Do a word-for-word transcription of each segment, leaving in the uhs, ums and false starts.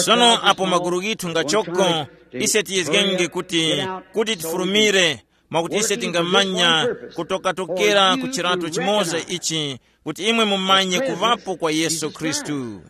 Sono apo maguru ghithu ngachoko, ise tiyezgenge kuti, kuti tifurumire, mwakuti ise tingamanya kutokatokera ku chirato chimoza ichi, kuti imwe mumanye kuŵapo kwa Yesu Khristu.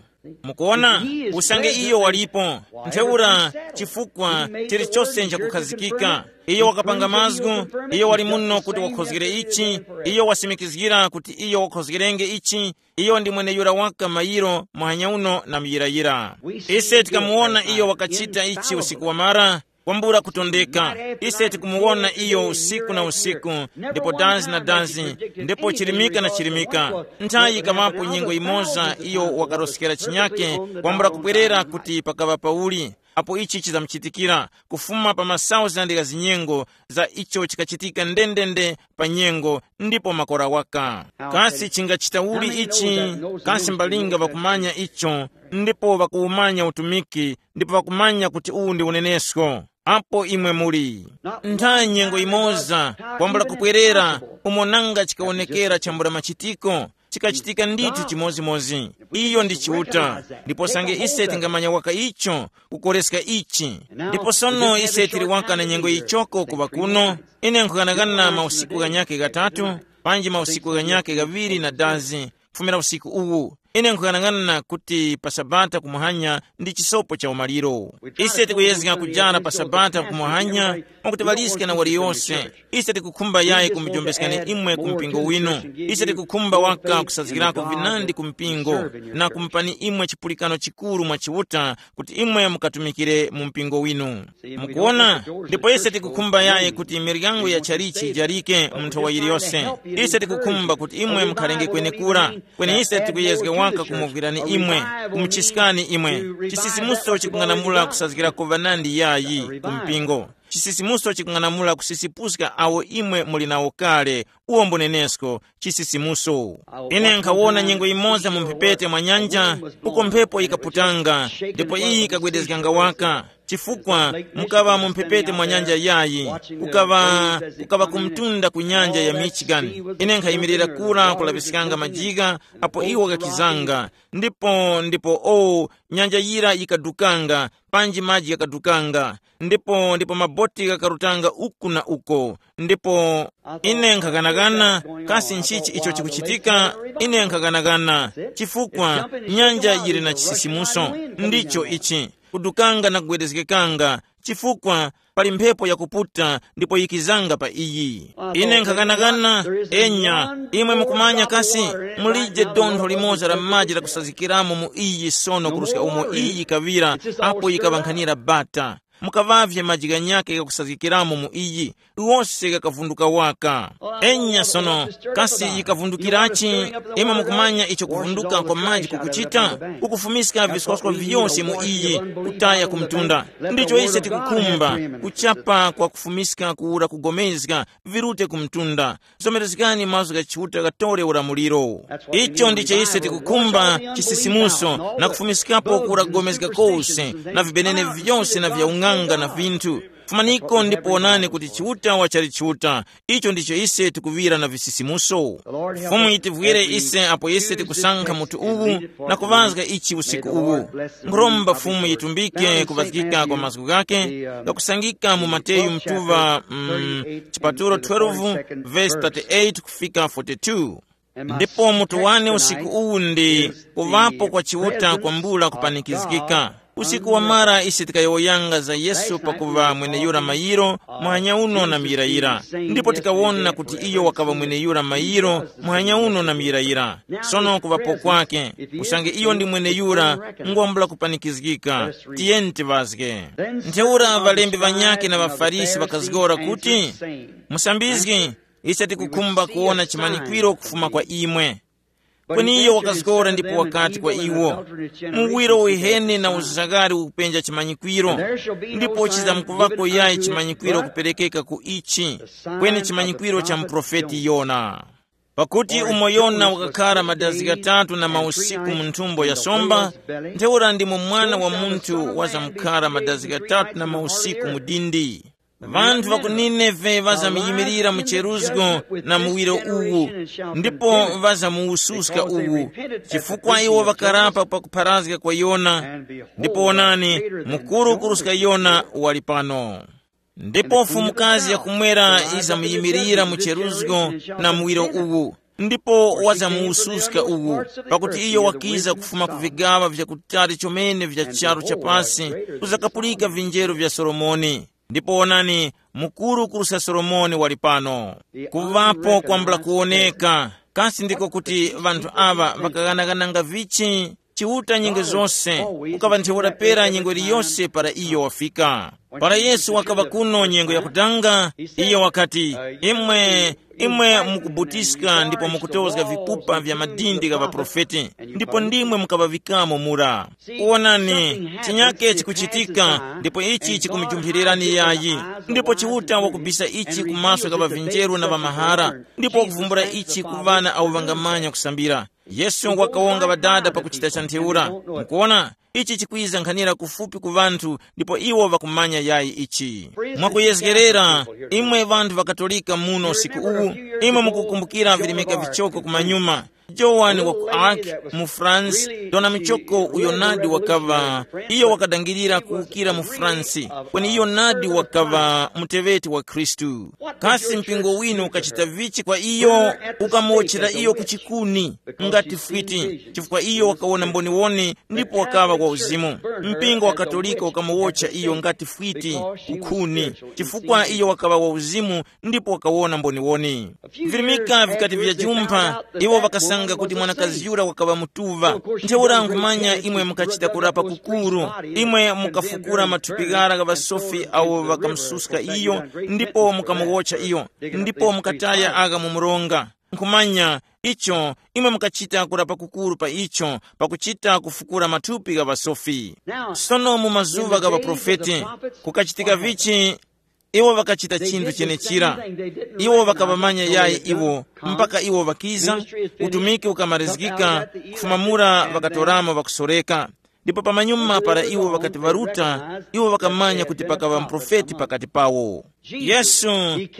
Mukuona, usange iyo walipo, ntheura chifukwa chilichose nchakukhazikika. Iyo wakapanga mazgu, iyo wali muno kuti wakhozgere ichi, iyo wasimikizgira kuti iyo wakhozgerenge ichi, iyo ndi mweneyura waka mayiro muhanya uno na muyirayira. Ise tikamuwona iyo wakachita ichi usiku wamara, kwambula kutondeka. Ise tikumuwona iyo usiku na usiku, ndipo danzi na danzi, ndipo chirimika na chirimika. Nthayi yikaŵapo nyengo yimoza iyo wakaroskera chinyake, kwambula kubwerera kuti pakaŵa pauli. Apo ichi chizamuchitikira, kufuma pa masauzandi gha zinyengo za icho chikachitika ndendende pa nyengo ndipo makora waka. Kasi chingachita uli ichi? Kasi mbalinga ŵakumanya icho, ndipo ŵakuwumanya utumiki, ndipo ŵakumanya kuti uwu ndi unenesko? Apo imwe muli ntha nyengo imoza, kwambula kupwerera, umo nanga chikawonekera chambula machitiko, chikachitika ndithu chimodzimodzi. Iyo ndi Chiuta. Ndipo sange ise tingamanya waka icho, kukoreska ichi. Ndipo sono ise tili waka na nyengo yichoko kuŵa kuno. Ine nkhughanaghana mausiku ghanyakhe ghatatu, panji mausiku ghanyakhe ghaŵiri na dazi, kufumira usiku uwu. Ine nkhughanaghana kuti pa Sabata kumuhanya ndi chisopo cha umaliro. Ise tikuyezga kujara pa Sabata kumuhanya, mwakuti ŵaliske na waliyose. Ise tikukhumba yayi kumujombeska ni imwe ku mpingo winu. Ise tikukhumba waka kusazgirako vinandi ku mpingo, na kumupani imwe chipulikano chikuru mwa Chiuta, kuti imwe mukatumikire mu mpingo winu. Mukuona? Ndipo ise tikukhumba yayi kuti miryango ya chalichi ijarike mu nthowa yiliyose. Ise tikukhumba kuti imwe mukhalenge kwenekura. Kweni ise tikuyezga waka kumuvwirani imwe, kumuchiskani imwe. Chisisimuso chikung'anamula kusazgirako vanandi yayi ku mpingo. Chisisimuso chikung'anamula kusisipuska awo imwe muli nawo kale. Uwo mbunenesko, chisisimuso. Ine nkhawona nyengo imoza mu mphepete mwa nyanja, uko mphepo yikaputanga, ndipo iyi yikagwedezganga waka. Chifukwa mukaŵa mu mphepete mwa nyanja yayi, kukaŵa, kukaŵa kumtunda ku nyanja ya Michigan. Ine nkhayimirira kura kulaŵiskanga majigha, apo iwo ghakizanga, ndipo, ndipo, o, nyanja yira yikadukanga, panji maji ghakadukanga, ndipo, ndipo maboti ghakarutanga uku na uko. Ndipo ine nkhaghanaghana, kasi nchichi icho chikuchitika? Ine nkhaghanaghana, chifukwa nyanja yili na chisisimuso. Ndicho ichi, kudukanga na kugwedezgekanga, chifukwa pali mphepo yakuputa ndipo yikizanga pa iyi. Ine nkhaghanaghana, enya, imwe mukumanya kasi, mulije dontho limoza la maji lakusazikiramo mu iyi sono kuruska umo iyi yikaŵira, apo yikaŵankhanira bata. Mukaŵavye maji ghanyakhe ghakusazgikiramo mu iyi, wose ghakavunduka waka. Enya sono, kasi yikavundukirachi? Imwe mukumanya icho kuvunduka kwa maji kukuchita? Kukufumiska viswaskwa vyose mu iyi, kutaya ku mtunda. Ndicho ise tikukhumba, kuchapa kwa kufumiska kuwura kugomezga, virute ku mtunda. Zomerezgani mazgu gha Chiuta ghatore ulamuliro. Icho ndicho ise tikukhumba, chisisimuso, na kufumiskapo kura kugomezga kose, na vibenene vyose na vya ung'anga na vinthu. Fumaniko ndipo wonani kuti Chiuta wachali Chiuta. Icho ndicho ise tikuŵira na visisimuso. Fumu yitivwire ise apo ise tikusankha mutu uwu na kuŵazga ichi usiku uwu. Nkhuromba Fumu yitumbike kuŵazgika kwa mazgu ghake, ghakusangika mu Mateyu mtuŵa, mm, chipatulo twelve, verse thirty-eight kufika forty-two. Ndipo mutu wane usiku uwu ndi kuŵapo kwa Chiuta kwambula kupanikizgika. Usiku wamara ise tikayowoyanga za Yesu pakuŵa mweneyura mayiro muhanya uno na muyirayira. Ndipo tikawona kuti iyo wakaŵa mweneyura mayiro muhanya uno na muyirayira. Sono kuŵapo kwake, usange iyo ndi mweneyura, ngwambula kupanikizgika. Tiyeni tiŵazge. Ntheura ŵalembi ŵanyakhe na ŵaFarisi ŵakazgora kuti, Musambizgi, ise tikukhumba kuwona chimanyikwiro kufuma kwa imwe. Kweni iyo wakazgora ndipo wakati kwa iwo, muwiro uheni na uzaghali ukupenja chimanyikwiro, ndipo chizamkuvako yayi chimanyikwiro kuperekeka ku ichi, kweni chimanyikwiro cha muprofeti Yona. Pakuti umo Yona wakakhara madazi ghatatu na mausiku mu nthumbo ya somba, ntheura ndimo Mwana wa Munthu wazamkhara madazi ghatatu na mausiku mu dindi. Ŵanthu ŵa ku Nineve ŵazamuyimilira mu cheruzgo na muwiro uwu, ndipo ŵazamuwususka uwu, chifukwa iwo ŵakarapa pakupharazga kwa Yona. Ndipo wonani, mukuru kuruska Yona wali pano. Ndipo mfumukazi yakumwera yizamuyimilira mu cheruzgo na muwiro uwu, ndipo wazamuwususka uwu, pakuti iyo wakiza kufuma ku vigaŵa vyakutali chomene vya charu cha pasi, kuzakapulika vinjeru vya Solomoni. Ndipo wonani, mukuru kuruska Solomoni wali pano. Kuŵapo kwambula kuwoneka. Kasi ndiko kuti ŵanthu aŵa ŵakaghanaghananga vichi? Chiuta nyengo zose, ukaŵa ntheura pera nyengo iliyose para iyo wafika. Para Yesu wakaŵa kuno nyengo yakutanga, iyo wakati, imwe, imwe mukubutiska ndipo mukutozga vipupa vya madindi gha ŵaprofeti, ndipo ndimwe mukaŵavikamo mura. Wonani, chinyake chikuchitika, ndipo ichi chikumujumphilirani yayi. Ndipo Chiuta wakubisa ichi ku maso gha ŵavinjeru na ŵamahara, ndipo wakuvumbula ichi ku ŵana awo ŵangamanya kusambira. Yesu wakawonga ŵadada pakuchita cha ntheura. Mukuona, ichi chikwiza nkhanira kufupi ku ŵanthu, ndipo iwo ŵakumanya yayi ichi. Mwakuyezgerera, imwe ŵanthu ŵa Katolika muno usiku uwu, imwe mukukumbukira virimika vichoko kumanyuma. Joan wa ku Arc mu France, dona michoko uyo nadi wakaŵa, iyo wakadangirira kuwukira mu France, kweni iyo nadi wakaŵa muteŵeti wa Khristu. Kasi mpingo winu ukachita vichi kwa iyo? Ukamuwotchera iyo ku chikuni ngati fwiti, chifukwa iyo wakawona mboniwoni ndipo wakaŵa wa uzimu. Mpingo wa Katolika ukamuwotcha iyo ngati fwiti kukhuni, chifukwa iyo wakaŵa wa uzimu ndipo wakawona mboniwoni. Virimika vikati vyajumpha, iwo ŵakasanga kuti mwanakazi yura wakaŵa mutuŵa. Ntheura nkhumanya imwe mukachita kurapa kukuru, imwe mukafukura mathupi ghara gha ŵasofi awo ŵakamususka iyo, ndipo mukamuwotcha iyo, ndipo mukataya agha mu mronga. Nkhumanya icho, imwe mukachita kurapa kukuru pa icho, pakuchita kufukura mathupi gha ŵasofi. Sono mu mazuŵa gha ŵaprofeti, kukachitika vichi? Iwo ŵakachita chinthu chenechira. Iwo ŵakaŵamanya yayi iwo, mpaka iwo ŵakiza, utumiki ukamarizgika, kufuma mura ŵakatoramo ŵakusoreka. Ndipo pamanyuma para iwo ŵakati ŵaruta, iwo ŵakamanya kuti pakaŵa muprofeti pakati pawo. Yesu,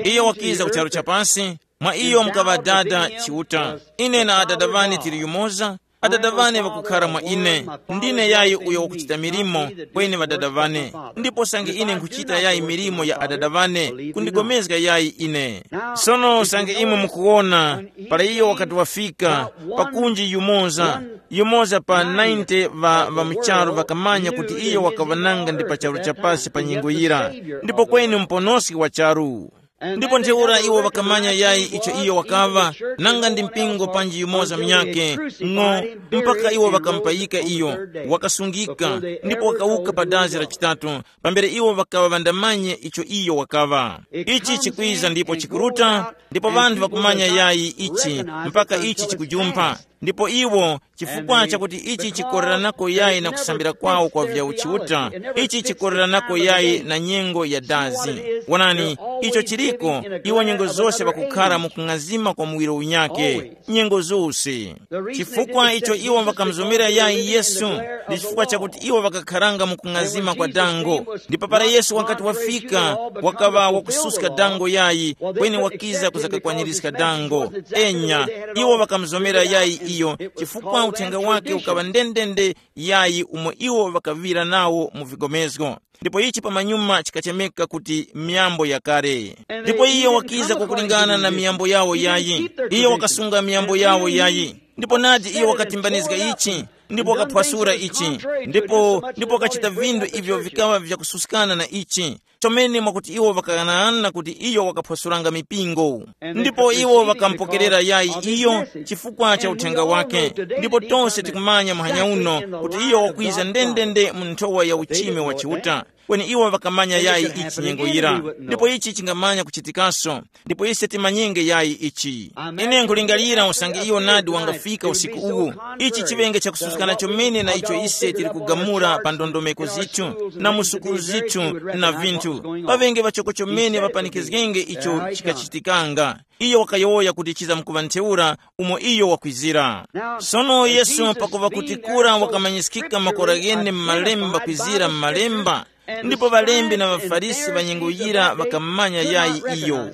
iyo wakiza ku charu cha pasi, mwa iyo mukaŵa Dada Chiuta. Ine na Adada ŵane tili yumoza, Adada ŵane ŵakukhara mwa ine. Ndine yayi uyo wakuchita milimo kweni Ŵadada ŵane, ndipo sange ine nkhuchita yayi milimo ya Adada ŵane, kundigomezga yayi ine. Sono sange imwe mukuwona, para iyo wakati wafika, pakunji yumoza, yumoza pa ninety ŵa ŵa mu charu ŵakamanya kuti iyo wakaŵananga ndi pa charu cha pasi pa nyengo yira, ndipo kweni Muponoski wa charu. Ndipo ntheura iwo ŵakamanya yayi icho iyo wakaŵa, nanga ndi mpingo panji yumoza munyakhe, ng'o, mpaka iwo ŵakamupayika iyo, wakasungika, ndipo wakawuka pa dazi la chitatu, pambere iwo ŵakaŵa ŵandamanye icho iyo wakaŵa. Ichi chikwiza ndipo chikuruta, ndipo ŵanthu ŵakumanya yayi ichi, mpaka ichi chikujumpha. Ndipo iwo, chifukwa chakuti ichi chikoreranako yayi na kusambira kwawo kwa vya uchiuta, ichi chikoreranako yayi na nyengo ya dazi. Wonani, icho chiliko, iwo nyengo zose ŵakukhara mu kung'azima kwa muwiro unyake, nyengo zose. Chifukwa icho iwo ŵakamuzomera yayi Yesu, ndi chifukwa chakuti iwo ŵakakharanga mu kung'azima kwa dango. Ndipo para Yesu wakati wafika, wakaŵa wakususka dango yayi, kweni wakiza kuzakakwanirizga dango. Enya, iwo ŵakamuzomera yayi iyo, chifukwa uthenga wake ukaŵa ndendende yayi umo iwo ŵakaŵira nawo mu vigomezgo. Ndipo ichi pamanyuma chikachemeka kuti miyambo yakale. Ndipo iyo wakiza kukulingana na miyambo yawo yayi. Iyo wakasunga miyambo yawo yayi. Ndipo nadi iyo wakatimbanizga ichi, ndipo wakaphwasula ichi, ndipo ndipo wakachita vinthu ivyo vikaŵa vyakususkana na ichi, chomene mwakuti iwo ŵakaghanaghanana kuti iyo wakaphwasulanga mipingo. Ndipo iwo ŵakamupokerera yayi iyo chifukwa cha uthenga wake. Ndipo tonse tikumanya muhanya uno kuti iyo wakwiza ndendende mu nthowa ya uchime wa Chiuta. Kweni iwo ŵakamanya yayi ichi nyengo yira, ndipo ichi chingamanya kuchitikaso. Ndipo ise timanyenge yayi ichi. Ine nkulingalira usange iyo nadi wangafika usiku uwu, ichi chiŵenge chakususkana chomene na icho ise tili kugamula pa ndondomeko zithu na mu sukulu zithu na vinthu. Paŵenge ŵachoko chomene ŵapanikizgenge icho chikachitikanga. Iyo wakayowoya kuti chizamkuŵa ntheura umo iyo wakwizira. Sono Yesu pakuva kuti kura wakamanyiskika makora ghene m'malemba kwizira m'malemba, Ndipo ŵalembi na ŵaFarisi ŵa nyengo yira ŵakammanya yayi iyo.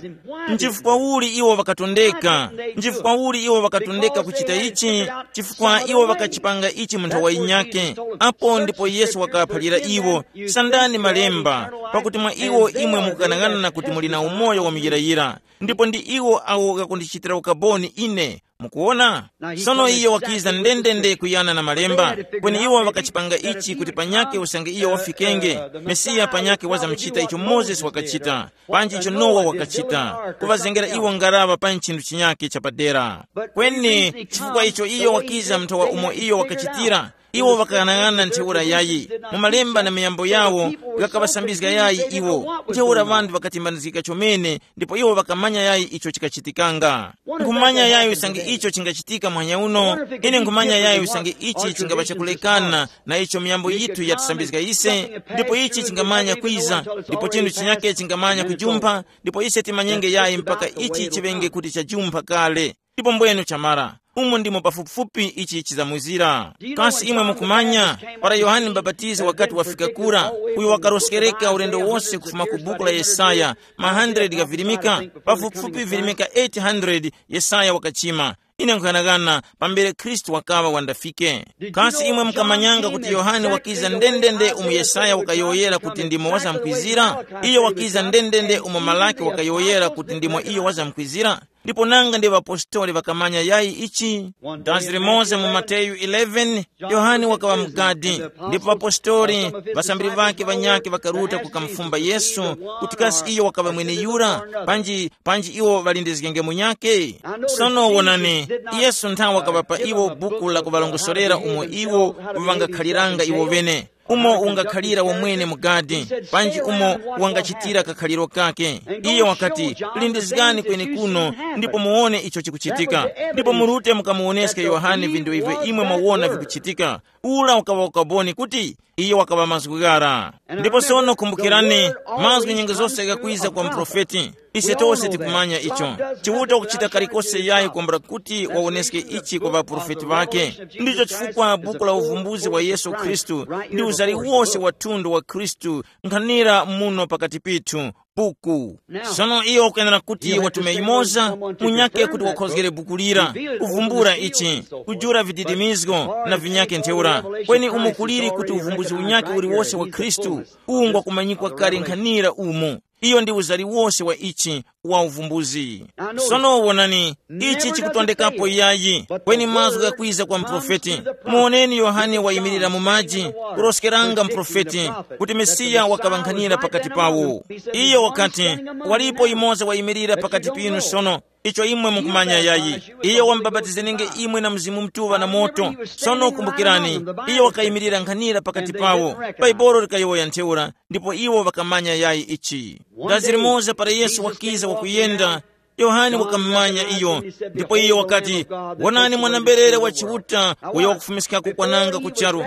Nchifukwa uli iwo ŵakatondeka? Nchifukwa uli iwo ŵakatondeka kuchita ichi? Chifukwa iwo ŵakachipanga ichi mu nthawi yinyakhe. Apo ndipo Yesu wakaŵaphalira iwo, sandani malemba, pakuti mwa iwo imwe mukughanaghana kuti muli na umoyo wa muyirayira, ndipo ndi iwo awo ghakundichitira ukaboni ine. Mukuwona? Sono iyo wakiza ndendende kuyana na malemba, kweni iwo ŵakachipanga ichi kuti panyakhe usange iyo wafikenge, Mesiya panyakhe wazamuchita icho Mozesi wakachita, panji icho Nowa wakachita, kuŵazengera iwo ngaraŵa pa nchinthu chinyakhe chapadera. Kweni chifukwa icho iyo wakiza mthawa umo iyo wakachitira, iwo ŵakaghanag'ana ntheura yayi. Mu malemba na miyambo yawo ghakaŵasambizga yayi iwo. Ntheura ŵanthu ŵakatimbanizgika chomene, ndipo iwo ŵakamanya yayi icho chikachitikanga. Nkhumanya yayi usange icho chingachitika muhanya uno. Ine nkhumanya yayi usange ichi chingapa chakulekana na icho miyambo yithu yatisambizga ise, ndipo ichi chingamanya kwiza, ndipo chinthu chinyake chingamanya kujumpha, ndipo ise timanyenge yayi mpaka ichi chiŵenge kuti chajumpha kale. Ndipo mbwenu chamara, umo ndimo pafupifupi ichi chizamwizira. Kasi imwe mukumanya, para Yohane Mubapatizi wakati wafika kura, uyo wakaroskereka ulendo wose kufuma ku buku la Yesaya, ma hundred ghavirimika, pafupifupi virimika eight hundred Yesaya wakachima. Ine nkuyanaghana pambere Khristu wakaŵa wandafike. Kasi imwe mukamanyanga kuti Yohane wakiza ndendende umu Yesaya wakayowoyera kuti ndimo wazamkwizira? Iyo wakiza ndendende umo Malaki wakayowoyera kuti ndimo iyo wazamkwizira. Ndipo nanga ndi ŵapostoli ŵakamanya yayi ichi? Dazi limoza mu Mateyu eleven, Yohane wakaŵa mugadi, ndipo ŵapostoli, ŵasambiri ŵake ŵanyakhe ŵakaruta kukamufumba Yesu, kuti kasi iyo wakaŵa mweneyura, panji panji iwo ŵalindizgenge munyakhe. Sono wonani, Yesu nthawe wakaŵapa iwo buku la kuŵalongosorera umo iwo ŵangakhaliranga iwo ŵene, umo ungakhalira wamwene mugadi, panji umo wangachitira kakhaliro kake. Iyo wakati, lindizgani kwenekuno, ndipo muwone icho chikuchitika, ndipo murute mukamuwoneske Yohane vinthu ivyo imwe mwawona vikuchitika. Ula ukaŵa ukaboni kuti iyo wakaŵa mazgu ghara. Ndipo sono kumbukirani, mazgu nyengo zose ghakwiza kwa muprofeti. Ise tose tikumanya icho. Chiuta kuchita kalikose yayi kwambula kuti wawoneske ichi kwa ŵaprofeti ŵake. Ndicho chifukwa buku la uvumbuzi wa Yesu Khristu ndi uzari wose wa thundu wa Khristu nkhanira muno pakati pithu. Buku. Sono iyo wakuyenera kuti watume yumoza munyake kuti wakhozgere buku lira, kuvumbula ichi, kujula vididimizgo na vinyake ntheura. Kweni umo kuliri kuti uvumbuzi unyake uliwose wa Khristu ungwa kumanyikwa kale nkhanira umu. Iyo ndi uzari wose wa ichi wa uvumbuzi. Sono wonani, ichi chikutondekapo yayi, kweni mazgu ghakwiza kwa mprofeti. Muwoneni Yohane wayimirira mu maji, kuroskeranga mprofeti kuti Mesiya wakaŵankhanira pakati pawo. Iyo wakati, walipo yumoza wayimirira pakati pinu sono, icho imwe mukumanya yayi. Iyo wamubapatizenenge imwe na Mzimu Mutuŵa na moto. Sono kumbukirani, iyo wakayimirira nkhanira pakati pawo. Baibolo likayowoya ntheura, ndipo iwo ŵakamanya yayi ichi. Dazi limoza para Yesu wakiza wakuyenda, Yohane wakamumanya iyo, ndipo iyo wakati, wonani mwana-mberere wa Chiuta uyo wakufumiskako kwananga ku charu.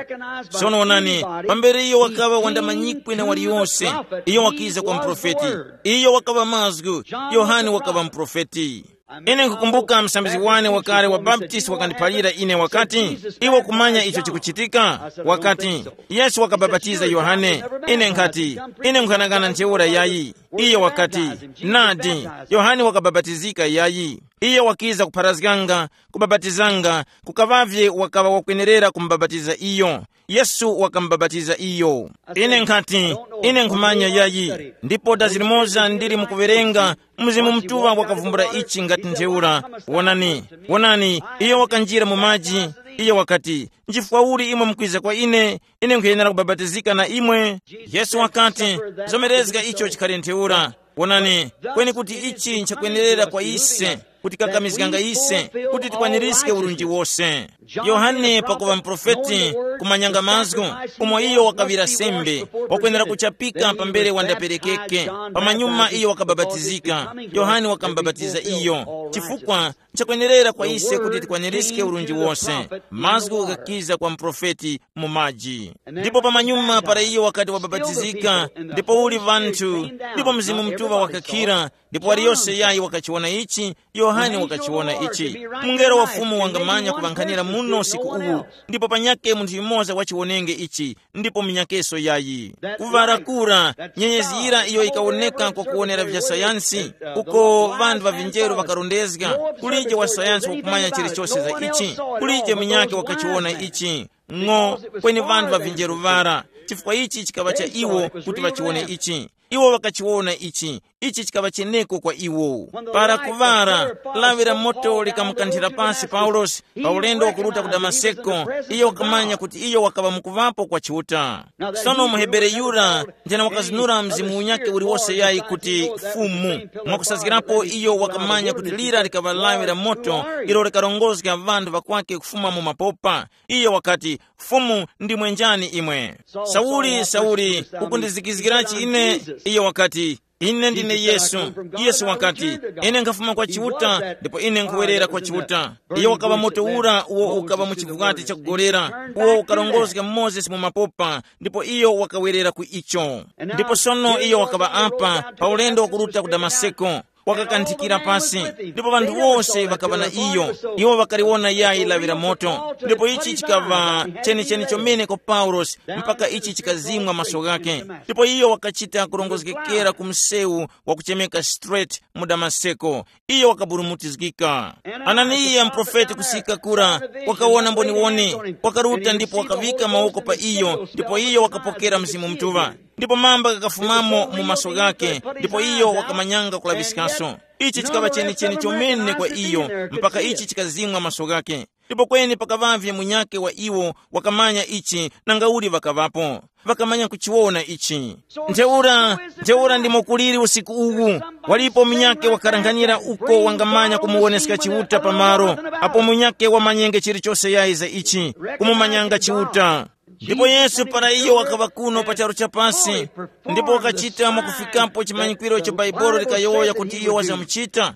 Sono wonani, pambere iyo wakaŵa wandamanyikwe na waliyose, iyo wakiza kwa muprofeti. Iyo wakaŵa mazgu, Yohane wakaŵa muprofeti. Ine nkukumbuka msambizgi wane wakale wa Baptist wakandiphalira ine wakati, iwe kumanya icho chikuchitika? Wakati, Yesu wakabapatiza Yohane. Ine nkhati, ine nkhanakana ntheura yayi. Iyo wakati, nadi, Yohane wakabapatizika yayi. Iyo wakiza kupharazganga, kubapatizanga, kukaŵavye wakaŵa wakwenerera kumubapatiza iyo. Yesu wakamubapatiza iyo. Ine nkhati, ine nkhumanya yayi. Ndipo dazi limoza ndili mukuwerenga, Mzimu Mutuŵa wakavumbula ichi ngati ntheura. Wonani, wonani, iyo wakanjira mu maji. Iyo wakati, nchifukwa uli imwe mukwiza kwa ine, ine nkhuyenera kubapatizika na imwe? Yesu wakati, zomerezga icho chikhale ntheura. Wonani, kweni kuti ichi nchakwenerera kwa ise, kuti kakamizganga ise, kuti tikwanirizge urunji wose. Yohane pakuŵa muprofeti, kumanyanga mazgu, umo iyo wakaŵira sembe, wakwenera kuchapika pambere wandaperekeke. Pamanyuma iyo wakabapatizika, Yohane wakamubapatiza iyo. Chifukwa nchakwenerera kwa ise kuti tikwanirizge urunji wose. Mazgu ghakiza kwa muprofeti mu maji. Ndipo pamanyuma para iyo wakati wabapatizika, ndipo uli vanthu, ndipo Mzimu Mutuŵa wakakhira, ndipo waliyose yayi wakachiwona ichi, Yohane wakachiwona ichi. Mungelo wa Fumu wangamanya kuŵankhanira uno usiku uwu, ndipo panyake munthu yumoza wachiwonenge ichi, ndipo munyakeso yayi. Kuŵara kura, nyenyezi yira iyo ikawoneka kwa kuwonera vya sayansi, uko ŵanthu ŵa vinjeru ŵakarondezga, kulije wa sayansi wakumanya chilichose za ichi, kulije munyake wakachiwona ichi. Ng'o, kweni ŵanthu ŵa vinjeru ŵara, chifukwa ichi chikaŵa cha iwo kuti ŵachiwone ichi. Iwo ŵakachiwona ichi, ichi chikaŵa cheneko kwa iwo. Para kuŵara, lawi la moto likamukanthira pasi Paulosi pa ulendo wakuruta ku Damaseko, iyo wakamanya kuti iyo wakaŵa mukuŵapo kwa Chiuta. Sono muHebere yura, njana wakazinura mzimu unyake uliwose yayi kuti Fumu. Mwakusazgirapo iyo wakamanya kuti lira likaŵa lawi la moto, ilo likarongozga ŵanthu ŵakwake kufuma mu mapopa. Iyo wakati, "Fumu, ndimwe njani imwe?" "Sauli, Sauli, ukundizikizgirachi ine?" Iyo wakati, "Ine ndine Yesu." Yesu wakati, "Ine nkhafuma kwa Chiuta, ndipo ine nkhuwerera kwa Chiuta." Iyo wakaŵa moto ura uwo ukaŵa mu chivwati chakugolera, uwo ukarongozga Mozesi mu mapopa, ndipo iyo wakawerera ku icho. Ndipo sono iyo wakaŵa apa pa ulendo wakuruta ku Damaseko. Wakakanthikira pasi, ndipo ŵanthu wose ŵakaŵa na iyo. Iwo ŵakaliwona yayi lawi la moto, ndipo ichi chikaŵa chenicheni chomene kwa Paulosi, mpaka ichi chikazimwa maso ghake. Ndipo iyo wakachita kurongozgekera ku msewu wakuchemeka Straight mu Damaseko. Iyo wakaburumutizgika. Ananiya muprofeti kusika kura wakawona mboniwoni, wakaruta ndipo wakavika mawoko pa iyo, ndipo iyo wakapokera Mzimu Mutuŵa. Ndipo mamba ghakafumamo mu maso ghake, ndipo iyo wakamanyanga kulaŵiskaso. Ichi chikaŵa chenicheni chomene kwa iyo, mpaka ichi chikazimwa maso ghake. Ndipo kweni pakaŵavye munyakhe wa iwo wakamanya ichi, nangauli ŵakaŵapo, ŵakamanya kuchiwona ichi. Ntheura, ntheura ndimo kuliri usiku uwu, walipo munyakhe wakaranganyira uko wangamanya kumuwoneska Chiuta pamalo, apo munyakhe wamanyenge chilichose yayi za ichi, kumumanyanga Chiuta. Ndipo Yesu para iyo wakaŵa kuno pa charu cha pasi, ndipo wakachita mwakufikapo chimanyikwiro icho Bhaibuli likayowoya kuti iyo wazamuchita.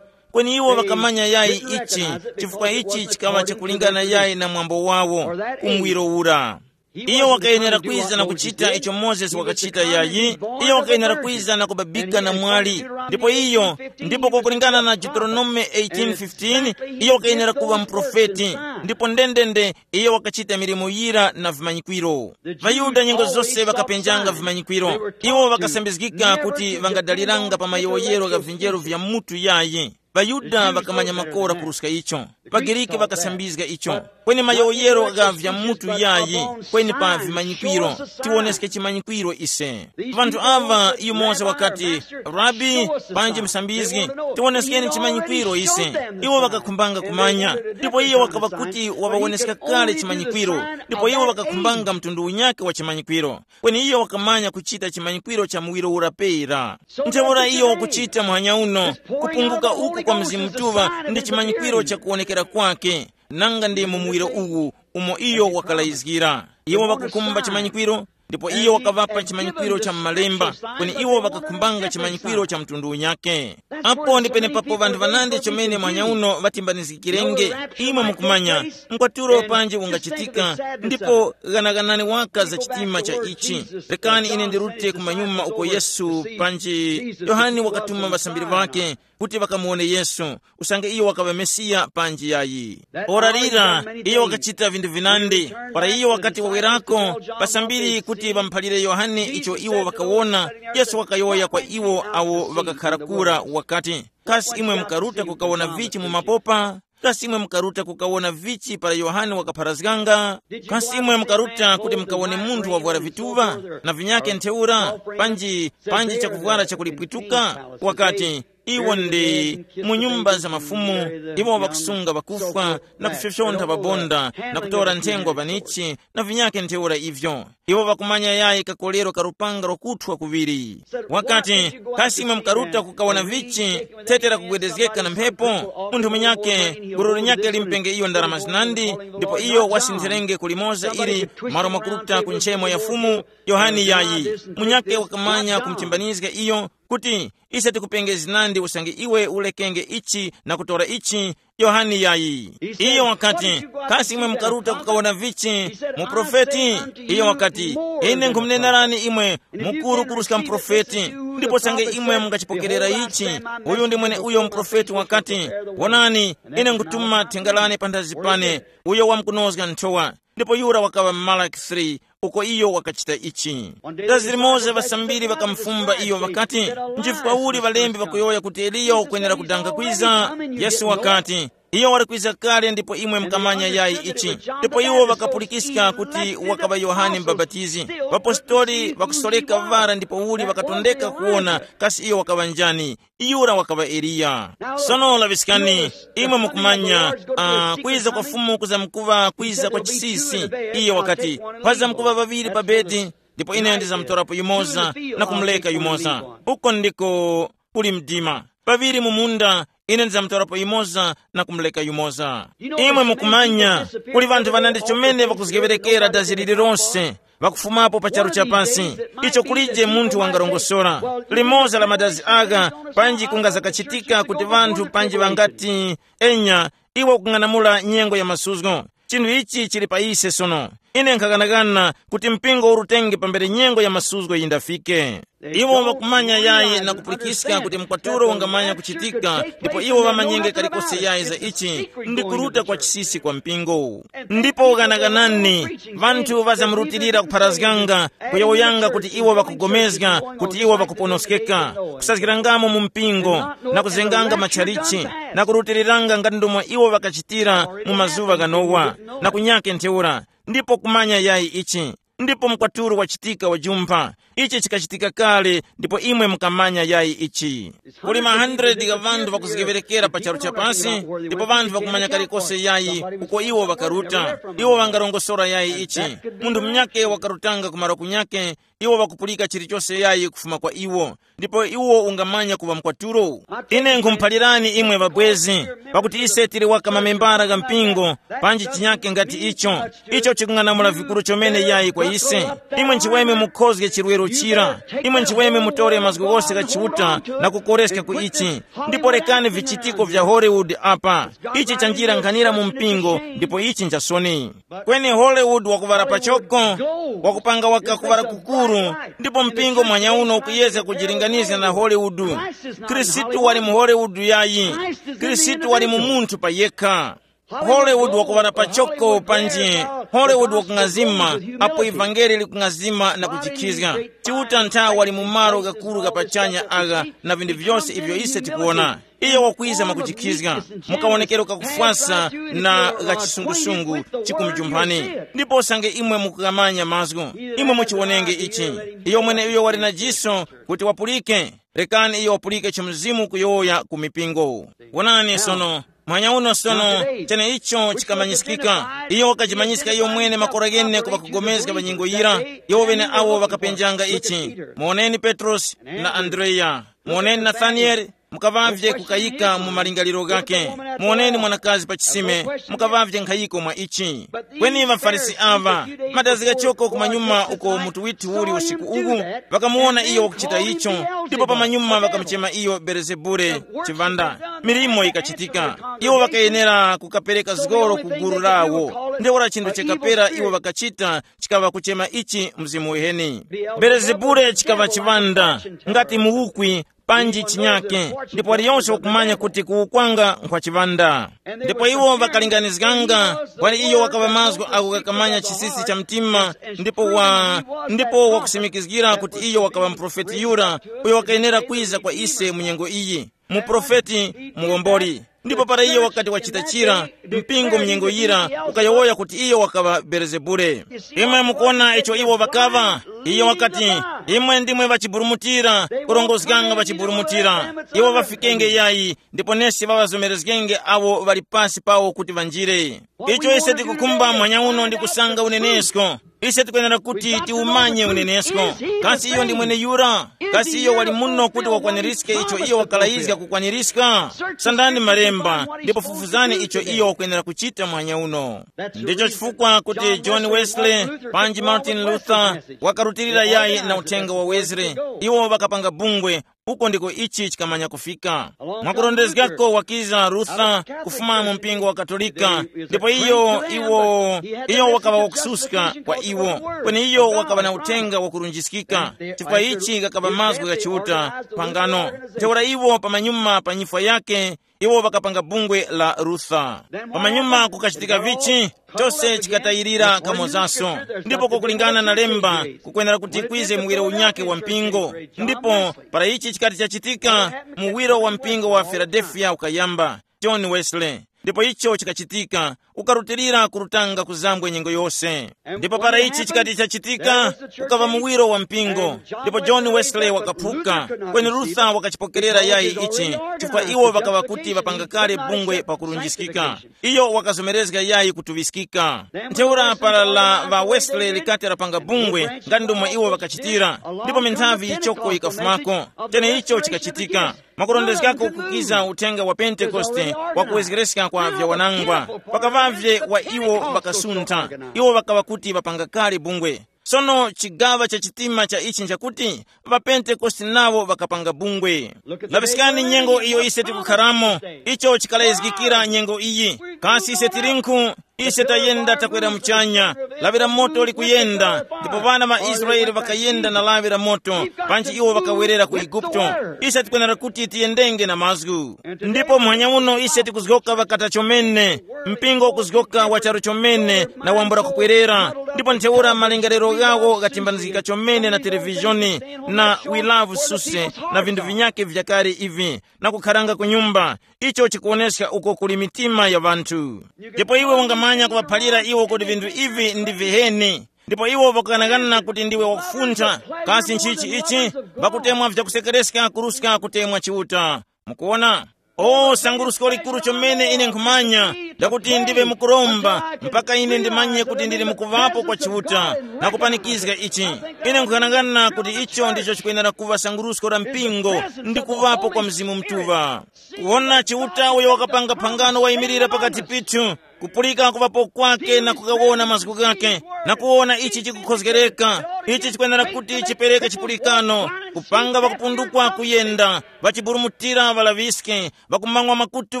Kweni iwo ŵakamanya yayi ichi, chifukwa ichi chikaŵa chakulingana yayi na mwambo wawo, kumwiro ura. Iyo wakayenera kwiza na kuchita icho Mozesi wakachita yayi. Iyo wakayenera kwiza na kubabika na mwali. Ndipo iyo, ndipo kwakulingana na Deuteronome eighteen fifteen, iyo wakayenera kuŵa muprofeti. Ndipo ndendende, iyo wakachita milimo yira na vimanyikwiro. ВaYuda nyengo zose ŵakapenjanga vimanyikwiro. Iwo ŵakasambizgika kuti ŵangadaliranga pa mayowoyero gha vinjeru vya mutu yayi. ВaYuda ŵakamanya makora kuruska icho. ВaGriki ŵakasambizga icho. Kweni mayowoyero gha vya mutu yayi, kweni pa vimanyikwiro. Tiwoneske chimanyikwiro ise. Vanthu ava yumoza wakati, "Rabi, panji musambizgi, tiwoneskeni chimanyikwiro ise." Iwo ŵakakhumbanga kumanya, ndipo iye wakaŵa kuti waŵawoneska kale chimanyikwiro, ndipo iwo ŵakakhumbanga mtundu unyakhe wa chimanyikwiro. Kweni iyo wakamanya kuchita chimanyikwiro cha muwiro ura pera. Ntheura iyo wakuchita muhanya uno, kupunguka uku kwa Mzimu Mutuŵa ndi chimanyikwiro cha kuwonekera kwake, nanga ndi mu muwiro uwu umo iyo wakalayizgira. Iwo ŵakukhumba chimanyikwiro, ndipo iyo wakaŵapa chimanyikwiro cha m'malemba, kweni iwo ŵakakhumbanga chimanyikwiro cha mtundu unyakhe. Apo ndi penepapo ŵanthu ŵanandi chomene muhanya uno ŵatimbanizgikirenge. Imwe mukumanya, mkwatulo panji ungachitika, ndipo ghanaghanani waka za chitima cha ichi. Rekani ine ndirute kumanyuma uko Yesu panji Yohane wakatuma ŵasambiri ŵake kuti ŵakamuwone Yesu, usange iyo wakaŵa Mesiya panji yayi. Ora lira, iyo wakachita vinthu vinandi. Ora iyo wakati wawerako, ŵasambiri kuti ŵamuphalire Yohane icho iwo ŵakawona, Yesu wakayowoya kwa iwo awo ŵakakhara kura wakati, "Kasi imwe mukaruta kukawona vichi mu mapopa? Kasi imwe mukaruta kukawona vichi para Yohane wakapharazganga? Kasi imwe mukaruta kuti mukawone munthu wavwara vituŵa na vinyakhe ntheura, panji, panji chakuvwara chakulipwituka?" Wakati, "Iwo ndi mu nyumba za mafumu, iwo ŵakusunga ŵakufwa na kufyofyontha ŵabonda na kutora nthengwa panichi na vinyakhe ntheura ivyo. Iwo ŵakumanya yayi kakolero ka lupanga lwakuthwa kuŵiri." Wakati, "Kasi imwe mukaruta kukawona vichi thete lakugwedezgeka na mphepo? Munthu munyakhe, gulu linyakhe limpenge iyo ndarama zinandi, ndipo iyo wasintherenge kulimoza ili malo mwakuruta ku nchemo ya Fumu, Yohane yayi. Munyakhe wakamanya kumuchimbanizga iyo, kuti, ise tikupengezi nandi usange iwe ulekenge ichi na kutora ichi. Yohane yayi. Iyo wakati, kasi imwe mukaruta kukawona vichi? Muprofeti? Iyo wakati, ine nkhumunenerani imwe, mukuru kuruska muprofeti. Ndipo sange imwe mungachipokerera ichi, uyu ndi mwene uyo muprofeti wakati, wonani, ine nkutuma thenga lane panthazi pane, uyo wamkunozga nthowa. Ndipo yura wakaŵa Malaki three, uko iyo wakachita ichi. Dazi limoza ŵasambiri ŵakamufumba iyo ŵakati, nchifukwa uli ŵalembi ŵakuyowoya kuti Eliya wakwenera kudanga kwiza? Yesu wakati, iyo wali kwiza kale ndipo imwe mukamanya yayi ichi. Ndipo iwo ŵakapulikiska kuti wakaŵa Yohane Mubapatizi. Ŵapostori ŵakusoreka vara ndipo uli ŵakatondeka kuwona kasi iyo wakaŵa njani. Yura wakaŵa Eliya. Sono laŵiskani, imwe mukumanya, uh, kwiza kwa Fumu kuzamkuŵa kwiza kwa chisisi. Iye wakati, pazamkuŵa ŵaŵiri pa bedi, ndipo ine ndizamtorapo yumoza na kumuleka yumoza. Uko ndiko kuli mdima. Paŵiri mu munda, ine ndizamtorapo yumoza na kumuleka yumoza. Imwe mukumanya, kuli ŵanthu ŵanandi chomene ŵakuzgeŵerekera dazi lililonse, ŵakufumapo pa charu cha pansi, icho kulije munthu wangarongosora. Limoza la madazi agha, panji kungazakachitika kuti ŵanthu panji ŵangati, enya, iwe ukung'anamula nyengo ya masuzgo. Chinthu ichi chili pa ise sono. Ine nkhakanakana kuti mpingo urutenge pambere nyengo ya masuzgo yindafike. Iwo ŵakumanya yayi na kupulikiska kuti mkwatulo ungamanya kuchitika, ndipo iwo ŵamanyenge kalikose yayi za ichi, ndi kuruta kwa chisisi kwa mpingo. Ndipo ghanaganani, ŵanthu ŵazamrutilira kupharazganga, kuyowoyanga kuti iwo ŵakugomezga, kuti iwo ŵakuponoskeka, kusazgirangamo mu mpingo, na kuzenganga matchalichi, na kurutiriranga ngati ndomwe iwo ŵakachitira mu mazuŵa gha Nowa, na kunyake ntheura. Ndipo kumanya yayi ichi. Ndipo mkwatulo wachitika wajumpha. Ichi chikachitika kale, ndipo imwe mukamanya yayi ichi. Kuli ma hundred gha ŵanthu ŵakuzgeŵerekera pa charu cha pasi, ndipo ŵanthu ŵakumanya kalikose yayi uko iwo ŵakaruta. Iwo ŵangarongosora yayi ichi. Munthu munyakhe wakarutanga kumaro kunyakhe, iwo ŵakupulika chilichose yayi kufuma kwa iwo, ndipo iwo ungamanya kuŵa mkwatulo. Ine nkhumuphalirani imwe ŵabwezi, pakuti ise tili waka mamembara gha mpingo, panji chinyake ngati icho, icho chikung'anamula vikuru chomene yayi kwa ise. Imwe nchiweme mukhozge chirwero chira, imwe nchiweme mutore mazgu ghose gha Chiuta na kukoreska ku ichi. Ndipo rekani vichitiko vya Hollywood apa. Ichi chanjira nkhanira mu mpingo, ndipo ichi nchasoni. Kweni Hollywood wakuŵala pachoko, wakupanga waka kuŵala kukuru, ndipo mpingo mwanyauno ukuyezga kujilinganiza na Hollywood. Khristu wali mu Hollywood yayi. Khristu wali mu munthu pa yekha. Hollywood wakuŵala pachoko panji, Hollywood wakung'azima, apo ivangeli likung'azima na kujikhizga. Chiuta nthawi wali mu malo gakuru ga pachanya agha na vinthu vyose ivyo ise tikuwona. Iyo wakwiza mwakujikhizga, mukawonekero kakufwasa na gha chisungusungu chikumujumphani. Ndipo usange imwe mukukamanya mazgu, imwe muchiwonenge ichi. Iyo mwene uyo wali na jiso kuti wapulike, rekani iyo wapulike icho Mzimu kuyowoya ku mipingo. Wonani sono, mwanya uno sono, chene icho chikamanyiskika. Iyo wakajimanyiska iyo mwene makora ghene ku ŵakugomezga pa nyengo yira, iwo ŵene awo ŵakapenjanga ichi. Muwoneni Petrosi na Andreya. Muwoneni Nathanieli, mukaŵavye kukayika mu malingaliro ghakhe. Muwoneni mwanakazi pa chisime, mukaŵavye nkhayiko mwa ichi. Kweni ŵaFarisi aŵa, madazi ghachoko kumanyuma uko mutu withu uli usiku uwu, ŵakamuwona iyo wakuchita icho, ndipo pamanyuma ŵakamuchema iyo Belezebule, chiŵanda. Milimo yikachitika. Iwo ŵakayenera kukapereka zgoro ku gulu lawo. Ntheura chinthu chakapera iwo ŵakachita chikaŵa kuchema ichi mzimu uheni. Belezebule chikaŵa chiŵanda, ngati muwukwi, panji chinyake, ndipo waliyonse wakumanya kuti kuwukwanga nkhwa chiŵanda. Ndipo iwo ŵakalinganizganga, wali iyo wakaŵa mazgu ako kakamanya chisisi cha mtima, ndipo wa, ndipo wakusimikizgira kuti iyo wakaŵa muprofeti yura, uyo wakayenera kwiza kwa ise mu nyengo iyi, muprofeti, muwomboli. Ndipo para iyo wakati wachita chira, mpingo mnyengo yira ukayowoya kuti iyo wakaŵa Belezebule. Imwe mukuona icho iwo ŵakaŵa? Iyo wakati, imwe ndimwe ŵachiburumutira, kurongozganga ŵachiburumutira. Iwo ŵafikenge yayi, ndipo nesi ŵaŵazomerezgenge awo ŵali pasi pawo kuti ŵanjire. Icho ise tikukhumba mwanya uno ndi kusanga unenesko. Ise tikwenera kuti tiumanye unenesko. Kasi iyo ndi mweneyura? Kasi iyo wali muno kuti wakwaniritske icho iyo wakalayizga kukwaniritska? Sandani malemba, ndipo fufuzani icho iyo wakwenera kuchita mwanya uno. Ndicho chifukwa kuti John Wesley panji Martin Luther wakarutilira yayi na uthenga wa Wesley. Iwo ŵakapanga bungwe, Uko ndiko ichi chikamanya kufika. Mwakurondezgako wakiza Rutha kufuma mu mpingo wa Katolika, ndipo iyo iwo iyo wakaŵa wakususka kwa iwo, kweni iyo wakaŵa na uthenga wakurunjiskika, chifukwa ichi ghakaŵa mazgu gha Chiuta pangano. Ntheura iwo pamanyuma pa nyifwa yake, iwo ŵakapanga bungwe la Rutha. Pamanyuma kukachitika vichi, chose chikatayirira kamozaso. Ndipo kukulingana na lemba, kukwenera kuti kwize muwiro unyake wa mpingo. Ndipo para ichi chikati chachitika, muwiro wa mpingo wa Filadelfiya ukayamba, John Wesley. Ndipo icho chikachitika, ukarutilira kurutanga kuzambwe nyengo yose. Ndipo para ichi chikati chachitika, ukava muwiro wa mpingo. Ndipo John Wesley wakaphuka, kweni Luther wakachipokerera yayi ichi, chifukwa iwo ŵakaŵa kuti ŵapanga kale bungwe pakurunjiskika. Iyo wakazomerezga yayi kutuŵiskika. Ntheura para la ŵa Wesley likati lapanga bungwe, ngati ndomwe iwo ŵakachitira, ndipo minthavi yichoko yikafumako. Chene icho chikachitika. Mwakurondezgako kukiza uthenga wa Pentekoste wa kuwezgereska kwa vyawanangwa. Pakavavye wa iwo ŵakasuntha, iwo ŵakaŵa kuti ŵapanga kale bungwe. Sono chigaŵa cha chitima cha ichi nchakuti ŵapentekoste nawo ŵakapanga bungwe. Laŵiskani nyengo iyo ise tikukharamo. Icho chikalayizgikira nyengo iyi. Kasi ise tilinkhu? Ise tayenda takwera muchanya. Lawi la moto likuyenda, ndipo ŵana ŵa Israele ŵakayenda na lawi la moto, panji iwo ŵakawerera ku Eguputo. Ise tikwenera kuti tiyendenge na mazgu. Ndipo muhanya uno ise tikuzgoka ŵakata chomene, mpingo ukuzgoka wa charu chomene na wambula kupwerera. Ndipo ntheura malingaliro ghawo ghatimbanizgika chomene na televizhoni, na we love Susie, na vinthu vinyakhe vyakale ivi, na kukharanga ku nyumba. Icho chikuwoneska uko kuli mitima ya ŵanthu. Ndipo iwe ungamanya kuŵaphalira iwo kuti vinthu ivi ndi viheni. Ndipo iwo ŵakughanaghanana kuti ndiwe wakufuntha. Kasi nchichi ichi? Ŵakutemwa vyakusekereska kuruska kutemwa Chiuta. Mukuona? O sangurusko likuru chomene ine nkhumanya, lakuti ndiwe mukuromba, mpaka ine ndimanye kuti ndili mukuvapo kwa Chiuta, na kupanikizga ichi. Ine nkhughanagana kuti icho ndicho chikwenera kuŵa sangurusko la mpingo, ndi kuŵapo kwa Mzimu Mutuŵa. Kuwona Chiuta uyo wakapanga phangano wayimirira pakati pithu, kupulika kuŵapo kwake na kukawona mazgu ghake, na kuwona ichi chikukhozgereka, ichi chikwenera kuti chipereke chipulikano, kupanga ŵakupundukwa kuyenda, ŵachiburumutira ŵalaŵiske, ŵakumang'wa makutu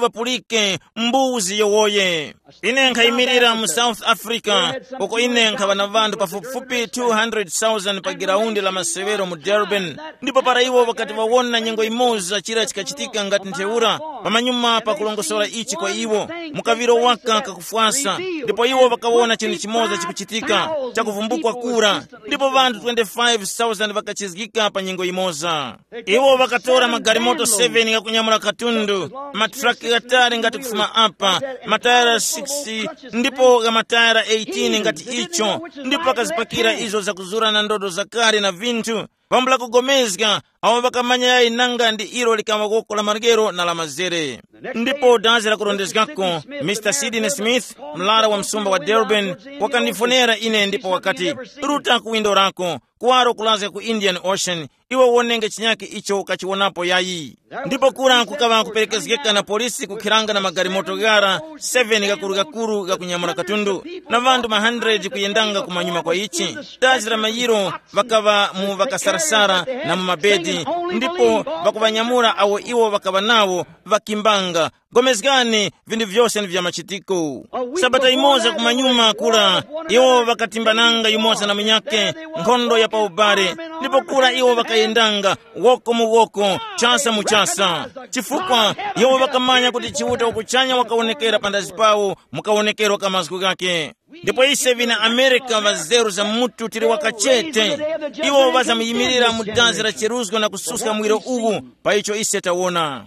ŵapulike, mbuzi yowoye. Ine nkhayimirira mu South Africa, uko ine nkhaŵa na ŵanthu pafupifupi two hundred thousand pa giraundi la masewero mu Durban. Ndipo para iwo ŵakati ŵawona nyengo imoza chira chikachitika ngati ntheura, pamanyuma pakulongosora ichi kwa iwo, mukaŵiro waka kakufwasa, ndipo iwo ŵakawona chinthu chimoza chikuchitika, chakuvumbukwa kura, ndipo ŵanthu twenty-five thousand ŵakachizgika pa nyengo imoza. Iwo ŵakatora magalimoto seven ghakunyamula katundu, matraki ghatali ngati kufuma apa, matayara six, ndipo gha matayara eighteen ngati icho, ndipo ŵakazipakira izo zakuzura na ndodo zakale na vinthu. Pambula kugomezga, awo ŵakamanya yayi nanga ndi ilo likaŵa woko la maryero na la mazere. Ndipo dazi lakurondezgako, Mister Sidney Smith, mlara wa msumba wa Durban, wakandifonera ine ndipo wakati, "Ruta ku windo lako, kuwaro kulazga ku Indian Ocean, iwe wonenge chinyakhe icho ukachiwonapo yayi." Ndipo kura kukaŵa kuperekezgeka na polisi kukhiranga na magalimoto ghara seven gakuru-gakuru gakunyamula katundu, na ŵanthu ma hundred kuyendanga kumanyuma kwa ichi. Dazi la mayiro ŵakaŵa mu ŵakasarasara na mu mabedi, ndipo ŵakuŵanyamula awo iwo ŵakaŵa nawo ŵakimbanga. Gomezgani, vinthu vyose ndi vya machitiko. Sabata imoza kumanyuma kura, iwo ŵakatimbananga yumoza na munyakhe nkhondo ya pa ubale, ndipo kura iwo ŵakayendanga woko mu woko, chasa mu chasa, chifukwa iwo ŵakamanya kuti Chiuta wakuchanya wakawonekera pandazi pawo mu kawonekero ka mazgu ghakhe. Ndipo ise vina Amerika ŵazeru za mutu tili wakachete, iwo ŵazamuyimirira mu dazi la cheruzgo na kususka mwiro uwu pa icho ise tawona.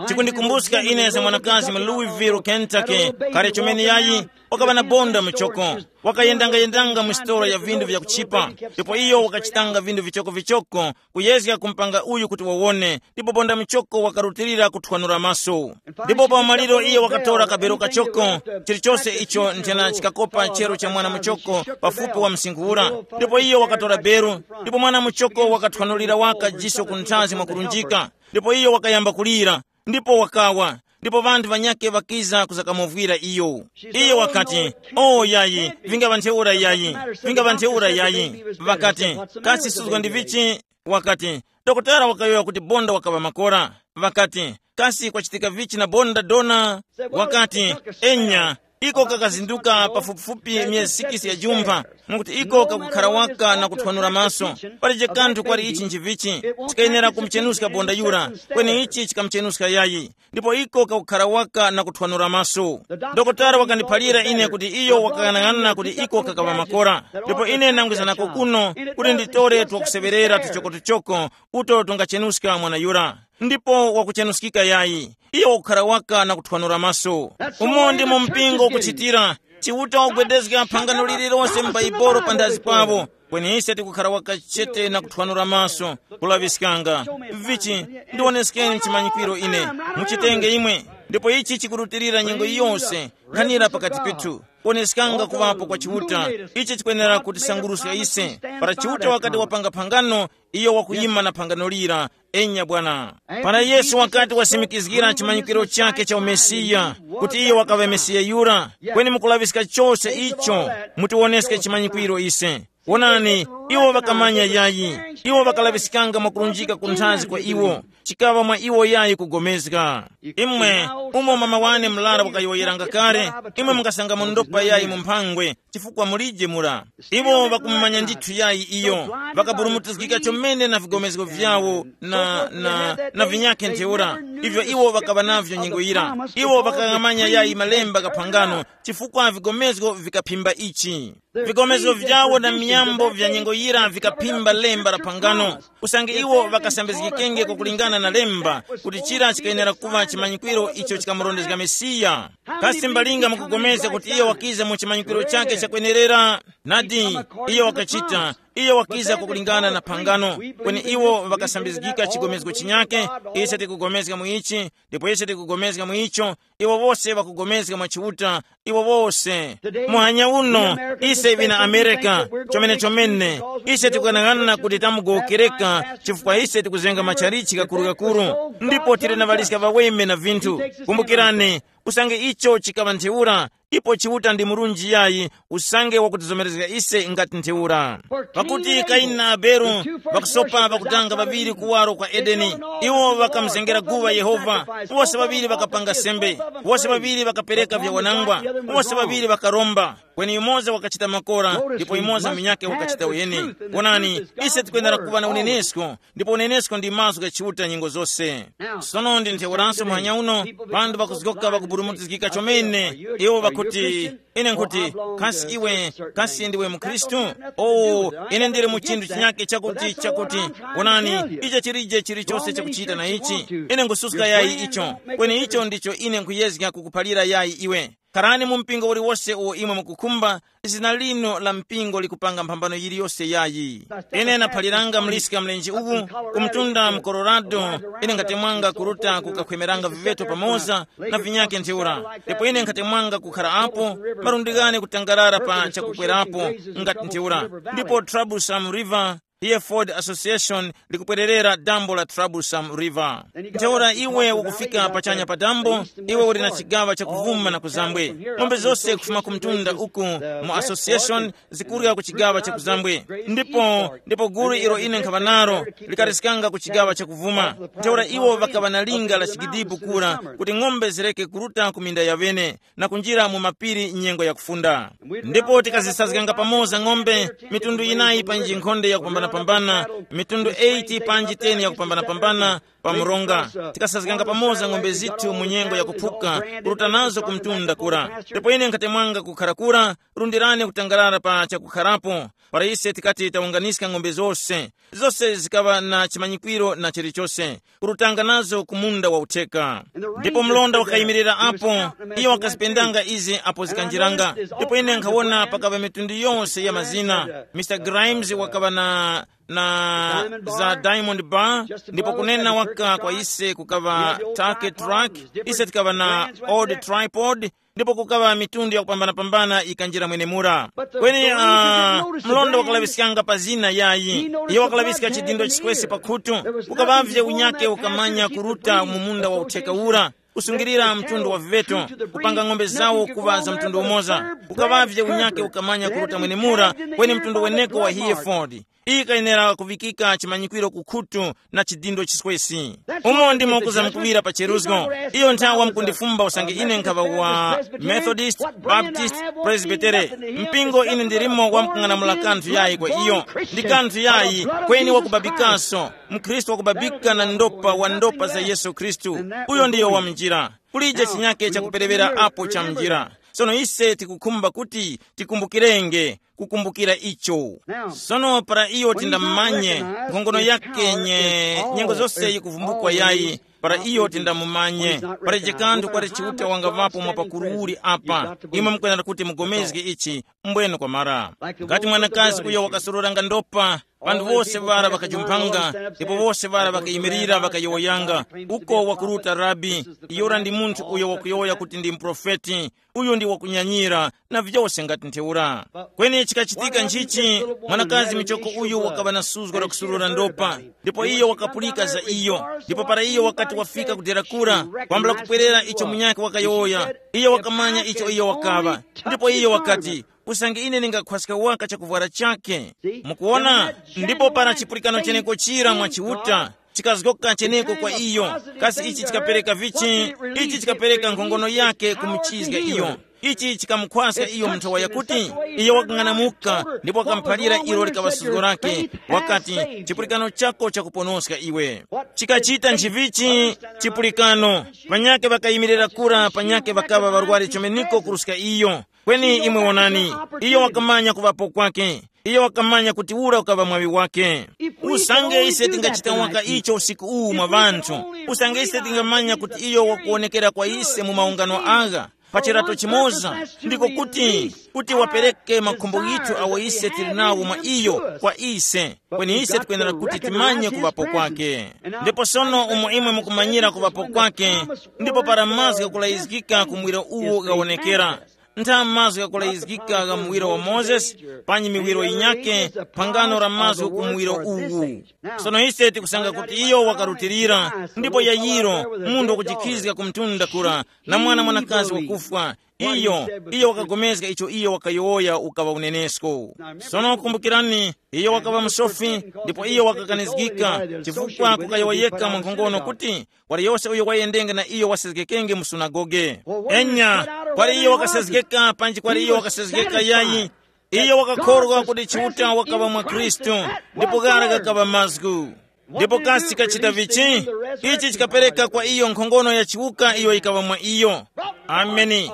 Chikundikumbuska ine za mwanakazi mu Louisville, Kentucky, kale chomene yayi, wakaŵa na bonda muchoko. Wakayendanga-yendanga mu sitolo ya vinthu vyakuchipa, ndipo iyo wakachitanga vinthu vichoko-vichoko, kuyezga kumpanga uyu kuti wawone, ndipo bonda muchoko wakarutilira kuthwanura maso. Ndipo pa maliro iyo wakatora kabero kachoko, chilichose icho nthena chikakopa chero cha mwana muchoko pafupi wa msinkhu ura. Ndipo iyo wakatora beru, ndipo mwana muchoko wakathwanulira waka jiso ku nthazi mwakurunjika, ndipo iyo wakayamba kulira. Ndipo wakawa, ndipo ŵanthu ŵanyakhe ŵakiza kuzakamuvwira iyo. Iyo wakati, "O yayi, vingaŵa ntheura yayi, vingaŵa ntheura yayi." Ŵakati, "Kasi suzgwa ndi vichi?" Wakati, dokotala wakayowoya kuti bonda wakaŵa makora. Ŵakati, kasi kwachitika vichi na bonda dona? Wakati, enya, iko kakazinduka pafupifupi myezi sikisi ya jumpha, mwakuti iko kakukhara waka na kuthwanura maso. Palije kanthu kwali ichi nchivichi, chikayenera kumuchenuska bonda yura, kweni ichi chikamuchenuska yayi, ndipo iko kakukhara waka na kuthwanura maso. Dokotala wakandiphalira ine kuti iyo wakang'anang'ana kuti iko kakaŵa makora, ndipo ine nangwizanako kuno kuti nditore twakuseŵerera tuchokotuchoko uto tungachenuska mwana yura. Ndipo wakuchenuskika yayi, iyo wakukhara waka na kuthwanura maso. Umo ndimo mpingo ukuchitira. Chiuta wagwedezga phangano lililonse m'Baibulo panthazi pabo. Kweni ise tikukhara waka chete na kuthwanura maso, kulaŵiskanga. Vichi, ndiwoneskeni chimanyikwiro ine. Muchitenge imwe. Ndipo ichi chikurutilira nyengo yose, nkhanira pakati pethu. Kuoneskanga kuŵapo kwa Chiuta, ichi chikwenera kutisanguruska ise. Para Chiuta wakati wapanga phangano, iyo wakuyima na phangano lira. Enya bwana. Para Yesu wakati wasimikizgira chimanyikiro chake cha umesiya, kuti iyo wakaŵa Mesiya yura, kweni mukulaŵiska chose icho, mutiwoneske chimanyikwiro ise. Wonani, iwo ŵakamanya yayi, iwo ŵakalaŵiskanga mwakulunjika kunthazi kwa iwo, chikaŵa mwa iwo yayi kugomezga. Imwe, umo mama wane mlara wakayowoyeranga kale, imwe mungasangamo ndopa yayi mu mphangwe, chifukwa mulije mura. Iwo ŵakumumanya ndithu yayi iyo, ŵakaburumutizgika chomene na vigomezgo vyawo na, na, na vinyakhe ntheura, ivyo iwo ŵakaŵa navyo nyengo yira. Iwo ŵakaghamanya yayi malemba ghaphangano, chifukwa vigomezgo vikaphimba ichi. Vigomezo vyawo na miyambo vya nyengo yira vikaphimba lemba la phangano, usange iwo ŵakasambizgikenge kwakulingana na lemba, kuti chira chikayenera kuŵa chimanyikwiro icho chikamurondezga Mesiya. Kasi mbalinga mukugomezga kuti iyo wakiza mu chimanyikwiro chake chakwenerera? Nadi, iyo wakachita, iyo wakiza kwakulingana na phangano, kweni iwo ŵakasambizgika chigomezgo chinyake. Ise tikugomezga mu ichi, ndipo ise tikugomezga mu icho, iwo wose ŵakugomezga mwa Chiuta, iwo wose. Muhanya uno, ise vina Amerika, chomene chomene, ise tikukanaghana kuti tamugowokereka, chifukwa ise tikuzenga machalichi gakuru-gakuru, ndipo tili na ŵaliska ŵaweme na vinthu. Kumbukirani, usange icho chikaŵa ntheura, ipo Chiuta ndi murunji yayi, usange wakutizomerezga ise ngati ntheura. Pakuti Kaini na Abele ŵakusopa ŵakutanga ŵaŵiri kuwaro kwa Edeni. Iwo ŵakamuzengera guŵa Yehova. Wose ŵaŵiri ŵakapanga sembe. Wose ŵaŵiri ŵakapereka vyawanangwa. Wose ŵaŵiri ŵakaromba. Kweni yumoza wakachita makora, ndipo yumoza munyakhe wakachita uyeni. Wonani, ise tikwenera kuŵa na unenesko, ndipo unenesko ndi mazgu gha Chiuta nyengo zose. Sono ndi ntheuraso muhanya uno, ŵanthu ŵakuzgoka ŵakuburumutizgika chomene. Iwo ŵakuti, ine nkuti, kasi iwe, kasi ndiwe mukhristu? Oh, ine ndili mu chinthu chinyake chakuti chakuti. Wonani, icho chilije chilichonse chakuchita na ichi. Ine ngususka yayi icho. Kweni icho ndicho ine nkuyezga kukuphalira yayi iwe. Kharani mu mpingo uliwose uwo imwe mukukhumba, zina lino la mpingo likupanga mphambano yiliyose yayi. Ine naphaliranga mliska mlenje uwu, kumtunda mu Colorado. Ine ngatemwanga kuruta kukakhwemeranga viveto pamoza na vinyake ntheura. Ndipo ine nkhatemwanga kukhara apo, marundighani kutangarara pa chakukwerapo ngati ntheura. Ndipo Troublesome River Hereford Association likupwererera dambo la Troublesome River. Ntheura iwe ukufika pachanya pa dambo, iwe uli na chigawa chakuvuma na kuzambwe. Ng'ombe zose kufuma ku mtunda uku mu association zikurya ku chigawa cha kuzambwe. Ndipo, ndipo gulu ilo ine nkhaŵa nalo likatiskanga ku chigawa cha kuvuma. Ntheura iwo ŵakaŵa na linga la chigidipu kura kuti ng'ombe zireke kuruta ku minda ya ŵene na kunjira mu mapiri nyengo ya kufunda. Ndipo tikazisazganga pamoza ng'ombe mitundu yinayi pa njinkhonde yakupambanapambana, mitundu eight panji ten yakupambanapambana, pa mronga. Tikasazganga pamoza ng'ombe zithu mu nyengo yakuphuka, kuruta nazo ku mtunda kura. Ndipo ine nkhatemwanga kukhara kura, rundirani kutangarara pa chakukharapo. Para ise tikati tawunganiska ng'ombe zose, zose zikaŵa na chimanyikwiro na chilichose, kurutanga nazo ku munda wa utheka. Ndipo mlonda wakayimirira apo, iyo wakazipendanga izi apo zikanjiranga. Ndipo ine nkhawona pakaŵa mitundu yonse ya mazina. Mister Grimes wakaŵa na na za Diamond Bar, ndipo kunena waka kwa ise kukaŵa Take Truck, ise tikaŵa na Old Tripod, ndipo kukaŵa mitundu yakupambanapambana ikanjira mwenemura. Kweni uh, mlonda wakalaŵiskanga pa zina yayi, iyo wakalaŵiska chidindo chiswesi pa khutu. Kukaŵavye unyake ukamanya kuruta mu munda wa utheka ura, kusungilira mtundu wa viveto, kupanga ng'ombe zawo kuŵa za mtundu umoza. Kukaŵavye unyake ukamanya kuruta mwenemura, kweni mtundu weneko wa Hereford. Iyi kayenera kuvikika chimanyikwiro ku khutu na chidindo chiswesi. Umo ndimo kuzamkuŵira pa cheruzgo. Iyo nthawa mukundifumba usange ine nkhaŵa wa Methodist, Baptist, Presbytere. Mpingo ine ndirimo wamkung'anamula kanthu yayi kwa iyo. Ndi kanthu yayi kweni wakubabikaso. Mkhristu wakubabika na ndopa wa ndopa za Yesu Khristu. Uyo ndiyo wa mnjira. Kulije chinyake chakuperewera apo cha mnjira. Sono ise tikukhumba kuti tikumbukirenge kukumbukira icho. Sono para iyo tindamumanye nkhongono yake nye nyengo zose yikuvumbukwa yayi, para iyo tindamumanye. Para chikanthu kwati Chiuta wangavapo mwa pakuru uli apa. Imwe mukwenera kuti mugomezge ichi. Mbwene kwamara, ngati mwanakazi uyo wakasororanga ndopa, panthu wose ŵara ŵakajumphanga, ndipo wose ŵara ŵakayimirira ŵakayowoyanga. Uko wakuruta rabi. Iyura ndi munthu uyo wakuyowoya kuti ndi muprofeti. Uyu ndi wakunyanyira na vyose ngati ntheura. Kweni chikachitika nchichi, mwanakazi michoko uyu wakaŵa na suzgo la kusurura ndopa, ndipo iyo wakapulika za iyo. Ndipo para iyo wakati wafika kudera kura, kwambula kupwerera icho munyakhe wakayowoya, iyo wakamanya icho iyo wakaŵa. Ndipo iyo wakati, usange ine ndingakhwaska waka chakuvwara chake. Mukuona? Ndipo para chipulikano cheneko chira mwa Chiuta, chikazgoka cheneko kwa iyo. Kasi ichi chikapereka vichi? Ichi chikapereka nkhongono yake kumuchizga iyo. Ichi chikamukhwaska iyo mu nthowa yakuti iyo wakang'anamuka, ndipo wakamuphalira ilo likaŵa suzgo lake. Wakati, chipulikano chako chakuponoska iwe. Chikachita nchivichi? Chipulikano. Panyake ŵakayimirira kura, panyake ŵakaŵa ŵarwari chomeniko kuruska iyo. Kweni imwe wonani, iyo wakamanya kuŵapo kwake. Iyo wakamanya kuti ura ukaŵa mwaŵi wake. Usange ise tingachita waka icho usiku uwu mwa ŵanthu, usange ise tingamanya kuti iyo wakuwonekera kwa ise mu maungano agha pa chirato chimoza, ndiko kuti kuti wapereke makhumbo ghithu awo ise tili nawo mwa iyo kwa ise. Kweni ise tikwenera kuti timanye kuŵapo kwake. Ndipo sono umo imwe mukumanyira kuŵapo kwake, ndipo para mazgu ghakulayizgika ku muwiro uwo ghawonekera, ntha mazgu ghakulayizgika gha muwiro wa Mozesi, panyi miwiro yinyakhe, phangano la mazgu ku muwiro uwu. Sono ise tikusanga kuti iyo wakarutilira, ndipo Yayiro, munthu wakujikhizga ku mtunda kura, na mwana mwanakazi wakufwa, iyo, iyo wakagomezga icho iyo wakayowoya ukaŵa unenesko. Sono kumbukirani, iyo wakaŵa musofi, ndipo iyo wakakanizgika, chifukwa kukayowoyeka mwa nkhongono kuti, kwali yose uyo wayendenge na iyo wasezgekenge mu sunagoge. Enya, kwali iyo wakasezgeka panji kwali iyo wakasezgeka yayi, iyo wakakhorwa kuti Chiuta wakaŵa mwa Khristu, ndipo ghara ghakaŵa mazgu. Ndipo kasi chikachita vichi? Ichi chikapereka kwa iyo nkhongono ya chiwuka iyo yikaŵa mwa iyo. Ameni.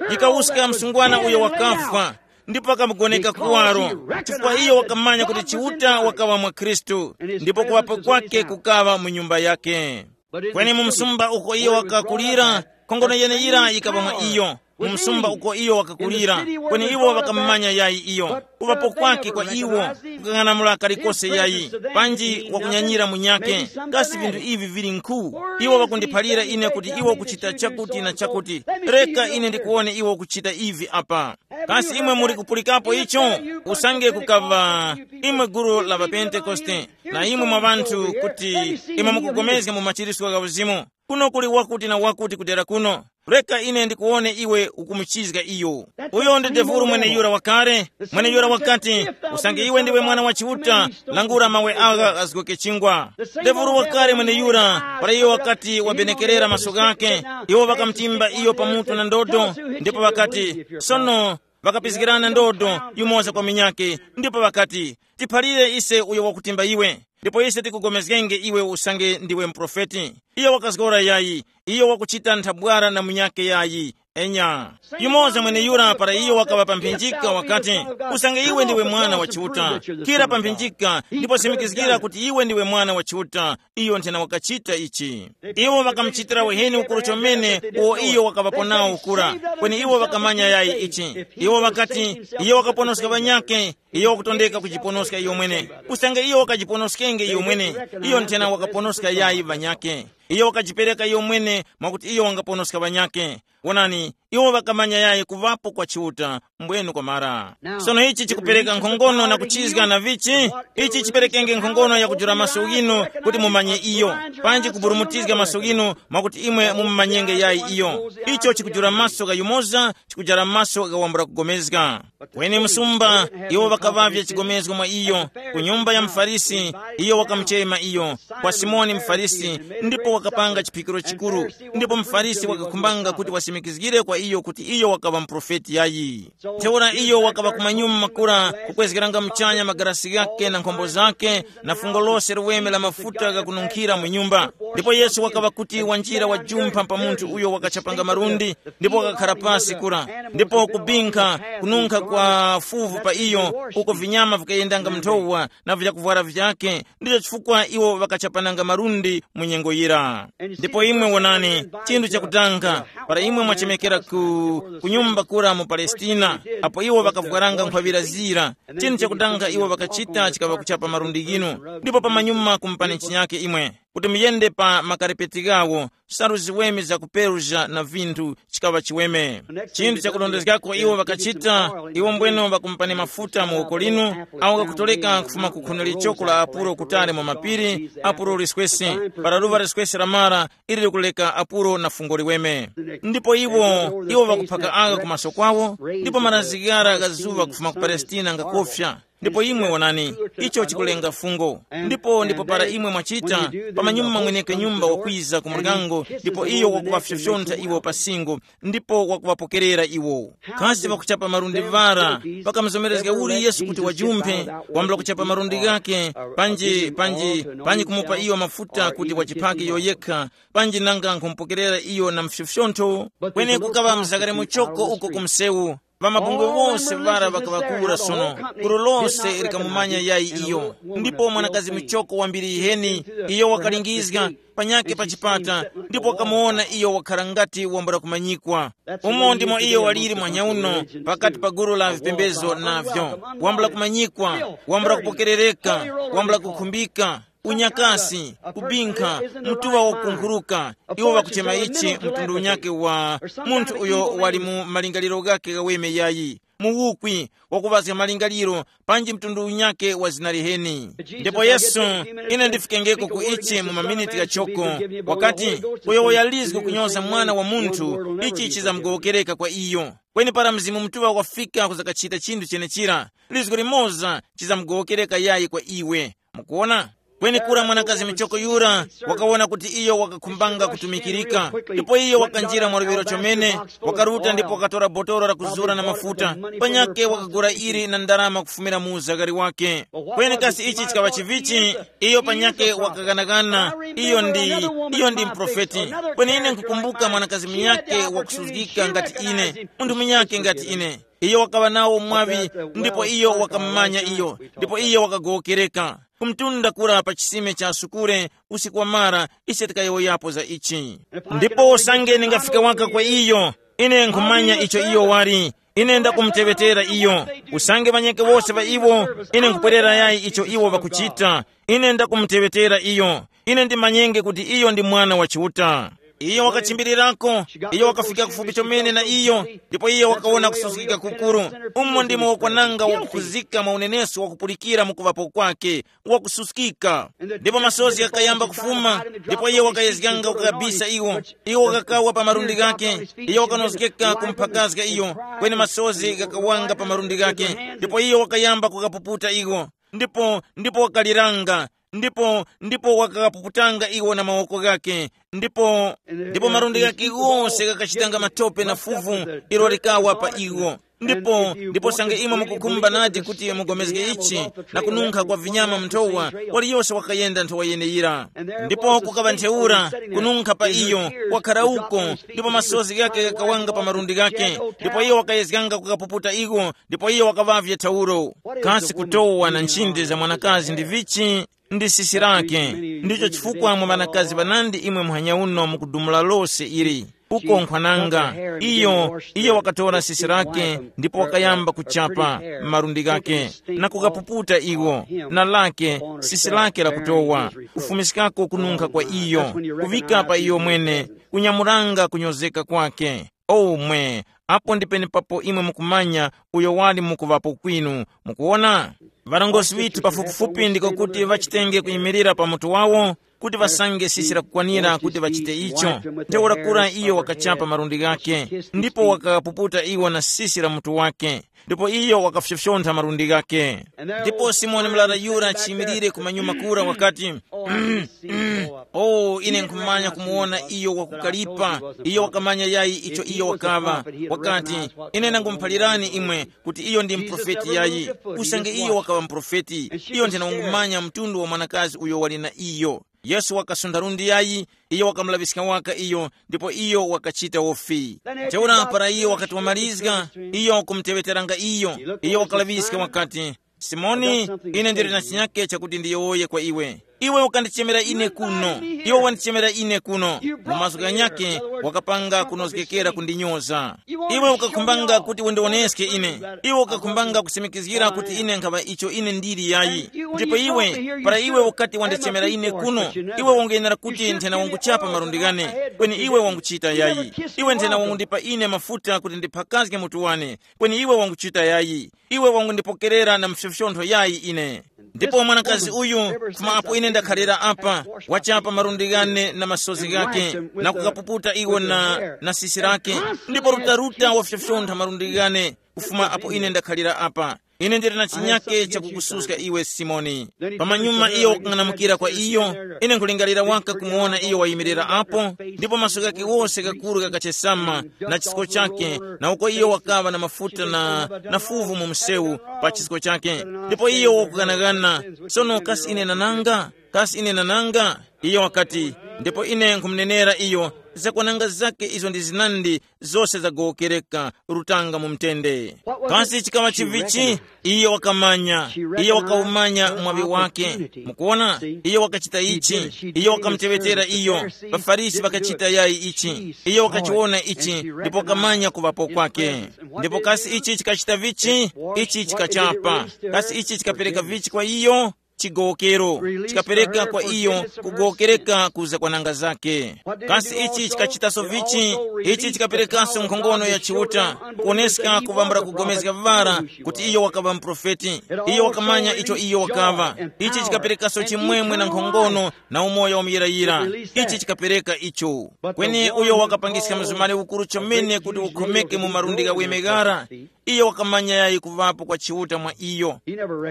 Yikawuska msungwana uyo wakafwa, ndipo akamugoneka kuwaro, chifukwa iyo wakamanya kuti Chiuta wakaŵa mwa Khristu, ndipo kuŵapo kwake kukaŵa mu nyumba yake. Kweni mu msumba uko iyo wakakulira, nkhongono yeneyira yikaŵa mwa iyo. Mu msumba uko iyo wakakulira, kweni iwo ŵakamumanya yayi iyo. Kuŵapo kwake kwa iwo kukang'anamula kalikose yayi, panji wakunyanyira munyakhe. Kasi vinthu ivi vili nkhu? Iwo ŵakundiphalira ine kuti iwo kuchita chakuti na chakuti. Reka ine ndikuwone iwo kuchita ivi apa. Kasi imwe muli kupulikapo icho? Usange kukaŵa imwe gulu la ŵapentekoste, na imwe mwa ŵanthu kuti imwe mukugomezga mu machiritso gha uzimu, kuno kuli wakuti na wakuti kudera kuno. Reka ine ndikuwone iwe ukumuchizga iyo. Uyo ndi devuru mweneyura wakale. Mweneyura wakati, usange iwe ndiwe mwana wa Chiuta, langula mawe agha ghazgoke chingwa. Devuru wakale mweneyura, para iyo wakati wabenekerera maso ghake, iwo ŵakamutimba iyo pamutu na ndodo, ndipo ŵakati, sono ŵakapizgirana ndodo yumoza kwa minyake, ndipo ŵakati, tiphalire ise uyo wakutimba iwe, ndipo ise tikugomezgenge iwe usange ndiwe muprofeti. Iyo wakazgora yayi, iyo wakuchita nthabwara na munyakhe yayi. Enya. Yumoza mweneyura para iyo wakaŵa pa mphinjika wakati, usange iwe ndiwe mwana wa Chiuta, khira pa mphinjika ndipo simikizgira kuti iwe ndiwe mwana wa Chiuta. Iyo nthena wakachita ichi. Iwo ŵakamuchitira uheni ukuru chomene uwo iyo wakaŵapo nawo kura, kweni iwo ŵakamanya yayi ichi. Iwo ŵakati, iyo wakaponoska ŵanyakhe, iyo wakutondeka kujiponoska iyo mwene. Usange iyo wakajiponoskenge iyo mwene, iyo nthena wakaponoska yayi ŵanyakhe. Iyo wakajipereka iyo mwene mwakuti iyo wangaponoska ŵanyakhe. Wonani, Iwo ŵakamanya yayi kuŵapo kwa Chiuta, mbwenu kwamara. Sono ichi chikupereka nkhongono na kuchizga na vichi? Ichi chiperekenge nkhongono ya kujula maso ghinu kuti mumanye iyo, panji kuburumutizga maso ghinu mwakuti imwe mumumanyenge yayi iyo. Icho chikujula maso gha yumoza, chikujala maso gha wambula kugomezga. Kweni msumba, iwo ŵakaŵavya chigomezgo mwa iyo, ku nyumba ya mufarisi, iyo wakamuchema iyo, kwa Simoni mufarisi, ndipo wakapanga chiphikiro chikuru. Ndipo mufarisi wakakhumbanga kuti wasimikizgire kwa iyo kuti iyo wakaŵa muprofeti yayi. Ntheura iyo wakaŵa kumanyuma makura kukwezgeranga muchanya magarasi ghake na nkhombo zake, na fungo lose liweme la mafuta ghakununkhira mu nyumba. Ndipo Yesu wakaŵa kuti wanjira wajumpha pa munthu uyo wakachapanga malundi, ndipo wakakhara pasi kura, ndipo kubinkha, kununkha kwa fuvu pa iyo, uko vinyama vikayendanga mnthowa na vyakuvwara vyake. Ndicho chifukwa iwo ŵakachapananga malundi mu nyengo yira. Ndipo imwe wonani, chinthu chakutanga, para imwe mwachemekera ku, ku nyumba kura mu Palestina, apo iwo ŵakavwaranga nkhwavira zira, chinthu chakutanga iwo ŵakachita chikaŵa kuchapa malundi ghinu, ndipo pamanyuma kumupani chinyake imwe, kuti muyende pa makarepeti ghawo, salu ziweme za ku Persia na vinthu, chikaŵa chiweme. Chinthu chakurondezgako iwo ŵakachita, iwo mbweno ŵakumupani mafuta mu woko linu, awo ghakutoleka kufuma ku khuni lichoko la apuro kutali mu mapiri, apuro liswesi, para luva liswesi la mara, ili likuleka apuro na fungo liweme. Ndipo iwo, iwo ŵakuphaka agha ku maso kwawo, ndipo maranzi ghara gha zuŵa kufuma ku Palestina ngakofya. Ndipo imwe wonani, icho chikulenga fungo. Ndipo ndipo para imwe mwachita, pamanyuma mweneke nyumba wakwiza ku muryango, ndipo iyo wakuŵafyofyontha iwo pa singo, ndipo wakuŵapokerera iwo. Kasi pakuchapa malundi vara, pakamuzomerezga uli Yesu kuti wajumphe, wambula kuchapa malundi ghake, panji panji panji kumupa iyo mafuta kuti wachiphake iyo yekha, panji nanga nkhumupokerera iyo na mfyofyontho? Kweni kukaŵa mzakare muchoko uko ku msewu, ŵamabungwe wose ŵara ŵakaŵakura sono, gulu lose likamumanya yayi iyo. Ndipo mwanakazi muchoko wambiri yiheni, iyo wakalingizga panyakhe pa chipata, ndipo wakamuwona iyo wakhala ngati wambula kumanyikwa. Umo ndimo iyo waliri mwanyauno pakati pa gulu la vipembezo navyo, wambula kumanyikwa, wambula kupokerereka, wambula kukhumbika, unyakasi, kubinkha, mtuŵa wakukunkhuruka. Iwo ŵakuchema ichi mtundu unyakhe wa munthu uyo wali mu malingaliro ghakhe ghaweme yayi, muwukwi, wakuŵazga malingaliro, panji mtundu unyakhe wa zina liheni. Ndipo Yesu, ine ndifikengeko ku ichi mu maminiti ghachoko, wakati, uyo wayalizgu kunyoza Mwana wa Munthu, ichi chizamugowokereka kwa iyo. Kweni para Mzimu Mutuŵa wafika kuzakachita chinthu chenechira, lizgu limoza chizamugowokereka yayi kwa iwe. Mukuona? Kweni kura mwanakazi michoko yura wakawona kuti iyo wakakhumbanga kutumikirika, ndipo iyo wakanjira mwa luŵiro chomene, wakaruta ndipo wakatora botolo la kuzura na mafuta, panyake wakagula ili na ndarama kufumira mu uzakari wake. Kweni kasi ichi chikaŵa chivichi? Iyo panyake wakaganagana, iyo ndi, iyo ndi mprofeti. Kweni ine nkukumbuka mwanakazi munyake wakusuzgika ngati ine, munthu munyake ngati ine. Iyo wakaŵa nawo mwaŵi, ndipo iyo wakamumanya iyo, ndipo iyo wakagowokereka. Kumtunda kura pa chisime cha sukure, usiku wamara, ise tikayowoyapo za ichi. Ndipo usange ningafika waka kwa iyo, ine nkhumanya icho iyo wali. Ine ndakumuteŵetera iyo. Usange ŵanyeke wose ŵa iwo, ine nkupwerera yayi icho iwo ŵakuchita. Ine ndakumuteŵetera iyo. Ine ndimanyenge kuti iyo ndi Mwana wa Chiuta. Iyo wakachimbirirako, iyo wakafika kufupi chomene na iyo, ndipo iyo wakawona kusuzgika kukuru. Umo ndimo wakwananga wakukhuzika mwa unenesko wakupulikira mu kuŵapo kwake, wakususkika. Ndipo masozi ghakayamba kufuma, ndipo iyo wakayezganga kukabisa iwo. Iwo wakakawa pa malundi ghake, iyo wakanozgeka kumphakazga iyo, kweni masozi ghakawanga pa malundi ghake, ndipo iyo wakayamba kukapuputa iwo. Ndipo ndipo wakaliranga, ndipo ndipo wakakapuputanga iwo na mawoko ghake, ndipo ndipo malundi ghake ghose ghakachitanga matope na fuvu, ilo likawa pa iwo. Ndipo ndipo sange imwe mukukhumba nadi kuti mugomezge ichi, na kununkha kwa vinyama mnthowa, waliyose wakayenda nthowa yeneyira. Ndipo kukaŵa ntheura, kununkha pa iyo, wakhala uko, ndipo masozi ghake ghakawanga pa malundi ghake, ndipo iyo wakayezganga kukapuputa iwo, ndipo iyo wakaŵavye thauro. Kasi kutowa na nchinde za mwanakazi ndi vichi? Ndi sisi lake. Ndicho chifukwa mwa ŵanakazi ŵanandi imwe muhanya uno mukudumula lose ili. Uko nkhwananga, iyo iyo wakatora sisi lake, ndipo wakayamba kuchapa malundi ghake na kukapuputa iwo, na lake sisi lake lakutowa, kufumiskako kununkha kwa iyo, kuvika pa iyo mwene, kunyamuranga kunyozeka kwake. Omwe, apo ndi penepapo imwe mukumanya uyo wali mukuŵapo kwinu. Mukuwona, ŵarongozgi ŵithu pafupifupi ndiko kuti ŵachitenge kuyimirira pa mutu wawo, kuti ŵasange sisi lakukwanira kuti ŵachite icho. Ntheura kura iyo wakachapa malundi ghake, ndipo wakapuputa iwo na sisi la mutu wake, ndipo iyo wakafyofyontha malundi ghake. Ndipo simoni mlara yura chiyimirire kumanyuma kura wakati, "Mm, mm, oh, ine nkhumanya kumuwona iyo wakukalipa. Iyo wakamanya yayi icho iyo wakaŵa. Wakati, ine ndangumuphalirani imwe kuti iyo ndi mprofeti yayi. Usange iyo wakaŵa mprofeti, iyo nthena wangumanya mtundu wa mwanakazi uyo wali na iyo." Yesu wakasuntha lundi yayi, iyo wakamulaŵiska waka iyo, ndipo iyo wakachita wofi. Ntheura para iyo wakati wamalizga, iyo wakumuteŵeteranga iyo, iyo wakalaŵiska wakati, "Simoni, ine ndili na chinyake chakuti ndiyowoye kwa iwe. Iwe ukandichemera ine kuno, iwe wandichemera ine kuno." Mu mazgu ghanyakhe, wakapanga kunozgekera kundinyoza. Iwe ukakhumbanga kuti undiwoneske ine, iwe ukakhumbanga kusimikizgira kuti ine nkhaŵa icho ine ndili yayi. Ndipo iwe, para iwe ukati wandichemera ine kuno, iwe wanguyenera kuti nthena wanguchapa malundi ghane, kweni iwe wanguchita yayi. Iwe nthena wangundipa ine mafuta kuti ndiphakazge mutu wane, kweni iwe wanguchita yayi. Iwe wangundipokerera na mfyofyontho yayi ine. Ndipo mwanakazi uyu, kufuma apo ine ndakhalira apa, wachapa malundi ghane na masozi ghake, na kukapuputa iwo na, na sisi lake, ndipo rutaruta wafyofyontha malundi ghane, kufuma apo ine ndakhalira apa. Ine ndili na chinyake chakukususka iwe, Simoni. Pamanyuma iyo wakung'anamukira kwa iyo, ine nkulingalira waka kumuwona iyo wayimirira apo, ndipo maso ghake wose gakuru ghakachesama, na chisko chake, na uko iyo wakaŵa na mafuta na, na fuvu mu msewu pa chisko chake. Ndipo iyo wakughanaghana, sono kasi ine nananga? Kasi ine nananga? Iyo wakati, ndipo ine nkhumunenera iyo, zakwananga zake izo ndi zinandi, zose zagowokereka, rutanga mu mtende. Kasi chikaŵa chivichi? Iyo wakamanya, iyo wakawumanya mwaŵi wake. Mukuona, iyo wakachita ichi, iyo wakamuteŵetera iyo. Ŵafarisi ŵakachita yayi ichi, iyo wakachiwona ichi, ndipo wakamanya kuŵapo kwake. Ndipo kasi ichi chikachita vichi? Ichi chikachapa. Kasi ichi chikapereka vichi kwa iyo? Chigowokero. Chikapereka kwa iyo kugowokereka ku zakwananga zake. Kasi ichi chikachitaso vichi? Ichi chikaperekaso nkhongono ya Chiuta, kuoneska kuvambula kugomezga vara kuti iyo wakaŵa muprofeti. Iyo wakamanya icho iyo wakaŵa. Ichi chikaperekaso chimwemwe na nkhongono na umoyo wa muyirayira. Ichi chikapereka icho. Kweni uyo wakapangiska mzumari ukuru chomene kuti ukhomeke mu malundi gha weme ghara, iyo wakamanya yayi kuŵapo kwa Chiuta mwa iyo.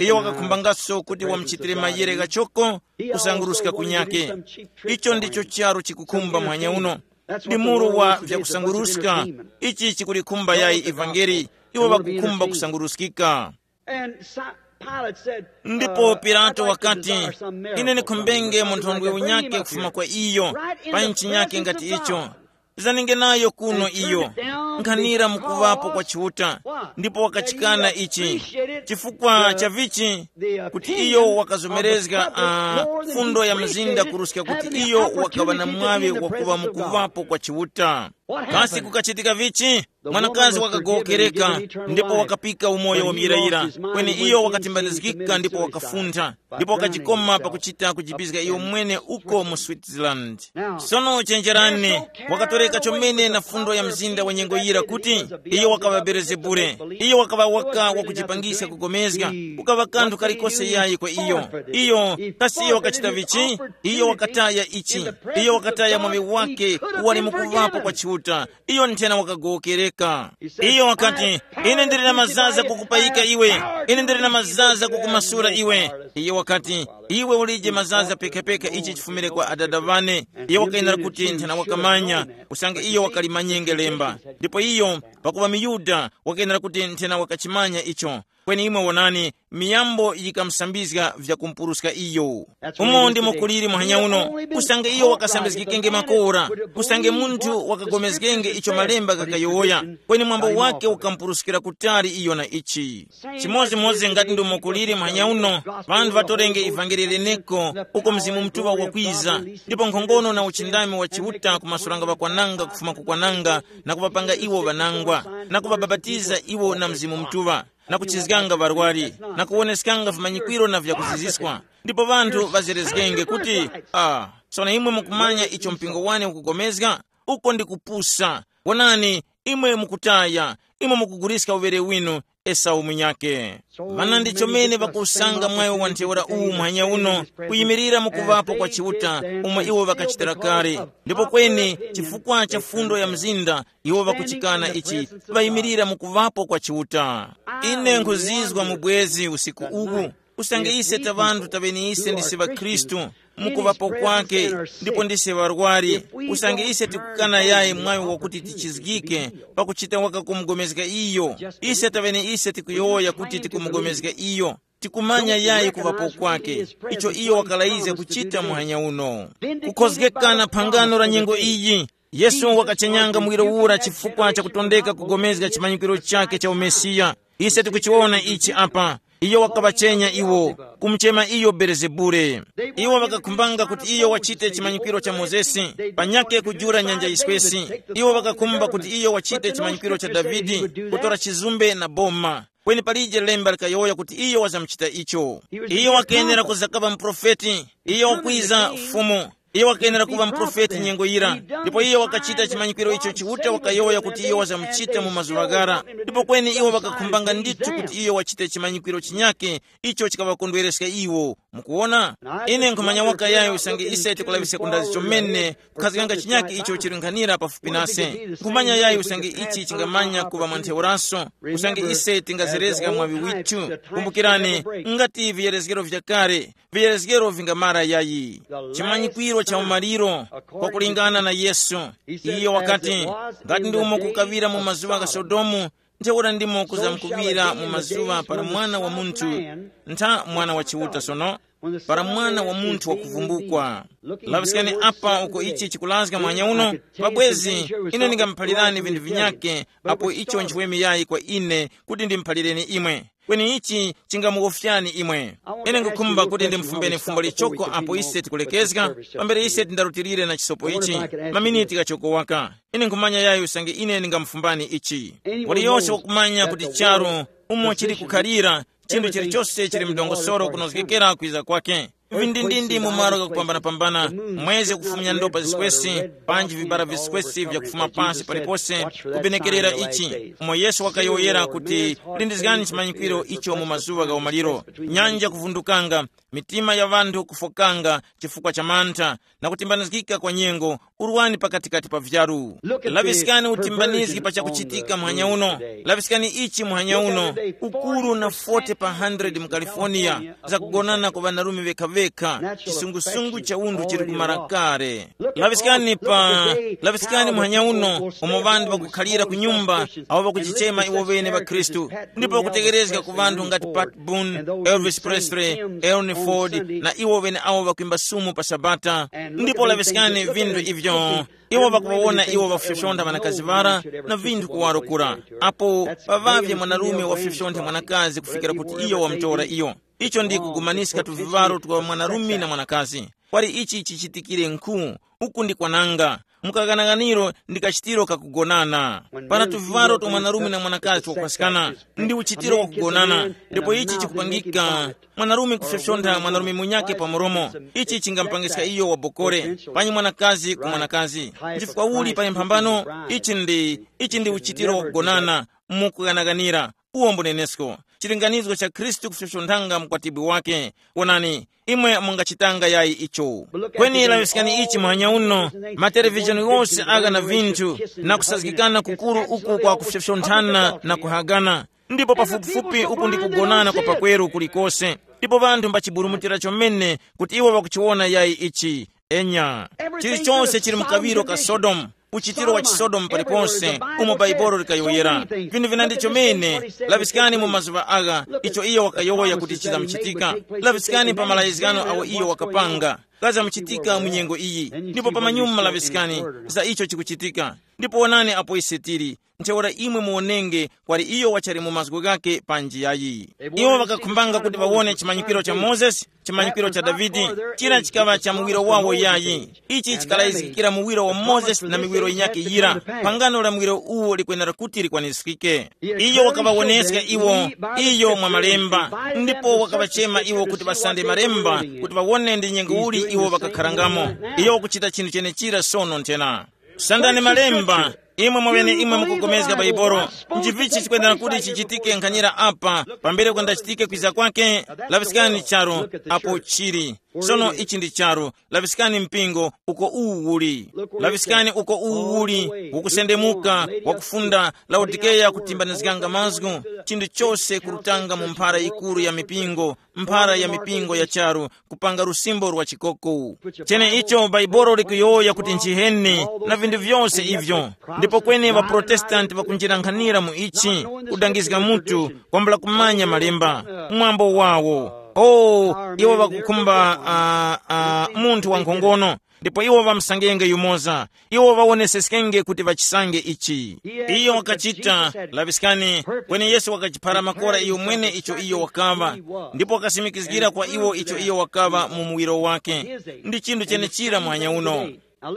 Iyo wakakhumbangaso kuti wamuchitire mayere ghachoko, kusanguruska kunyake. Icho ndicho charu chikukhumba mwanya uno. Ndi muru wa vyakusanguruska. Ichi chikulikhumba yayi ivangeli. Iwo ŵakukhumba kusanguruskika. Ndipo Pilato wakati, "Ine nikhumbenge mu nthondwe unyake kufuma kwa iyo, pa nchi nyake ngati icho. Zanenge nayo kuno iyo, nkhanira mukuŵapo kwa Chiuta, ndipo wakachikana ichi. Chifukwa cha vichi? Kuti iyo wakazomerezga uh, fundo ya mzinda kuruska kuti iyo wakaŵa na mwaŵi wakuŵa mukuŵapo kwa Chiuta. Kasi kukachitika vichi? Mwanakazi wakagowokereka, ndipo wakapika umoyo wa muyirayira, kweni iyo wakatimbanizgika ndipo wakafuntha, ndipo wakachikoma pakuchita kujipizga iyo mwene uko mu Switzerland. Sono chenjerani, wakatoreka chomene na fundo ya mzinda wa nyengo yira kuti iyo wakaŵa Belezebule, iyo wakaŵa waka wakujipangiska kugomezga, kukaŵa kanthu kalikose yayi kwa iyo. Iyo, kasi iyo wakachita vichi? Iyo wakataya ichi, iyo wakataya mwaŵi wake wali mukuŵapo kwa Chiuta, iyo nthena wakagowokereka. Iyo wakati, "Ine ndili na mazaza kukupayika iwe, ine ndili na mazaza kukumasula iwe." Iyo wakati, "Iwe ulije mazaza pekapeka ichi chifumire kwa adada ŵane." Iyo wakayenera kuti nthena wakamanya, usange iyo wakalimanyenge lemba. Ndipo iyo, pakuva muyuda, wakayenera kuti nthena wakachimanya icho. Kweni imwe wonani, miyambo yikamusambizga vyakumpuruska iyo. Umo ndimo kuliri muhanya uno, usange iyo wakasambizgikenge makora, usange munthu wakagomezgenge icho malemba gakayowoya, kweni mwambo wake ukampuruskira kutali iyo na ichi. Chimodzimodzi ngati ndimo kuliri muhanya uno, ŵanthu ŵatorenge ivangeli leneko uko Mzimu Mutuŵa wakwiza, ndipo nkhongono na uchindami wa Chiuta kumasulanga ŵakwananga kufuma kukwananga, na kuŵapanga iwo ŵanangwa, na kuŵabapatiza iwo na Mzimu Mutuŵa, na kuchizganga ŵarwari, na kuwoneskanga vimanyikwiro na vyakuziziswa. Ndipo ŵanthu ŵazerezgenge kuti, ah, sono imwe mukumanya icho mpingo wane ukugomezga? Uko ndi kupusa. Wonani, Imwe mukutaya, imwe mukuguliska uŵere winu. Esau munyakhe. Mana ndi chomene ŵakusanga mwayo wa ntheura uwu muhanya uno, kuyimirira mu kuŵapo kwa Chiuta, umo iwo ŵakachitira kale. Ndipo kweni, chifukwa cha fundo ya mzinda, iwo ŵakuchikana ichi, ŵayimirira mu kuŵapo kwa Chiuta. Ine nkhuzizwa mu bwezi usiku uwu, usange ise ta ŵanthu ta ŵeniise ndisi ŵakhristu, mukuŵapo kwake, ndipo ndise ŵarwari, usange ise tikukana yayi mwayo wakuti tichizgike, pakuchita waka kumugomezga iyo. Ise ta ŵeniise tikuyowoya kuti tikumugomezga iyo, tikumanya yayi kuŵapo kwake, icho iyo wakalayizga kuchita muhanya uno. Kukhozgekana phangano la nyengo iyi, Yesu wakachenyanga muwiro ura chifukwa cha kutondeka kugomezga chimanyikiro chake cha umesiya. Ise tikuchiwona ichi apa. Iyo wakaŵachenya iwo, kumuchema iyo Belezebule. Iwo ŵakakhumbanga kuti iyo wachite chimanyikwiro cha Mozesi, panyakhe kujula nyanja yiswesi. Iwo ŵakakhumba kuti iyo wachite chimanyikwiro cha Davide, kutora chizumbe na boma. Kweni palije lemba likayowoya kuti iyo wazamuchita icho. Iyo wakenera kuzakaŵa muprofeti. Iyo wakwiza Fumu. Iyo wakenera kuŵa muprofeti nyengo yira, ndipo iyo wakachita chimanyikwiro icho Chiuta wakayowoya kuti iyo wazamuchita mu mazuŵa ghara. Ndipo kweni iwo ŵakakhumbanga ndithu kuti iyo wachite chimanyikwiro chinyakhe, icho chikaŵakondwereska iwo. Mukuwona? Ine nkhumanya waka yayi usange ise tikulaŵiska kundazi chomene, kukhazikanga chinyakhe icho chili nkhanira pafupi nase. Nkhumanya yayi usange ichi chingamanya kuŵa mwa ntheuraso, usange ise tingazerezga mwaŵi withu. Kumbukirani, ngati viyerezgero vya kale, viyerezgero vingamara yayi. Chimanyikwiro cha umaliro, kwakulingana na Yesu, iyo wakati, ngati ndi umo kukaŵira mu mazuŵa gha Sodomu, ntheura ndimo kuzamkuŵira mu mazuŵa para mwana wa munthu, ntha mwana wa Chiuta sono, para mwana wa munthu wakuvumbukwa. Laŵiskani apa uko ichi chikulazga mwanya uno, pabwezi, ine ndingamuphalirani vinthu vinyakhe, apo icho nchiweme yayi kwa ine kuti ndimuphalireni imwe. Kweni ichi chingamuwofyani imwe. Ine ngukhumba kuti ndimufumbeni fumbo lichoko apo ise tikulekezga, pambere ise tindarutilire na chisopo ichi, maminiti ghachoko waka. Ine nkhumanya yayi usange ine ndingamufumbani ichi. Waliyose wakumanya kuti charu umo chili kukhalira, chinthu chilichose chili mdongosoro kunozgekera kwiza kwake. Vindindindi mu malo ghakupambanapambana, mwezi kufumya ndopa ziswesi, panji vibara viswesi vyakufuma pasi palipose, kupenekerera ichi, umo Yesu wakayowoyera kuti, lindizgani chimanyikwiro icho mu mazuŵa gha umaliro. Nyanja kuvundukanga, mitima ya ŵanthu kufokanga chifukwa cha mantha, na kutimbanizgika kwa nyengo, urwani pakatikati pa vyaru. Laŵiskani utimbanizgi pa chakuchitika muhanya uno. Laŵiskani ichi muhanya uno, ukuru na forty pa hundred mu California, zakugonana kwa ŵanarume vekha-vekha, chisungusungu cha unthu chili kumara kale. Laŵiskani pa, laŵiskani muhanya uno, umo ŵanthu ŵakukhalira ku nyumba, awo ŵakuchichema iwo ŵene ŵakhristu, ndipo ŵakutegherezga ku ŵanthu ngati Pat Boone, Elvis Presley, Elton Ford, na iwo ŵene awo ŵakwimba sumu pa Sabata. Ndipo laŵiskani vinthu ivyo, iwo ŵakuŵawona iwo ŵafyofyontha ŵanakazi ŵara, na vinthu kuwaro kura. Apo paŵavye mwanarume wafyofyontha mwanakazi kufikira kuti iyo wamutora iyo. Icho ndi kugumaniska tuvivaro twa mwanarume na mwanakazi. Kwali ichi chichitikire nkhu, uku ndi kwananga. Mukaghanaghaniro ndi kachitiro kakugonana. Para tuvivaro twa mwanarume na mwanakazi twakupaskana, ndi uchitiro wakugonana, ndipo ichi chikupangika mwanarume kufyofyontha mwanarume munyakhe pa mulomo. Ichi chingamupangiska iyo wabokore, panyi mwanakazi ku mwanakazi. Nchifukwa uli pali mphambano? Ichi ndi, ichi ndi uchitiro wakugonana, mukughanaghanira. Uwo mbunenesko, chilinganizo cha Khristu kufyofyonthanga mkwatibwi wake. Wonani, imwe mungachitanga yayi icho. Kweni laŵiskani ichi muhanya uno, matelevizhoni ghose agha na vinthu, na kusazgikana kukuru uku kwa kufyofyonthana na kuhagana. Ndipo pafupifupi uku ndi kugonana kwa pakweru kulikose. Ndipo ŵanthu mbachiburumutira chomene kuti iwo ŵakuchiwona yayi ichi. Enya, chilichonse chili mkaŵiro ka Sodomu, uchitiro wa chisodomu paliponse, umo Baibolo likayowoyera. Vinthu vina ndi chomene. Laŵiskani mu mazuŵa agha icho iyo wakayowoya kuti chizamuchitika. Laŵiskani pa malayizgano awo iyo wakapanga ghazamuchitika mu nyengo iyi. Ndipo pamanyuma laŵiskani za icho chikuchitika. Ndipo wonani apo ise tili. Ntheura imwe muwonenge kwali iyo wachali mu mazgu ghake pa njiyayi. Iwo ŵakakhumbanga kuti ŵawone chimanyikiro cha Mozesi, chimanyikiro cha Davide, chira chikaŵa cha muwiro wawo yayi. Ichi chikalayizgikira muwiro wa Mozesi na miwiro yinyakhe yira. Phangano la muwiro uwo likwenera kuti likwaniskike. Iyo wakaŵawoneska iwo iyo mwa malemba, ndipo wakaŵachema iwo kuti ŵasande malemba kuti ŵawone ndi nyengo uli iwo ŵakakharangamo. Iyo wakuchita chinthu chenechira sono nthena. Sandani malemba, Imwe mwaŵene imwe mukugomezga Baibolo. Nchivichi chikwenera kuti chichitike nkhanyira apa, pambere kwenda chitike kwiza kwake? Laŵiskani charu apo chili. Sono ichi ndi charu. Laŵiskani mpingo uko uwu uli. Laŵiskani uko uwu uli, ukusendemuka, wakufunda Laodikeya kutimbanizganga mazgu, chinthu chose kurutanga mu mphara yikuru ya mipingo, mphara ya mipingo ya charu, kupanga lusimbo lwa chikoko. Chene icho Baibolo likuyowoya kuti nchiheni na vinthu vyose ivyo. Ndipo kweni ŵaprotestanti ŵakunjirankhanira mu ichi, kudangizga mutu, kwambula kumanya malemba, mwambo wawo. O, iwo ŵakukhumba uh, uh, munthu wankhongono, ndipo iwo ŵamsangenge yumoza. Iwo ŵawoneseskenge kuti ŵachisange ichi. Iyo wakachita, laŵiskani, kweni Yesu wakachiphara makora iyo mwene icho iyo wakaŵa, ndipo wakasimikizgira kwa iwo icho iyo wakaŵa mu muwiro wake. Ndi chinthu chenechira muhanya uno.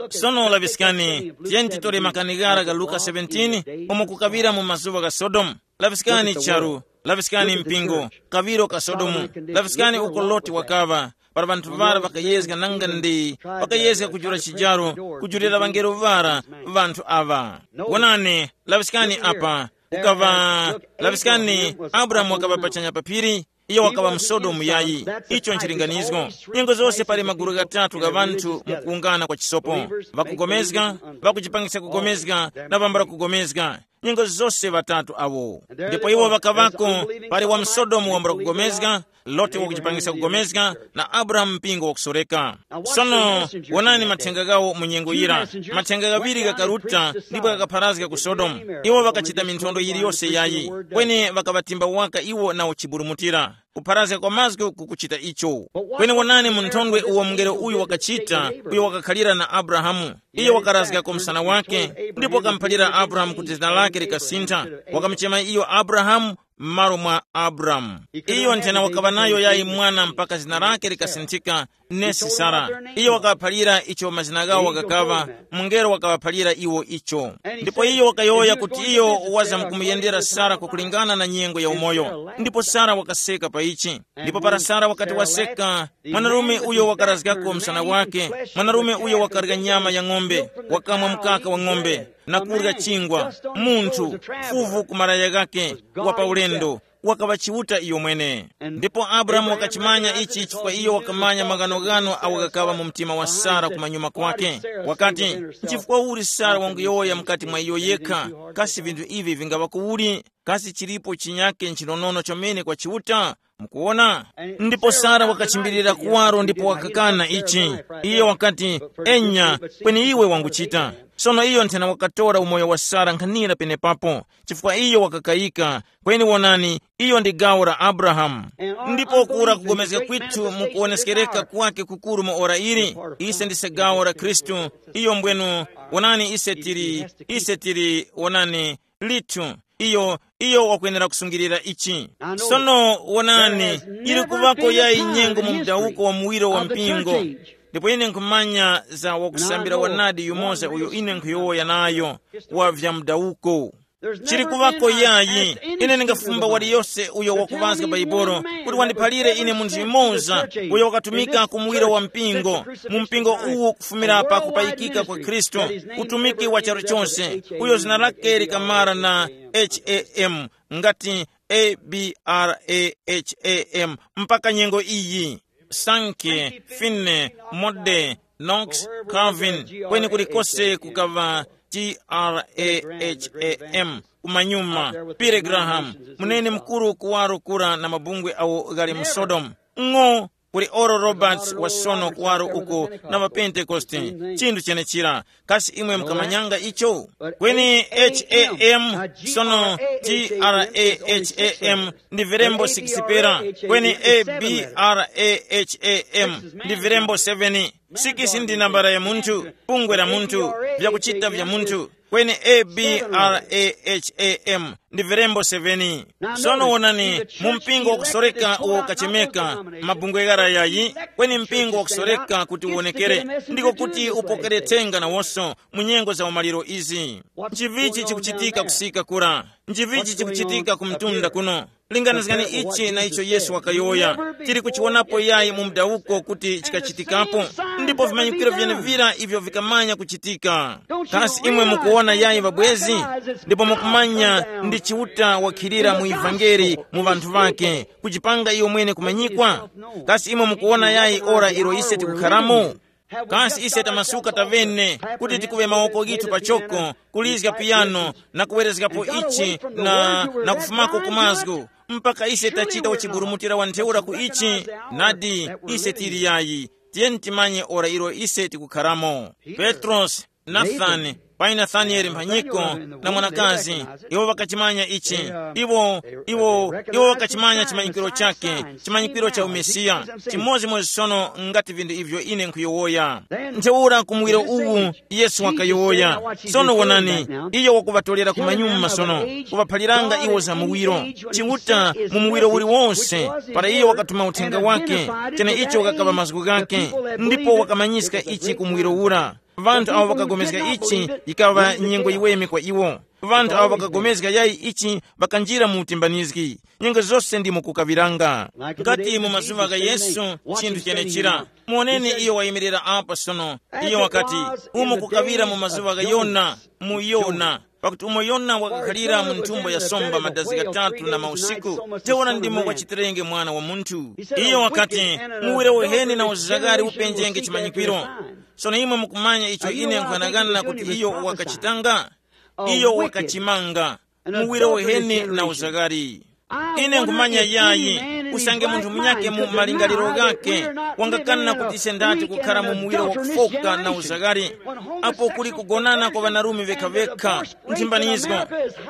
Sono laŵiskani, tiyeni titore makani ghara ga Luka seventeen, umo kukaŵira mu mazuŵa gha Sodomu. Laŵiskani charu, laŵiskani mpingo, kaŵiro ka Sodomu. Laŵiskani uko Loti wakaŵa, para ŵanthu ŵara ŵakayezga nanga ndi ŵakayezga kujula chijaro, kujulira ŵangelo ŵara ŵanthu aŵa. Wonani, laŵiskani apa, ukaŵa, laŵiskani, Abrahamu wakaŵa pachanya pa phiri, iyo wakaŵa mu Sodomu yayi. Icho nchilinganizo. Nyengo zose pali magulu ghatatu gha ŵanthu mukuwungana kwa chisopo: ŵakugomezga, ŵakuchipangisa kugomezga, na ŵambula kugomezga. Nyengo zose ŵatatu awo. Ndipo iwo ŵakaŵako, pali wa mu Sodomu wambula kugomezga, Loti wakuchipangisa kugomezga, na Abrahamu mpingo wakusoreka. Sono, wonani mathenga ghawo mu nyengo yira. Mathenga ghaŵiri ghakaruta ndipo ghakapharazga ku Sodomu. Iwo ŵakachita minthondo yiliyose yayi, kweni ŵakaŵatimba waka iwo na uchiburumutira. Kupharazga kwa mazgu kukuchita icho. Kweni wonani mu nthondwe uwo mungelo uyu wakachita, uyo wakakhalira na Abrahamu. Iyo wakarazgako msana wake, ndipo wakamuphalira Abrahamu kuti zina lake likasintha. Wakamuchema iyo Abrahamu m'malo mwa Abramu. Iyo nthena wakaŵa nayo yayi mwana mpaka zina lake likasinthika, nesi Sara. Iyo wakaphalira icho mazina ghawo ghakaŵa, mungelo wakaŵaphalira iwo icho. Ndipo iyo wakayowoya kuti iyo wazamkumuyendera Sara kwakulingana na nyengo ya umoyo. Ndipo Sara wakaseka pa ichi. Ndipo para Sara wakati waseka, mwanarume uyo wakarazgako msana wake, mwanarume uyo wakarya nyama ya ng'ombe, wakamwa mkaka wa ng'ombe, na kurya chingwa, munthu, fuvu ku malaya ghake, wa pa ulendo, wakaŵa Chiuta iyo mwene. Ndipo Abrahamu wakachimanya ichi chifukwa iyo wakamanya maghanoghano awo ghakaŵa mu mtima wa Sara kumanyuma kwake. Wakati, nchifukwa uli Sara wanguyowoya mukati mwa iyo yekha, kasi vinthu ivi vingaŵa kuuli? Kasi chilipo chinyake nchinonono chomene kwa Chiuta? Mukuwona? Ndipo Sara wakachimbilira kuwaro ndipo wakakana ichi. Iye wakati, enya, kweni iwe wanguchita. Sono iyo nthena wakatora umoyo wa Sara nkhanira penepapo, chifukwa iyo wakakayika. Kweni wonani, iyo ndi gawo la Abrahamu. Ndipo kura kugomezga kwithu mukuwoneskereka kwake kukuru mu ora ili. Ise ndise gawo la Khristu. Iyo mbwenu, wonani, ise tili, ise tili, wonani, lithu. Iyo, iyo wakwenera kusungilira ichi. Sono wonani, ili kuvako yayi nyengo mu mdawuko wa muwiro wa mpingo. Ndipo ine nkhumanya za wakusambira wanadi yumoza uyo ine nkhuyowoya nayo, wa vya mdawuko. Chili kuvako yayi. Ine ndingafumba waliyose uyo wakuŵazga Baibolo kuti wandiphalire ine munthu yumoza uyo wakatumika ku muwiro wa mpingo, mu mpingo uwu kufumira pa kupayikika kwa Khristu, utumiki wa charu chose, uyo zina lake likamara na H A M, ngati A B R A H A M, mpaka nyengo iyi. Sankey, Finney, Mode, Knox, Calvin, kweni kulikose kukaŵa T R A H A M, kumanyuma, Billy Graham, munene mukuru kuwaro kura na mabungwe awo ghali mu Sodomu. Ng'o, kuli Oral Roberts wa sono kuwaro uko na ŵaPentekoste, chinthu chenechira. Kasi imwe mukamanyanga icho? Kweni H A M, sono T R A H A M, ndi verembo six pera, kweni A B R A H A M, ndi verembo seven. Six ndi nambala ya munthu, bungwe la munthu, vyakuchita vya munthu, kweni A B R A H A M, ndi verembo seven. Sono wonani, mu mpingo wakusoreka uwo ukachemeka mabungwe ghara yayi, kweni mpingo wakusoreka kuti uwonekere, ndiko kuti upokere thenga nawonso mu nyengo za umaliro izi. Nchivichi chikuchitika kusika kura? Nchivichi chikuchitika ku mtunda kuno? Linganizgani ichi na icho Yesu wakayowoya. Tili kuchiwonapo yayi mu mdawuko kuti chikachitikapo, ndipo vimanyikiro vyenevira ivyo vikamanya kuchitika. Kasi imwe mukuwona yayi ŵabwezi? Ndipo mukumanya ndi Chiuta wakhilira mu ivangeli mu ŵanthu ŵake, kuchipanga iyo mwene kumanyikwa? Kasi imwe mukuwona yayi ora ilo ise tikukharamo? Kasi ise tamasuka tavene kuti tikuŵe mawoko ghithu pachoko, kulizga piyano, na kuwerezgapo ichi, na, na kufumako ku mazgu, mpaka ise tachita uchiburumutira wa ntheura ku ichi? Nadi, ise tili yayi. Tiyeni timanye ora ilo ise tikukharamo. Petrosi, Nathani, payi Nathanieli mphanyiko, na mwanakazi, iwo ŵakachimanya ichi. Iwo, iwo, iwo ŵakachimanya chimanyikiro chake, chimanyikiro cha umesiya. Chimodzimodzi sono ngati vinthu ivyo ine nkhuyowoya. Ntheura ku muwiro uwu, Yesu wakayowoya. Sono wonani, iyo wakuŵatolera ku manyuma sono, kuŵaphaliranga iwo za muwiro. Chiuta mu muwiro uliwonse, para iyo wakatuma uthenga wake, cheneicho kakaŵa mazgu ghake, ndipo wakamanyiska ichi ku muwiro ura. Ŵanthu awo ŵakapulikana ichi, yikaŵa nyengo yiweme kwa iwo. Ŵanthu awo ŵakapulikana yayi ichi, ŵakanjira mu utimbanizgi. Nyengo zose ndimo kukaŵiranga. Ngati mu mazuŵa gha Yesu, chinthu chenechira. Muoneni iyo wayimirira apa sono. Iyo wakati, umo kukaŵira mu mazuŵa gha Yona, mu Yona. Pakuti umo Yona wakakhalira mu nthumbo ya somba madazi ghatatu na mausiku, teura ndimo wachitirenge Mwana wa Munthu. Iyo wakati, muwiro uheni na uzagari upenjenge chimanyikwiro. Sono imwe mukumanya icho ine nkhanangana kuti iyo wakachitanga? Iyo wakachimanga. Muwiro uheni na uzagari. Ine nkhumanya yayi, usange munthu munyakhe mu malingaliro ghakhe wangakana kuti ise ndati kukhara mu muwiro wakufoka na uzagari, apo kuli kugonana kwa ŵanarume vekhavekha, nthimbanizgo,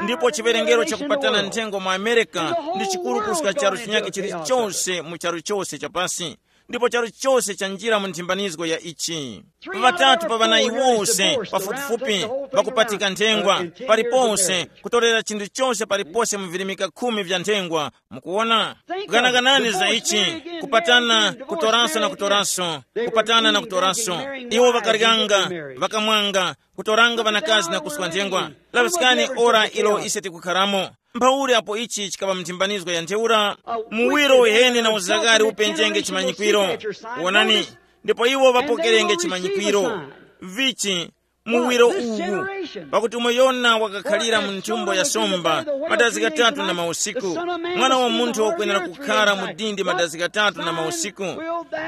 ndipo chiwerengero chakupatana nthengo mu Amerika ndi chikuru kuska charu chinyakhe chilichose mu charu chose chapasi, ndipo charu chose chanjira mu nthimbanizgo ya ichi. Ŵatatu pa ŵanayi wose pafupifupi ŵakupatika nthengwa, paliponse, kutorera chinthu chose palipose mu virimika khumi vya nthengwa. Mukuwona? Ganaganani za ichi, kupatana, kutoranso na kutoranso, kupatana na kutoranso. Iwo ŵakaryanga, ŵakamwanga, kutoranga ŵanakazi na kuswa nthengwa. Laŵiskani ora ilo ise tikukharamo. Mphauli apo ichi chikaŵa mthimbanizgo ya ntheura, muwiro uheni na uzagari upenjenge chimanyikwiro. Wonani, ndipo iwo ŵapokerenge chimanyikwiro. Vichi, muwiro uwu. Pakuti umo Yona wakakhalira mu nthumbo ya somba madazi ghatatu na mausiku, Mwana wa Munthu wakwenera kukhara mu dindi madazi ghatatu na mausiku.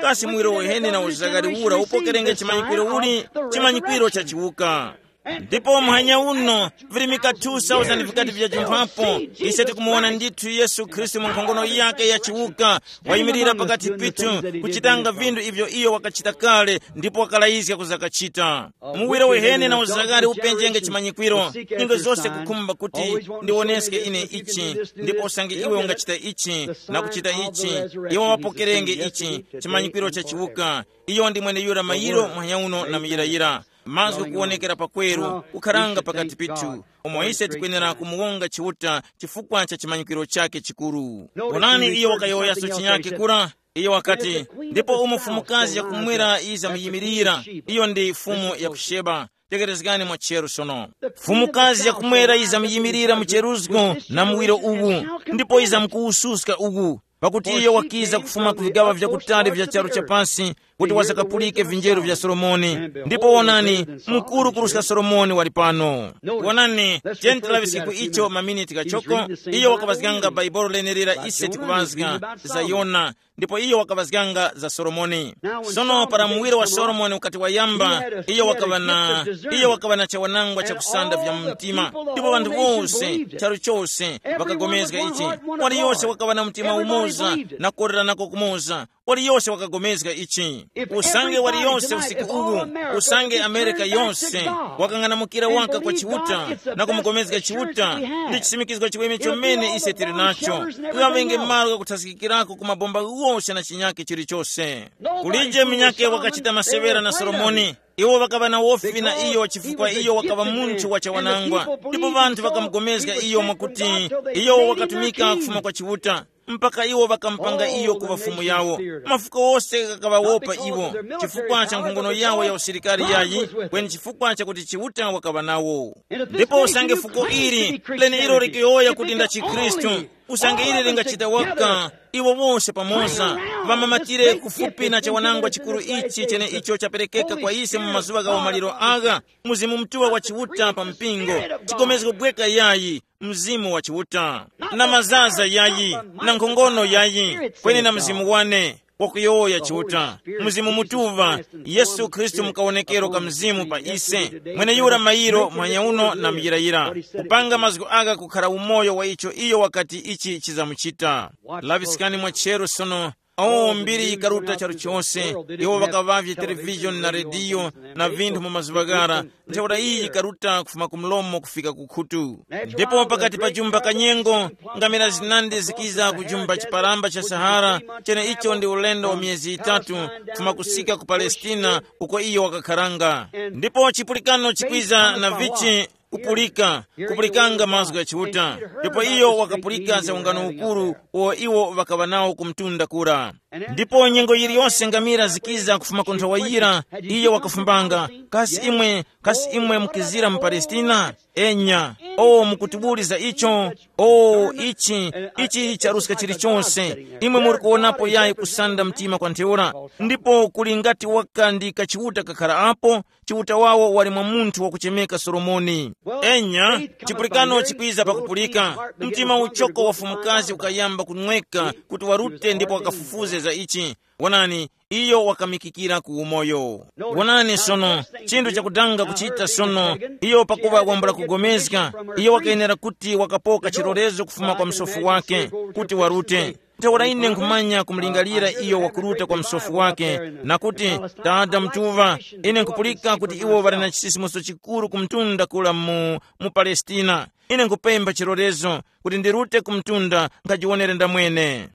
Kasi muwiro uheni na uzagari ura upokerenge chimanyikwiro uli? Chimanyikwiro cha chiwuka. Ndipo muhanya uno, virimika two thousand vikati vyajumphapo, ise tikumuwona ndithu Yesu Khristu mu nkhongono yake ya chiwuka, wayimirira pakati pithu, kuchitanga vinthu ivyo iyo wakachita kale, ndipo wakalayizga kuzakachita. Muwiro wehene na uzagari upenjenge chimanyikwiro, nyengo zose kukhumba kuti ndiwoneske ine ichi, ndipo usange iwe ungachita ichi, na kuchita ichi, iwo wapokerenge ichi, chimanyikwiro cha chiwuka. Iyo ndi mweneyura mayiro muhanya uno na muyirayira. Mazgu kuwonekera pakweru kukharanga pakati pithu, umo ise tikwenera kumuwonga Chiuta chifukwa cha chimanyikwiro chake chikuru. Onani, iyo wakayowoyaso chinyakhe kura. Iyo wakati, ndipo umo mfumukazi yakumwera yiza muyimirira, iyo ndi fumu ya ku Sheba. Tekerezgani mwa chero sono. Mfumukazi yakumwera yiza muyimirira mu cheruzgo na muwiro uwu, ndipo yiza mukuwususka uwu, pakuti iyo wakiza kufuma ku vigaŵa vyakutali vya charu cha pasi, kuti wazakapulike vinjeru vya Solomoni. Ndipo wonani, mukuru kuruska Solomoni wali pano. Wonani, tiyeni tilaŵiske ku icho maminiti ghachoko. Iyo wakapazganga Baibolo lenelira ise tikupazga za Yona, ndipo iyo wakapazganga za Solomoni. Sono para muwiro wa Solomoni ukati wayamba, iyo wakaŵa na, iyo wakaŵa na chawanangwa chakusanda vya mu mtima, ndipo ŵanthu wose, charu chose, ŵakagomezga ichi. Waliyose wakaŵa na mtima umoza na kukoreranako kumoza. Waliyose wakagomezga ichi. Usange waliyose usiku uwu, usange Amerika yose wakang'anamukira waka kwa Chiuta na kumugomezga Chiuta, ndi chisimikizgo chiweme chomene ise tili nacho. Kuŵenge malo ghakuthazikikirako ku mabomba ghose na chinyakhe chilichose. Kulije munyakhe wakachita masewera na Solomoni. Iwo ŵakaŵa na wofi na iyo chifukwa iyo wakaŵa munthu wa chawanangwa, ndipo ŵanthu ŵakamugomezga iyo mwakuti iyo wakatumika kufuma kwa Chiuta. mpaka iwo ŵakamupanga iyo kuŵa fumu yawo. Mafuko wose ghakaŵawopa iwo, chifukwa cha nkhongono yawo ya usilikari yayi, kweni chifukwa chakuti Chiuta wakaŵa nawo. Ndipo usange fuko ili leneilo likuyowoya kuti nda chikhristu, usange ili lingachita waka, iwo wose pamoza ŵamamatire kufupi na chawanangwa chikuru ichi chene icho chaperekeka kwa ise mu mazuŵa gha umaliro agha, Mzimu Mutuŵa wa Chiuta pa mpingo, chigomezgo bweka yayi, Mzimu wa Chiuta, na mazaza yayi, na nkhongono yayi, kweni na Mzimu wane wakuyowoya Chiuta, Mzimu Mutuŵa, Yesu Khristu mukawonekero ka Mzimu pa ise, mweneyura mayiro mwanyauno na muyirayira, kupanga mazgu agha kukhara umoyo wa icho iyo wakati ichi chizamuchita. Laŵiskani mwa cheru sono. O mbiri yikaruta charu chose, iwo ŵakaŵavye televizhoni na rediyo na vinthu mu mazuŵa ghara, ntheura iyi yikaruta kufuma ku mlomo kufika ku khutu. Ndipo pakati pa jumba kanyengo, ngamira zinandi zikiza ku jumba chiparamba cha Sahara, cheneicho ndi ulendo wa miyezi yitatu, kufuma kusika ku Palestina, uko iyo wakakharanga. Ndipo chipulikano chikwiza na vichi kupulika, kupulikanga mazgu gha Chiuta. Ndipo iyo wakapulika za ungano ukuru uwo iwo ŵakaŵa nawo ku mtunda kura. Ndipo nyengo yiliyose ngamira zikiza kufuma ku nthowa yira, iyo wakafumbanga, kasi imwe, kasi imwe mukizira mu Palestina? Enya, o mukutibuliza icho? O ichi, ichi charuska chilichonse. Imwe muri kuwonapo yayi kusanda mtima kwa ntheura. Ndipo kuli ngati waka ndi kachiuta kakhara apo, Chiuta wawo wali mwa munthu wakuchemeka Solomoni. Enya, chipulikano chikwiza pakupulika, mtima uchoko wa fumukazi ukayamba kunweka kuti warute ndipo wakafufuze za ichi. Wonani, iyo wakamikikira ku umoyo. Wonani sono, chinthu chakudanga kuchita sono, iyo pakuva wambula kugomezga, iyo wakayenera kuti wakapoka chilolezo kufuma kwa msofu wake kuti warute. Ntheura ine nkhumanya kumulingalira iyo wakuruta kwa msofu wake, na kuti, Tada Mutuŵa, ine nkhupulika kuti iwo ŵali na chisisimuso chikuru ku mtunda kula mu, mu Palestina. Ine nkhupempha chilolezo kuti ndirute ku mtunda nkhajiwonere ndamwene.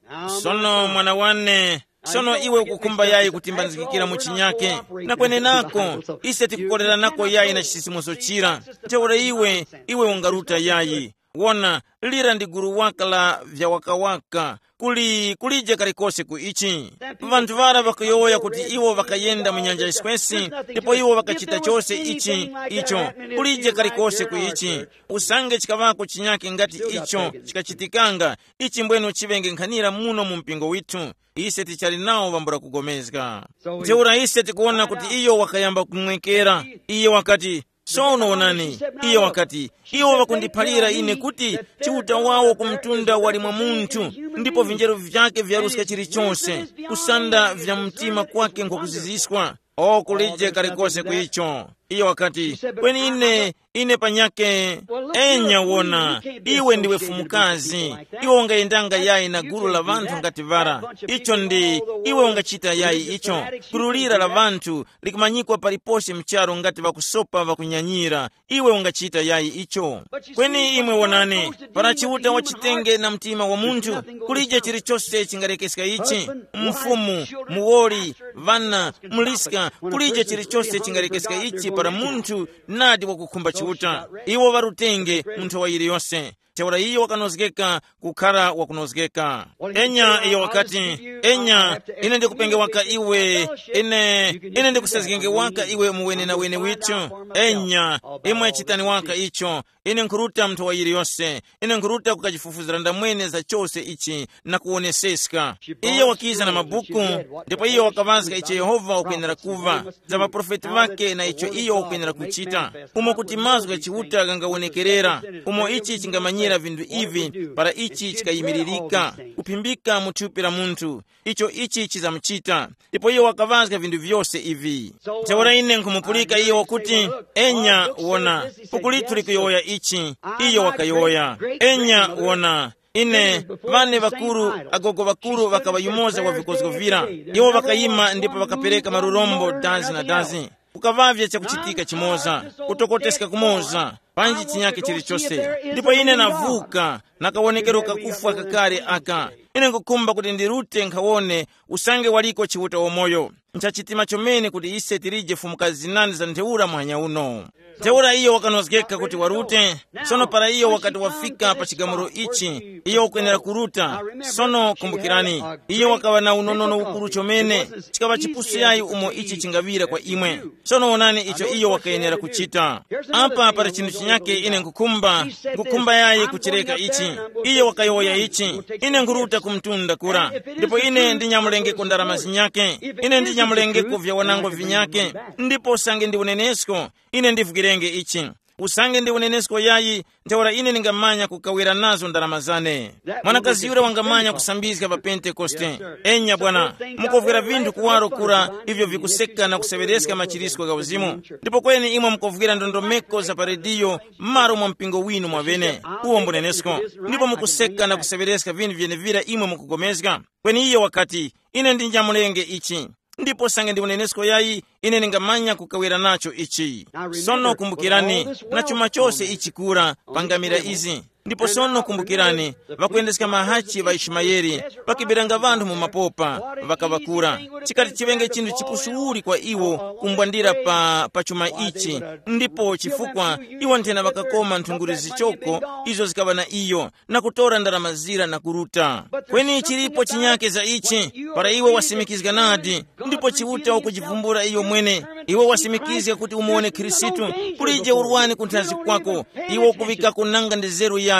Sono mwana wane, sono iwe ukukhumba yayi kutimbanzikikira mu chinyake? Na kwenenako, ise tikukoleranako yayi na chisisimuso chira. Ntheura iwe, iwe ungaruta yayi. Wona, lira ndi gulu waka la vyawakawaka. Kuli kulije kalikose ku ichi. Vanthu ŵara ŵakayowoya kuti iwo ŵakayenda mu nyanja yiswesi, ndipo iwo ŵakachita chose ichi, icho. Kulije kalikose ku ichi. Usange chikaŵako chinyake ngati icho chikachitikanga, ichi mbwenu chiŵenge nkhanira muno mu mpingo withu. Ise tichali nawo ŵambula kugomezga. Ntheura ise tikuwona kuti iyo wakayamba kumwekera. Iye wakati, sono wonani, iye wakati, iwo ŵakundiphalira ine kuti Chiuta wawo ku mtunda wali mwa munthu, ndipo vinjeru vyake vyaruska chilichonse, kusanda vya mtima kwake nkhukuziziswa. O kulije kalikose ku icho. Iye wakati, kweni ine, ine panyake. Enya wona, iwe ndiwe fumukazi. Iwe ungayendanga yayi na gulu la vanthu ngati vara. Icho ndi, iwe ungachita yayi icho. Gulu lira la vanthu likumanyikwa palipose mcharo ngati ŵakusopa ŵakunyanyira. Iwe ungachita yayi icho. Kweni imwe wonani, para Chiuta wachitenge na mtima wa munthu, kulije chilichose chingalekeska ichi. Mfumu, muwoli, vana, muliska, kulije chilichose chingalekeska ichi para munthu nadi wakukhumba Chiuta. Iwo ŵarutenge mu nthowa yiliyose. Ntheura iyo wakanozgeka kukhara wakunozgeka. Enya iyo wakati, enya, ine ndikupenge waka iwe, ine, ine ndikusazgenge waka iwe mu wenenawene withu. Enya, imwe chitani waka icho. Ine nkhuruta mu nthowa yiliyose. Ine nkhuruta kukachifufuzira ndamwene za chose ichi na kuwoneseska. Iyo wakiza na mabuku, ndipo iyo wakaŵazga icho Yehova wakwenera kuva, za ŵaprofeti ŵakhe na icho iyo wakwenera kuchita, umo kuti mazgu gha Chiuta ghangawonekerera, umo ichi chingamanyira vinthu ivi para ichi chikayimiririka, kuphimbika mu thupi la munthu, icho ichi chizamuchita. Ndipo iyo wakaŵazga vinthu vyose ivi. Ntheura ine nkhumupulika iyo wakuti, enya, wona, buku lithu likuyowoya ichi. Iyo wakayowoya, enya, wona, ine, vane ŵakuru, agogo ŵakuru ŵakaŵayumoza wa vikozgo vira. Iwo ŵakayima ndipo ŵakapereka malurombo dazi na dazi. Kukaŵavye chakuchitika chimoza, kutokoteska kumoza, panji chinyake chilichose. Ndipo ine navuka, na kawonekero kakufwa kakale aka. Ine nkukhumba kuti ndirute nkhawone usange waliko Chiuta wamoyo. Nchachitima chomene kuti ise tilije fumuka zinandi za ntheura muhanya uno. Ntheura iyo wakanozgeka kuti warute. Sono para iyo wakati wafika pa chigamulo ichi, iyo wakwenera kuruta. Sono kumbukirani, iyo wakaŵa na unonono ukuru chomene. Chikaŵa chipusu yayi umo ichi chingaŵira kwa imwe. Sono wonani icho iyo wakayenera kuchita. Apa pali chinthu chinyake ine nkukhumba, nkukhumba yayi kuchireka ichi. Iyo wakayowoya ichi, ine nkuruta ku mtunda kura, ndipo ine ndinyamulengeko ndarama zinyake. Ine ndinyamulengeko vyawanangwa vinyake. Ndipo usange ndi unenesko, ine ndivukirenge ichi. Usange ndi unenesko yayi, ntheura ine ndingamanya kukawira nazo ndarama zane. Mwanakazi yura wangamanya kusambizga pa Pentekoste. Enya bwana, mukovwera vinthu kuwaro kura, ivyo vikuseka na kuseŵereska machirisko gha uzimu. Ndipo kweni imwe mukovwera ndondomeko za pa rediyo, m'malo mwa mpingo winu mwaŵene, uwo mbunenesko. Ndipo mukuseka na kuseŵereska vinthu vyenevira imwe mukugomezga. Kweni iyo wakati, ine ndinjamulenge ichi. Ndipo sange ndi unenesko yayi, ine ningamanya kukawera nacho ichi. Sono kumbukirani, na chuma chose ichi kura pangamira izi. Ndipo sono kumbukirani, ŵakuyendeska mahachi ŵa Ishimayeli, ŵakibiranga ŵanthu mu mapopa, ŵakaŵakura. Chikati chiŵenge chinthu chipusuwuli kwa iwo kumbwandira pa, pa chuma ichi, ndipo chifukwa iwo nthena ŵakakoma nthunguli zichoko, izo zikaŵa na iyo, na kutora ndarama zira na kuruta. Kweni chilipo chinyake za ichi, para iwe wasimikizga nadi, ndipo Chiuta wakujivumbula iyo mwene, iwe wasimikizga kuti umuwone Khristu, kulije urwani kunthazi kwako, iwe ukuvikako nanga ndi zeru yayi.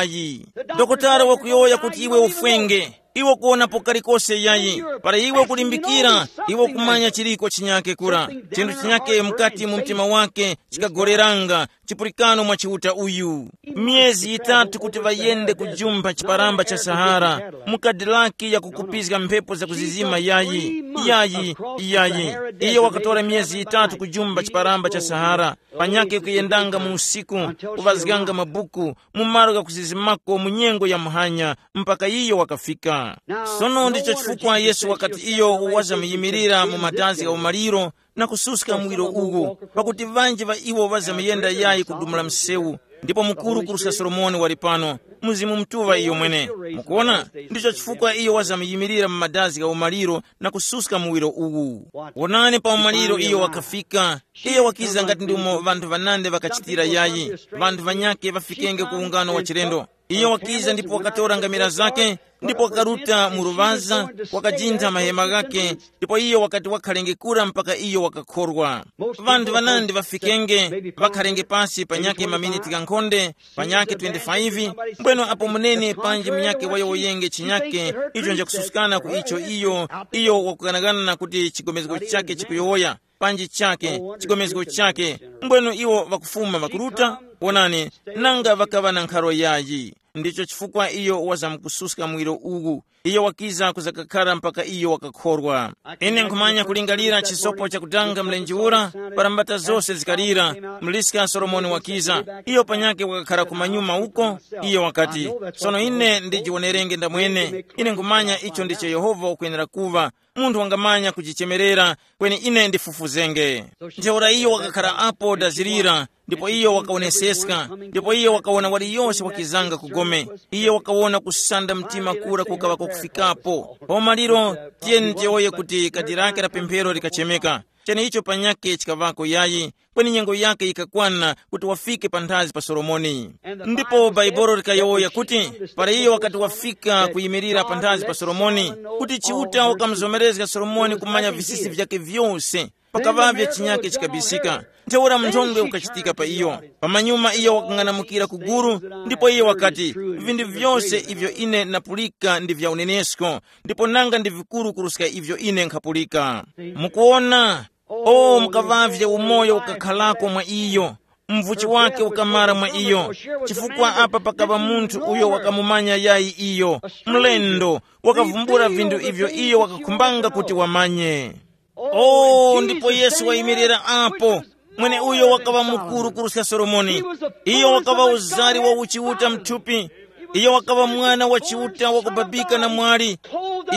Dokotala wakuyowoya kuti iwe ufwenge, iwe kuwonapo kalikose yayi, para iwe kulimbikira, iwe kumanya chiliko chinyake kura. Chinthu chinyake mukati mu mtima wake chikagoleranga, chipulikano mwa Chiuta uyu. Myezi yitatu kuti ŵayende kujumpha chiparamba cha Sahara, mu kadilaki ya kukupizga mphepo zakuzizima yayi, yayi, yayi. Iyo wakatora myezi yitatu kujumpha chiparamba cha Sahara, panyakhe kuyendanga mu usiku, kuŵazganga mabuku, mu malo ghakuzizimako mu nyengo ya muhanya, mpaka iyo wakafika. Sono ndicho chifukwa Yesu wakati iyo wazamuyimilira mu madazi gha umaliro, na kususka muwiro uwu, pakuti ŵanji ŵa iwo ŵazamuyenda yayi kudumula msewu, ndipo mukuru kuruska Solomoni wali pano, Mzimu Mutuŵa iyo mwene. Mukuona, ndicho chifukwa iyo wazamuyimilira mu madazi gha umaliro na kususka muwiro uwu. Wonani, pa umaliro iyo wakafika. Iyo wakiza ngati ndimo ŵanthu ŵanandi ŵakachitira yayi, ŵanthu ŵanyakhe ŵafikenge ku ungano wa chilendo. Iyo wakiza ndipo wakatora ngamira zake, ndipo wakaruta mu luŵaza, wakajintha mahema ghakhe, ndipo iyo wakati wakhalenge kura mpaka iyo wakakhorwa. Ŵanthu ŵanandi ŵafikenge, ŵakhalenge pasi panyakhe maminiti ghankhonde, panyakhe twenty-five, mbweno apo munene panji munyakhe wayowoyenge chinyakhe, icho njakususkana ku icho iyo, iyo wakuganagana kuti chigomezgo chakhe chikuyowoya, panji chakhe, chigomezgo chakhe, mbweno iwo ŵakufuma ŵakuruta, wonani, nanga ŵakaŵa na nkharo yayi. Ndicho chifukwa iyo wazamkususka mwiro uwu. Iyo wakiza kuzakakhara mpaka iyo wakakhorwa. Ine nkhumanya kulingalira chisopo chakutanga mlenje ura, para mbata zose zikalira, mliska Solomoni wakiza. Iyo panyakhe wakakhara kumanyuma uko, iyo wakati, sono ine ndijiwonerenge ndamwene. Ine nkhumanya icho ndicho Yehova ukwenera kuva, munthu wangamanya kujichemerera, kweni ine ndifufuzenge. Ntheura iyo wakakhara apo dazirira, ndipo iyo wakawoneseska, ndipo iyo wakawona waliyose wakizanga kugome. Iyo wakawona kusanda mtima kura kukaŵa kwakufikapo. Pa umaliro, tiyeni tiyowoye kuti kadi lake la pemphero likachemeka. Cheneicho panyakhe chikaŵako yayi, kweni nyengo yake yikakwana kuti wafike panthazi pa Solomoni. Ndipo Baibolo likayowoya kuti, para iyo wakati wafika kuyimirira panthazi pa Solomoni, kuti Chiuta wakamuzomerezga Solomoni kumanya visisi vyake vyose, pakaŵavye chinyake chikabisika. Ntheura mnthondwe ukachitika pa iyo. Pamanyuma iyo wakang'anamukira ku guru, ndipo iyo wakati, vinthu vyose ivyo ine napulika ndi vya unenesko, ndipo nanga ndi vikuru kuruska ivyo ine nkhapulika. Mukuona, o mukaŵavye umoyo ukakharako mwa iyo, mvuchi wake ukamara mwa iyo, chifukwa apa pakaŵa munthu uyo wakamumanya yayi iyo, mlendo, wakavumbula vinthu ivyo iyo wakakhumbanga kuti wamanye. O, ndipo Yesu wayimirira apo, mweneuyo wakaŵa mukuru kuruska Solomoni. Iyo wakaŵa uzari wa uchiuta mthupi. Iyo wakaŵa mwana wa chiuta wakubabika na mwali.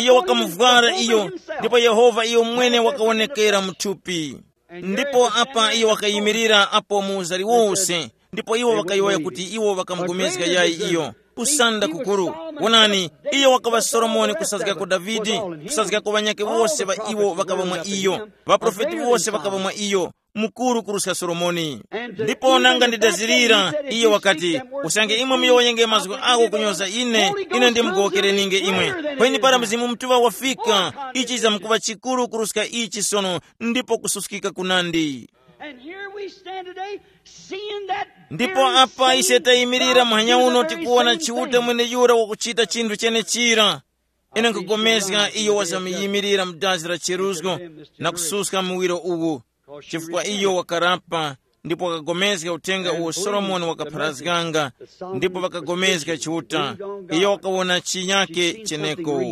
Iyo wakamuvwara iyo, ndipo Yehova iyo mwene wakawonekera mthupi. Ndipo apa iyo wakayimirira apo mu uzari wose, ndipo iwo ŵakayowoya kuti iwo ŵakamupulikana yayi iyo. Kusanda kukuru. Wonani, iyo wakaŵa Solomoni kusazgako Davide, kusazgako ŵanyakhe wose ŵa iwo ŵakaŵa mwa iyo. Ŵaprofeti wose ŵakaŵa mwa iyo, mukuru kuruska Solomoni. Ndipo nanga ndidazirira, iyo wakati, usange imwe muyowoyenge mazgu agho kunyoza ine, ine ndimugowokereninge imwe. Kweni para Mzimu Mutuŵa wafika, ichi chizamkuŵa chikuru kuruska ichi sono, ndipo kususkika kunandi. And here we stand today, seeing that ndipo very apa ise same tayimirira God muhanya uno, is very tikuwona same Chiuta thing. Mwene yura wakuchita chinthu chenechira. Ine nkugomezga iyo wazamuyimilira mu dazi la cheruzgo na kususka muwiro uwu, chifukwa iyo wakarapa ndipo wakagomezga uthenga uwo Solomoni wakapharazganga, ndipo wakagomezga Chiuta. Iyo wakawona chinyake cheneko.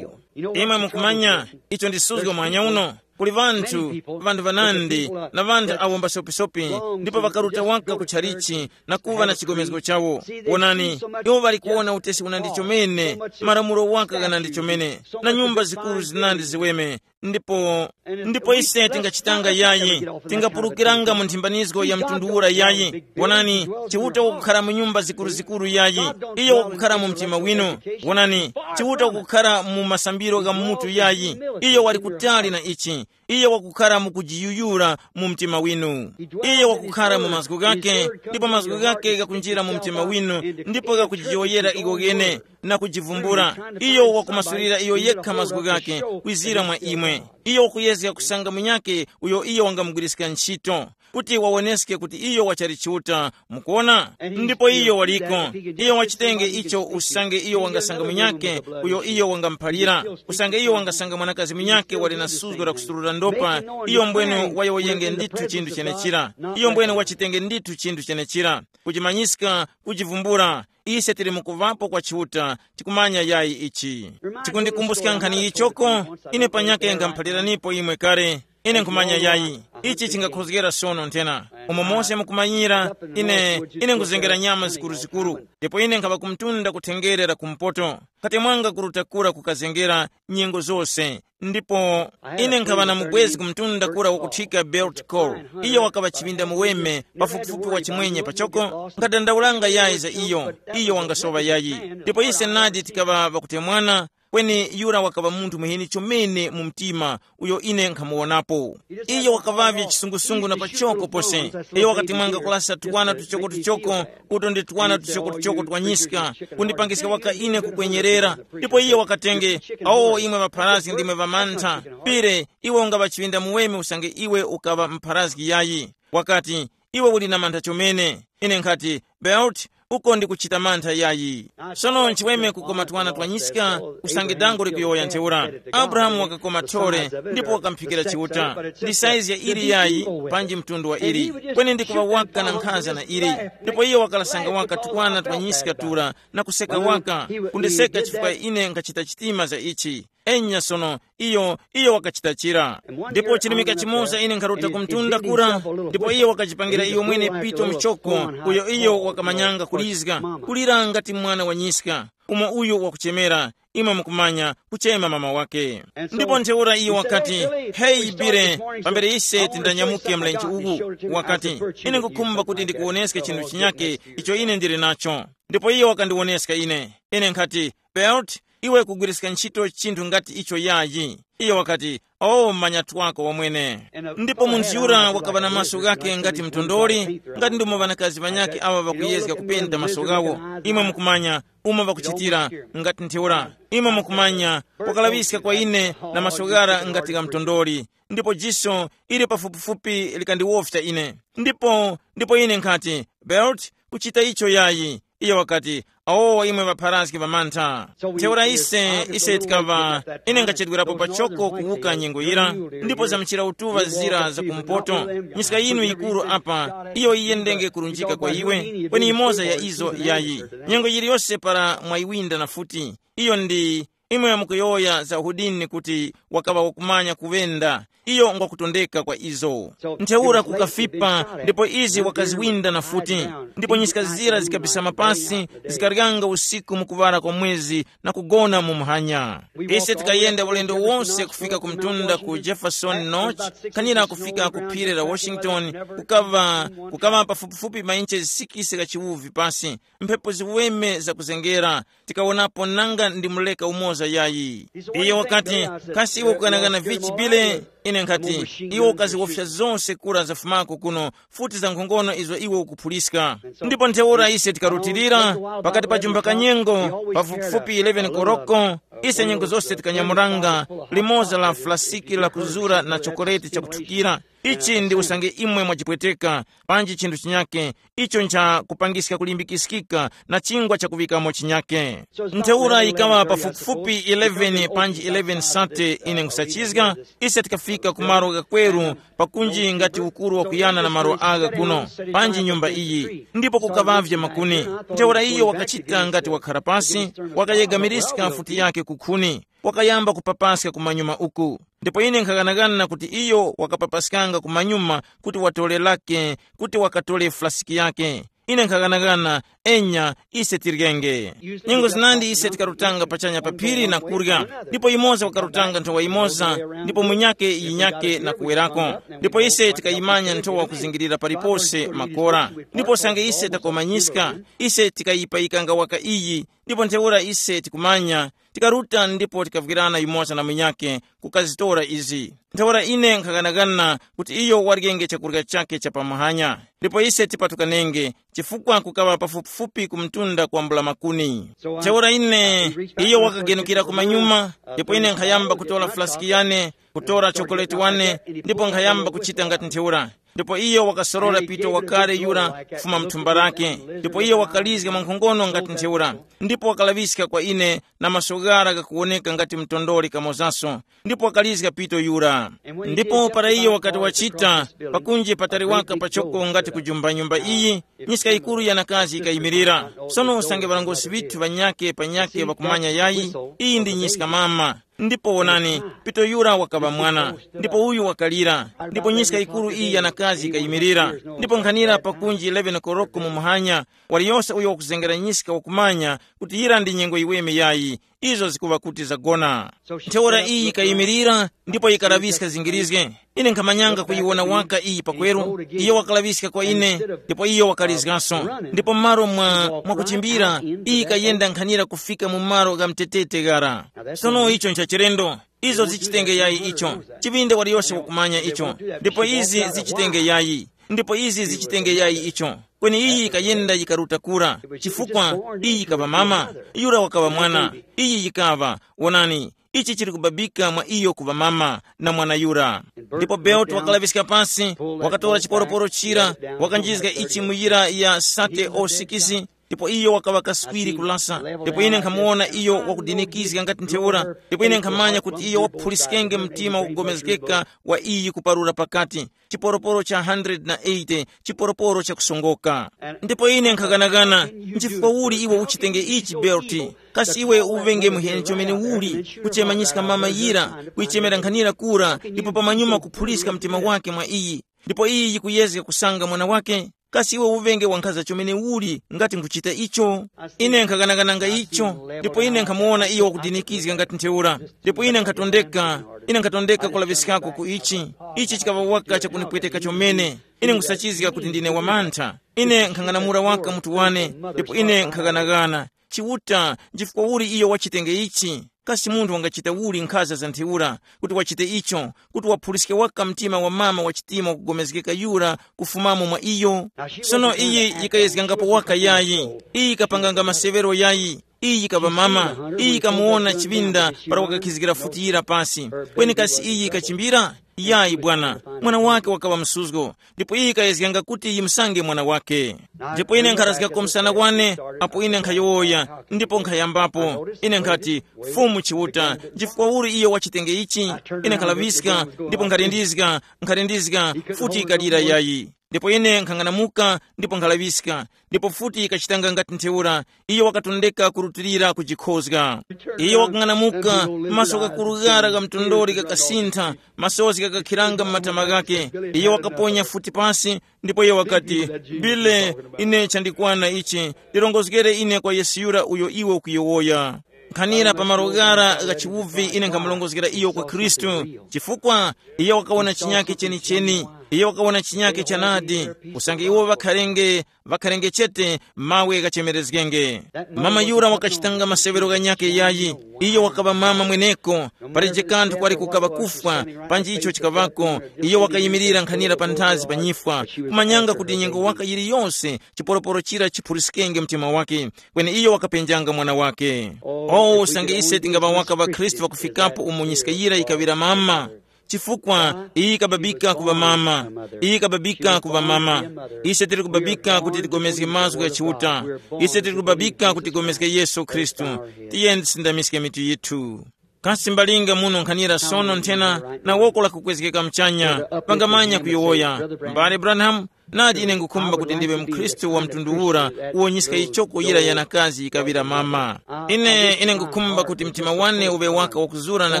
Imwe mukumanya icho ndisuzgo mwanya uno. Kuli ŵanthu, ŵanthu ŵanandi, na ŵanthu awo mbasopisopi, ndipo ŵakaruta waka ku tchalichi na kuŵa na chigomezgo chawo. Wonani, iwo ŵali kuwona utesi unandi chomene, malamulo waka ghanandi chomene, na nyumba zikuru zinandi ziweme. Ndipo ndipo ise tingachitanga yayi, tingapulukiranga mu nthimbanizgo ya mtundu ura yayi. Wonani, Chiuta wakukhara mu nyumba zikuruzikuru yayi, iyo wakukhara mu mtima winu. Wonani, Chiuta wakukhara mu masambiro gha mutu yayi, iyo wali kutali na ichi. Iyo wakukhara mu kujiyuyura mu mtima winu. Iyo wakukhara mu mazgu ghake, ndipo mazgu ghake ghakunjira mu mtima winu, ndipo ghakujiyoyera iwo ghene na kujivumbula. Iyo wakumasulira iyo yekha mazgu ghake kwizira mwa imwe. Iyo wakuyezga kusanga munyake uyo iyo wangamugwiriska ntchito, kuti wawoneske kuti iyo wachali Chiuta. Mukuona? Ndipo iyo waliko. Iyo wachitenge icho usange iyo wangasanga munyake uyo iyo wangamuphalira, usange iyo wangasanga mwanakazi munyake wali na suzgo la kusurura ndopa, iyo mbwene wayowoyenge ndithu chinthu chenechira. Iyo mbwene wachitenge ndithu chinthu chenechira. Kuchimanyiska, kuchivumbula. Ise tili mukuvapo kwa Chiuta, tikumanya yayi ichi. Chikundikumbuska nkhani yichoko, ine panyake ngamuphaliranipo imwe kale. Ine nkhumanya yayi, ichi chingakhozgera sono nthena, umo mose mukumanyira. Ine ine nkuzengera nyama zikuruzikuru, ndipo ine nkhaŵa kumtunda kuthengerera kumpoto. Kati mwanga kuruta kura kukazengera nyengo zose. Ndipo ine nkhaŵa na mubwezi kumtunda kura wakuthika Belt Col. Iyo wakaŵa chiŵinda muweme, pafupifupi wa chimwenye pachoko. Nkhadandaulanga yayi za iyo, iyo wangasowa yayi. Ndipo ise nadi tikaŵa ŵakutemwana, kweni yura wakaŵa munthu muheni chomene mu mtima uyo ine nkhamuwonapo. Iyo wakaŵavye chisungusungu na pachoko pose. Iyo wakati mwanga kulasa twana tuchokotuchoko, uto ndi twana tuchokotuchoko twa nyiska, kundipangiska waka ine kukwenyerera. Ndipo iyo wakatenge, awo imwe ŵapharazgi ndimwe ŵamantha. Pire, iwe ungaŵa chiŵinda muweme usange iwe ukaŵa mpharazgi yayi. Wakati, iwe uli na mantha chomene. Ine nkhati, Belt, uko ndikuchita mantha yayi. Sono nchiweme kukoma twana twa nyiska, usange dango likuyowoya ntheura. Abrahamu wakakoma thole, ndipo wakamphikira Chiuta. Ndi saizi ya ili yayi, panji mtundu wa ili. Kweni ndikuŵa waka na nkhanza na ili. Ndipo iyo wakalasanga waka twana twa nyiska tura, na kuseka waka, kundiseka chifukwa ine nkhachita chitima za ichi. Enya sono, iyo iyo wakachita chira. Ndipo chirimika chimoza ine nkharuta kumtunda kura, ndipo iyo wakachipangira iyo mwene pito mchoko, uyo iyo wakamanyanga kulizga, kulira ngati mwana wa nyiska, umo uyo wakuchemera, imwe mukumanya, kuchema mama wake. Ndipo ntheura iyo wakati, heyi bire, pambere ise tindanyamuke mlenje uwu, wakati, ine nkukhumba kuti ndikuwoneske chinthu chinyake icho ine ndili nacho. Ndipo iyo wakandiwoneska ine. Ine nkhati, Belt, iwe kugwiriska ntchito chinthu ngati icho yayi. Iyo wakati, o manyatwako wamwene. Ndipo munthu yura wakaŵa na maso ghake ngati mtondoli, ngati ndimo ŵanakazi ŵanyakhe awa ŵakuyezga kupenda maso ghawo. Imwe mukumanya, umo ŵakuchitira, ngati ntheura. Imwe mukumanya, wakalaŵiska kwa ine na maso ghara ngati gha mtondoli, ndipo jiso ili pafupifupi likandiwofya ine. Ndipo ndipo ine nkhati, Belt, kuchita icho yayi. Iyo wakati, awowa imwe ŵapharazgi ŵamantha. Ntheura ise ise tikaŵa, ine ngachedwerapo pachoko kuwuka nyengo yira, ndipo zamchira utuŵa zira za kumpoto. Nyiska yinu yikuru apa, iyo yiyendenge kurunjika kwa iwe, kweni imoza ya izo yayi. Nyengo yiliyose para mwayiwinda na futi, iyo ndi Imwe mukuyowoya za Hudini kuti wakaŵa wakumanya kuŵenda. Iyo ngwakutondeka kwa izo. Ntheura kukafipa, ndipo izi wakaziwinda na futi. Ndipo nyiska zira zikabisama pasi, zikaryanga usiku mu kuŵala kwa mwezi na kugona mu muhanya. Ise tikayenda ulendo wose kufika ku mtunda ku Jefferson Notch, kanira kufika ku phiri la Washington, kukaŵa kukaŵa pafupifupi mainche sikisi gha chiwuvi pasi, mphepo ziweme zakuzengera. Tikawonapo nanga ndi muleka umoza yayi. Iye wakati, kasi iwe kukanangana vichi bile? Ine nkhati, iwe ukaziwofya zose kura zafumako kuno, futi za nkhongono izo iwe ukuphuliska. Ndipo ntheura ise tikarutilira, pakati pa jumba kanyengo, pafupifupi eleven koroko, ise nyengo zose tikanyamuranga limoza la flasiki la kuzura na chokoleti chakuthukira. Ichi ndi usange imwe mwachipweteka, panji chinthu chinyake, icho ncha kupangiska kulimbikiskika na chingwa chakuŵikamo chinyake. Ntheura yikaŵa pafupifupi eleven panji eleven sate ine nkhusachizga, ise tikafika ku malo ghakweru, pakunji ngati ukuru wakuyana na malo agha kuno, panji nyumba iyi, ndipo kukaŵavye makuni. Ntheura iyo wakachita ngati wakhara pasi, wakayegamirizga mfuti yake kukhuni, wakayamba kupapaska kumanyuma uku. Ndipo ine nkhaghanagana kuti iyo wakapapaskanga kumanyuma kuti watore lake, kuti wakatore flasiki yake. Ine nkhaghanagana, enya, ise tiryenge. Nyengo zinandi ise tikarutanga pachanya pa phiri na kurya, ndipo yimoza wakarutanga nthowa yimoza, ndipo munyake yinyake na kuwerako. Ndipo ise tikayimanya nthowa kuzingirira palipose makora. Ndipo sange ise takomanyiska, ise tikayipayikanga waka iyi, ndipo ntheura ise tikumanya, tikaruta ndipo tikavwirana yumoza na munyakhe kukazitora izi. Ntheura ine nkhaghanaghana kuti iyo waryenge chakurya chakhe cha pamuhanya, ndipo ise tipatukanenge, chifukwa kukaŵa pafupifupi ku mtunda kwambula makuni. Ntheura ine, iyo wakagenukira kumanyuma, ndipo ine nkhayamba kutora flasiki yane, kutora chokoleti wane, ndipo nkhayamba kuchita ngati ntheura. Ndipo iyo wakasorora pito wakale yura kufuma mthumba lake, ndipo iyo wakalizga mwankhongono ngati ntheura, ndipo wakalaŵiska kwa ine na maso ghara ghakuwoneka ngati mtondoli kamozaso, ndipo wakalizga pito yura. Ndipo para iyo wakati wachita, pakunje patali waka pachoko ngati kujumba nyumba iyi, nyiska yikuru yanakazi yikayimirira. Sono usange ŵarongosi ŵithu ŵanyakhe panyakhe ŵakumanya yayi, iyi ndi nyiska mama. Ndipo wonani, pito yura wakaŵa mwana, ndipo uyu wakalira, ndipo nyiska yikuru iyi yanakazi yikayimirira. Ndipo nkhanira pakunji eleven koroko mu muhanya, waliyose uyo wakuzengera nyiska wakumanya kuti yira ndi nyengo yiweme yayi, izo zikuŵa kuti zagona. Ntheura iyi yikayimirira, ndipo yikalaŵiska zingirizge. Ine nkhamanyanga kuyiwona waka iyi pakweru, iyo wakalaŵiska kwa ine, ndipo iyo wakalizgaso. Ndipo m'malo mwa mwakuchimbira, iyi kayenda nkhanira kufika mu malo gha mtetete ghara. Sono icho nchachilendo. Izo zichitenge yayi icho. Chiŵinde waliyose wakumanya icho. Ndipo izi zichitenge yayi. Ndipo izi zichitenge yayi icho. Kweni iyi yikayenda yikaruta kura, chifukwa iyi yikaŵa mama, yura wakaŵa mwana. Iyi yikaŵa, wonani, ichi chili kubabika mwa iyo kuŵa mama na mwana yura. Ndipo Belt wakalaŵiska pasi, wakatora chiporoporo chira, wakanjizga ichi mu yira ya sate o sikisi, ndipo iyo wakaŵa kaswiri kulasa. Ndipo ine nkhamuwona iyo wakudinikizga ngati ntheura, ndipo ine nkhamanya kuti iyo waphuliskenge mtima wakugomezgeka wa iyi kuparura pakati, chiporoporo cha hundred na eighty, chiporoporo chakusongoka. Ndipo ine nkhaganagana, nchifukwa uli iwe uchitenge ichi Belt? Kasi iwe uvenge muheni chomene uli, kuchemanyiska mama yira, kuyichemera nkhanira kura, ndipo pamanyuma kuphuliska mtima wake mwa iyi, ndipo iyi yikuyezga kusanga mwana wake? Kasi iwe uvenge wankhaza chomene uli ngati nkuchita icho? Ine nkhaganagananga icho, ndipo ine nkhamuwona iyo wakudinikizga ngati ntheura, ndipo ine nkhatondeka, ine nkhatondeka kulaŵiskako ku ichi. Ichi chikaŵa waka chakunipweteka chomene. Ine nkusachizga kuti ndine wamantha. Ine nkhang'anamula waka mutu wane, ndipo ine nkhaganaghana. Chiuta, nchifukwa uli iyo wachitenge ichi? Kasi munthu wangachita uli nkhaza za ntheura, kuti wachite icho, kuti waphuliske waka mtima wa mama wa chitima wakugomezgeka yura kufumamo mwa iyo? Sono iyi yikayezgangapo waka yayi, iyi yikapanganga masewero yayi, iyi yikaŵa mama, iyi yikamuwona chiŵinda para wakakhizgira futi yira pasi. Kweni kasi iyi yikachimbira? Yayi bwana, mwana wake wakaŵa msuzgo, ndipo iyi yikayezganga kuti yimusange mwana wake. Ndipo ine nkharazgako msana kwane, apo ine nkhayowoya, ndipo nkhayambapo. Ine nkhati, Fumu Chiuta, nchifukwa uli iyo wachitenge ichi? Ine nkhalaŵiska, ndipo nkhalindizga, nkhalindizga, futi yikalira yayi. Ndipo ine nkhang'anamuka ndipo nkhalaŵiska, ndipo futi yikachitanga ngati ntheura. Iyo wakatondeka kurutilira kujikhozga. Iyo wakang'anamuka, maso ghakurughara gha mtondoli ghakasintha, masozi ghakakhiranga m'matama ghake. Iyo wakaponya futi pasi, ndipo iyo wakati, "Bile, ine chandikwana ichi, ndirongozgere ine kwa Yesu yura uyo iwe ukuyowoya." Nkhanira pa malo ghara gha chiwuvi ine nkhamurongozgera iyo kwa Khristu, chifukwa iyo wakawona chinyake chenicheni. Iyo wakawona chinyake chanadi, usange iwo ŵakharenge ŵakharenge chete mawe ghachemerezgenge. Mama yura wakachitanga maseŵero ghanyakhe yayi. Iyo wakaŵa mama mweneko, palije kanthu kwali kukaŵa kufwa, panji icho chikaŵako. Iyo wakayimirira nkhanira panthazi pa nyifwa, kumanyanga kuti nyengo waka yiliyose chiporoporo chira chiphuriskenge mtima wake. Kweni iyo wakapenjanga mwana wake. O usange ise tingaŵa waka ŵakhristu ŵakufikapo umo nyiska yira yikaŵira mama, chifukwa iyi ikababika kuŵa mama, iyi ikababika kuŵa mama. Ise tili kubabika kuti tigomezge mazgu gha Chiuta. Ise tili kubabika kuti tigomezge Yesu Khristu. Tiyeni tisindamiske mitu yithu. Kasi mbalinga muno nkhanira sono nthena na woko lakukwezgeka mchanya, pangamanya kuyowoya, mbale Branham, nadi ine ngukhumba kuti ndiwe mkhristu wa mtundu ura uwo nyiska yichoko yira yanakazi yikaŵira mama. Ine ine ngukhumba kuti mtima wane uŵe waka wakuzura na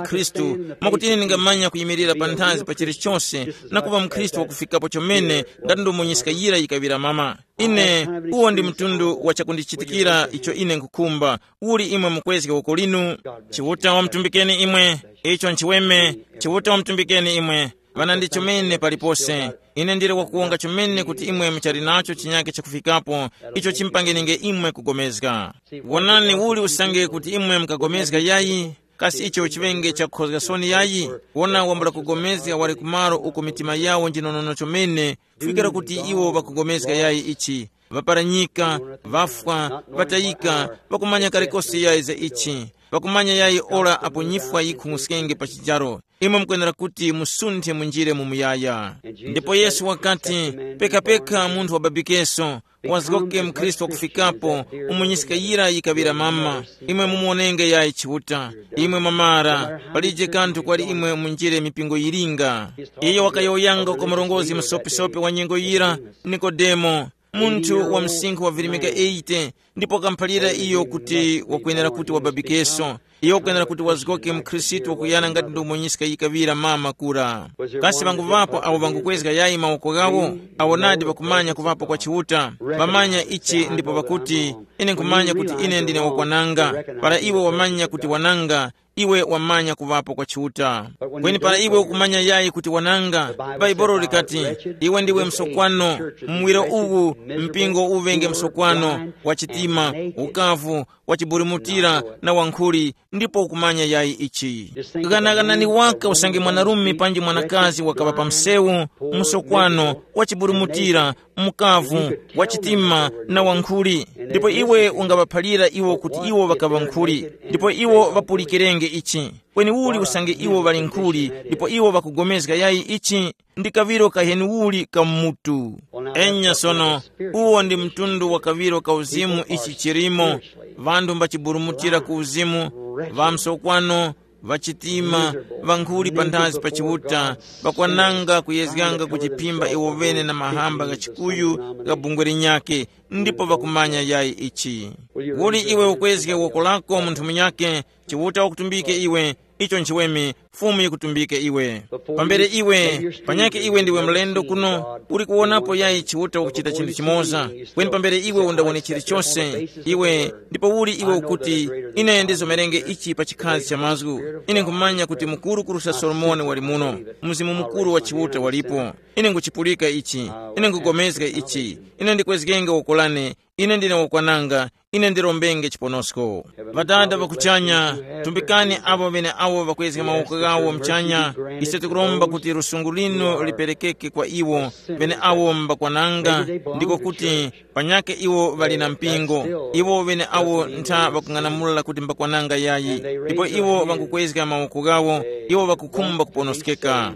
Khristu, mwakuti ine ndingamanya kuyimirira panthazi pa chilichose na kuŵa mkhristu wakufikapo chomene, ngati ndomwe nyiska yira yikaŵira mama. Ine, uwo ndi mtundu wa chakundichitikira icho ine nkukhumba. Uli imwe mukwezge uko linu? Chiuta wamtumbikeni imwe. Icho nchiweme. Chiuta wamtumbikeni imwe. Ŵana ndi chomene palipose. Ine ndili wakuwonga chomene kuti imwe muchali nacho chinyake chakufikapo, icho chimpangenenge imwe kugomezga. Wonani uli usange kuti imwe mukagomezga yayi, kasi icho chiŵenge chakukhozga soni yayi? Wona wambula kugomezga wali kumalo uko mitima yawo njinonono chomene, kufikira kuti iwo ŵakugomezga yayi ichi, ŵaparanyika, ŵafwa, ŵatayika, ŵakumanya kalikose yayi za ichi, ŵakumanya yayi ora apo nyifwa yikhung'uskenge pa chijaro. Imwe mukwenera kuti musunthe munjire mu muyaya. Ndipo Yesu wakati, pekapeka munthu wababikeso, wazgoke mkhristu wakufikapo, umunyiska yira yikaŵira mama. Imwe mumuwonenge yayi Chiuta. Imwe mwamara, palije kanthu kwali imwe munjire mipingo yilinga. Iyo wakayowoyanga kwa murongozgi musopisopis wa nyengo yira, Nikodemo, munthu wa msinkhu wa virimika eighty, ndipo wakamuphalira iyo kuti wakwenera kuti wababikeso. Iyo wakwenera kuti wazgoke mkhristu wakuyana ngati ndomwe nyiska yikaŵira mama kura. Kasi ŵanguŵapo awo ŵangukwezga yayi mawoko ghawo? Awo nadi ŵakumanya kuŵapo kwa Chiuta. Ŵamanya ichi ndipo ŵakuti, ine nkhumanya kuti ine ndine wakwananga. Para iwe wamanya kuti wananga, iwe wamanya kuŵapo kwa Chiuta. Kweni para iwe ukumanya yayi kuti wananga, Bhaibuli likati, iwe ndiwe msokwano. Muwiro uwu, mpingo uŵenge msokwano, wa chitima, ukavu, wa chiburumutira, na wankhuli, ndipo ukumanya yayi ichi. Ghanaghanani waka usange mwanarume panji mwanakazi wakaŵa pa msewu, msokwano, wa chiburumutira, mukavu, wa chitima, na wankhuli, ndipo iwe ungaŵaphalira iwo kuti iwo ŵakaŵa nkhuli, ndipo iwo ŵapulikirenge ichi. Kweni uli usange iwo ŵali nkhuli, ndipo iwo ŵakugomezga yayi ichi, ndi kaŵiro kaheniuli ka mutu. Enya sono, uwo ndi mtundu wa kaŵiro ka uzimu ichi chilimo, ŵanthu mbachiburumutira ku uzimu, ŵamsokwano, ŵachitima, ŵankhuli panthazi pa Chiuta, ŵakwananga kuyezganga kuchiphimba iwo ŵene na mahamba gha chikuyu gha bungwe linyakhe, ndipo ŵakumanya yayi ichi. Uli iwe ukwezge woko lako munthu munyakhe, Chiuta wakutumbike iwe, icho nchiweme, Fumu yikutumbike iwe. Pambere iwe, panyakhe iwe ndiwe mlendo kuno, uli kuwonapo yayi Chiuta wakuchita chinthu chimoza, kweni pambere iwe undawone chilichose, iwe, ndipo uli iwe ukuti, ine ndizomerenge ichi pa chikhazi cha mazgu. Ine nkhumanya kuti mukuru kurusa Solomoni wali muno, Mzimu Mukuru wa Chiuta walipo. Ine nguchipulika ichi, ine ngupulikana ichi, ine ndikwezgenge woko lane, ine ndine wakwananga, ine ndirombenge chiponosko. Ŵadada ŵa kuchanya, tumbikani apo ŵeneawo ŵakwezga mawoko ghawo mchanya, ise tikuromba kuti lusungu linu liperekeke kwa iwo, ŵeneawo mbakwananga, ndiko kuti, panyakhe iwo ŵali na mpingo, iwo ŵeneawo ntha ŵakung'anamula kuti mbakwananga yayi, ndipo iwo ŵangukwezga mawoko ghawo, iwo ŵakukhumba kuponoskeka.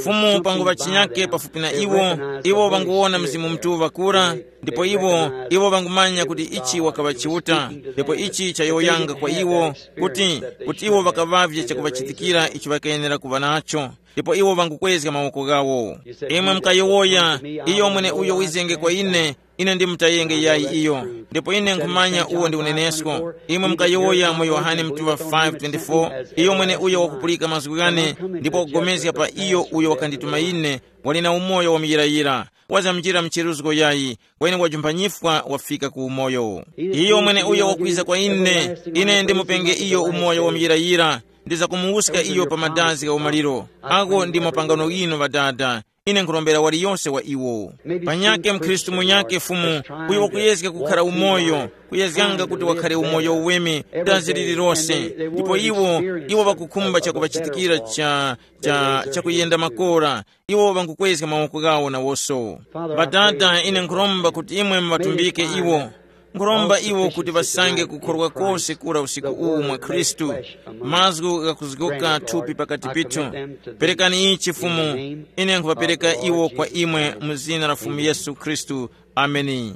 Fumu panguŵa chinyakhe pafupi na iwo, iwo ŵanguwona Mzimu Mutuŵa kura, ndipo iwo, iwo ŵangumanya kuti ichi wakaŵa Chiuta, ndipo ichi chayowoyanga kwa iwo, kuti, kuti iwo ŵakaŵavye chakuŵachitikira icho ŵakayenera kuŵa nacho, ndipo iwo ŵangukwezga mawoko ghawo. Imwe mukayowoya, iyo mwene uyo wizenge kwa ine, ine ndimutayenge yayi iyo, ndipo ine nkhumanya uwo ndi unenesko. Imwe mukayowoya mu Yohane mtuŵa five twenty-four, iyo mwene uyo wakupulika mazgu ghane, ndipo wakugomezga pa iyo uyo wakandituma ine, wali na umoyo wa muyirayira, wazamjira mcheruzgo yayi, kweni wajumpha nyifwa wafika ku umoyo. Iyo mwene uyo wakwiza kwa ine, ine ndimupenge iyo umoyo wa muyirayira, ndizakumuwuska iyo pa madazi gha umaliro. Ako ndi mapangano ghinu ŵadada, ine nkhurombera waliyose wa iwo. Panyake mkhristu munyake Fumu, uyo wakuyezga kukhara umoyo, kuyezganga kuti wakhare umoyo uweme, dazi lililose, ndipo iwo, iwo ŵakukhumba chakuŵachitikira cha, cha, chakuyenda makora, iwo ŵangukwezga mawoko ghawo nawoso. Ŵadada, ine nkhuromba kuti imwe muŵatumbike iwo. Nkhuromba iwo kuti ŵasange kukhorwa kose kura usiku uwu mwa Khristu, mazgu ghakuzgoka thupi pakati pithu. Perekani ichi Fumu, ine nkhuŵapereka iwo kwa imwe mu zina la Fumu Yesu Khristu. Ameni.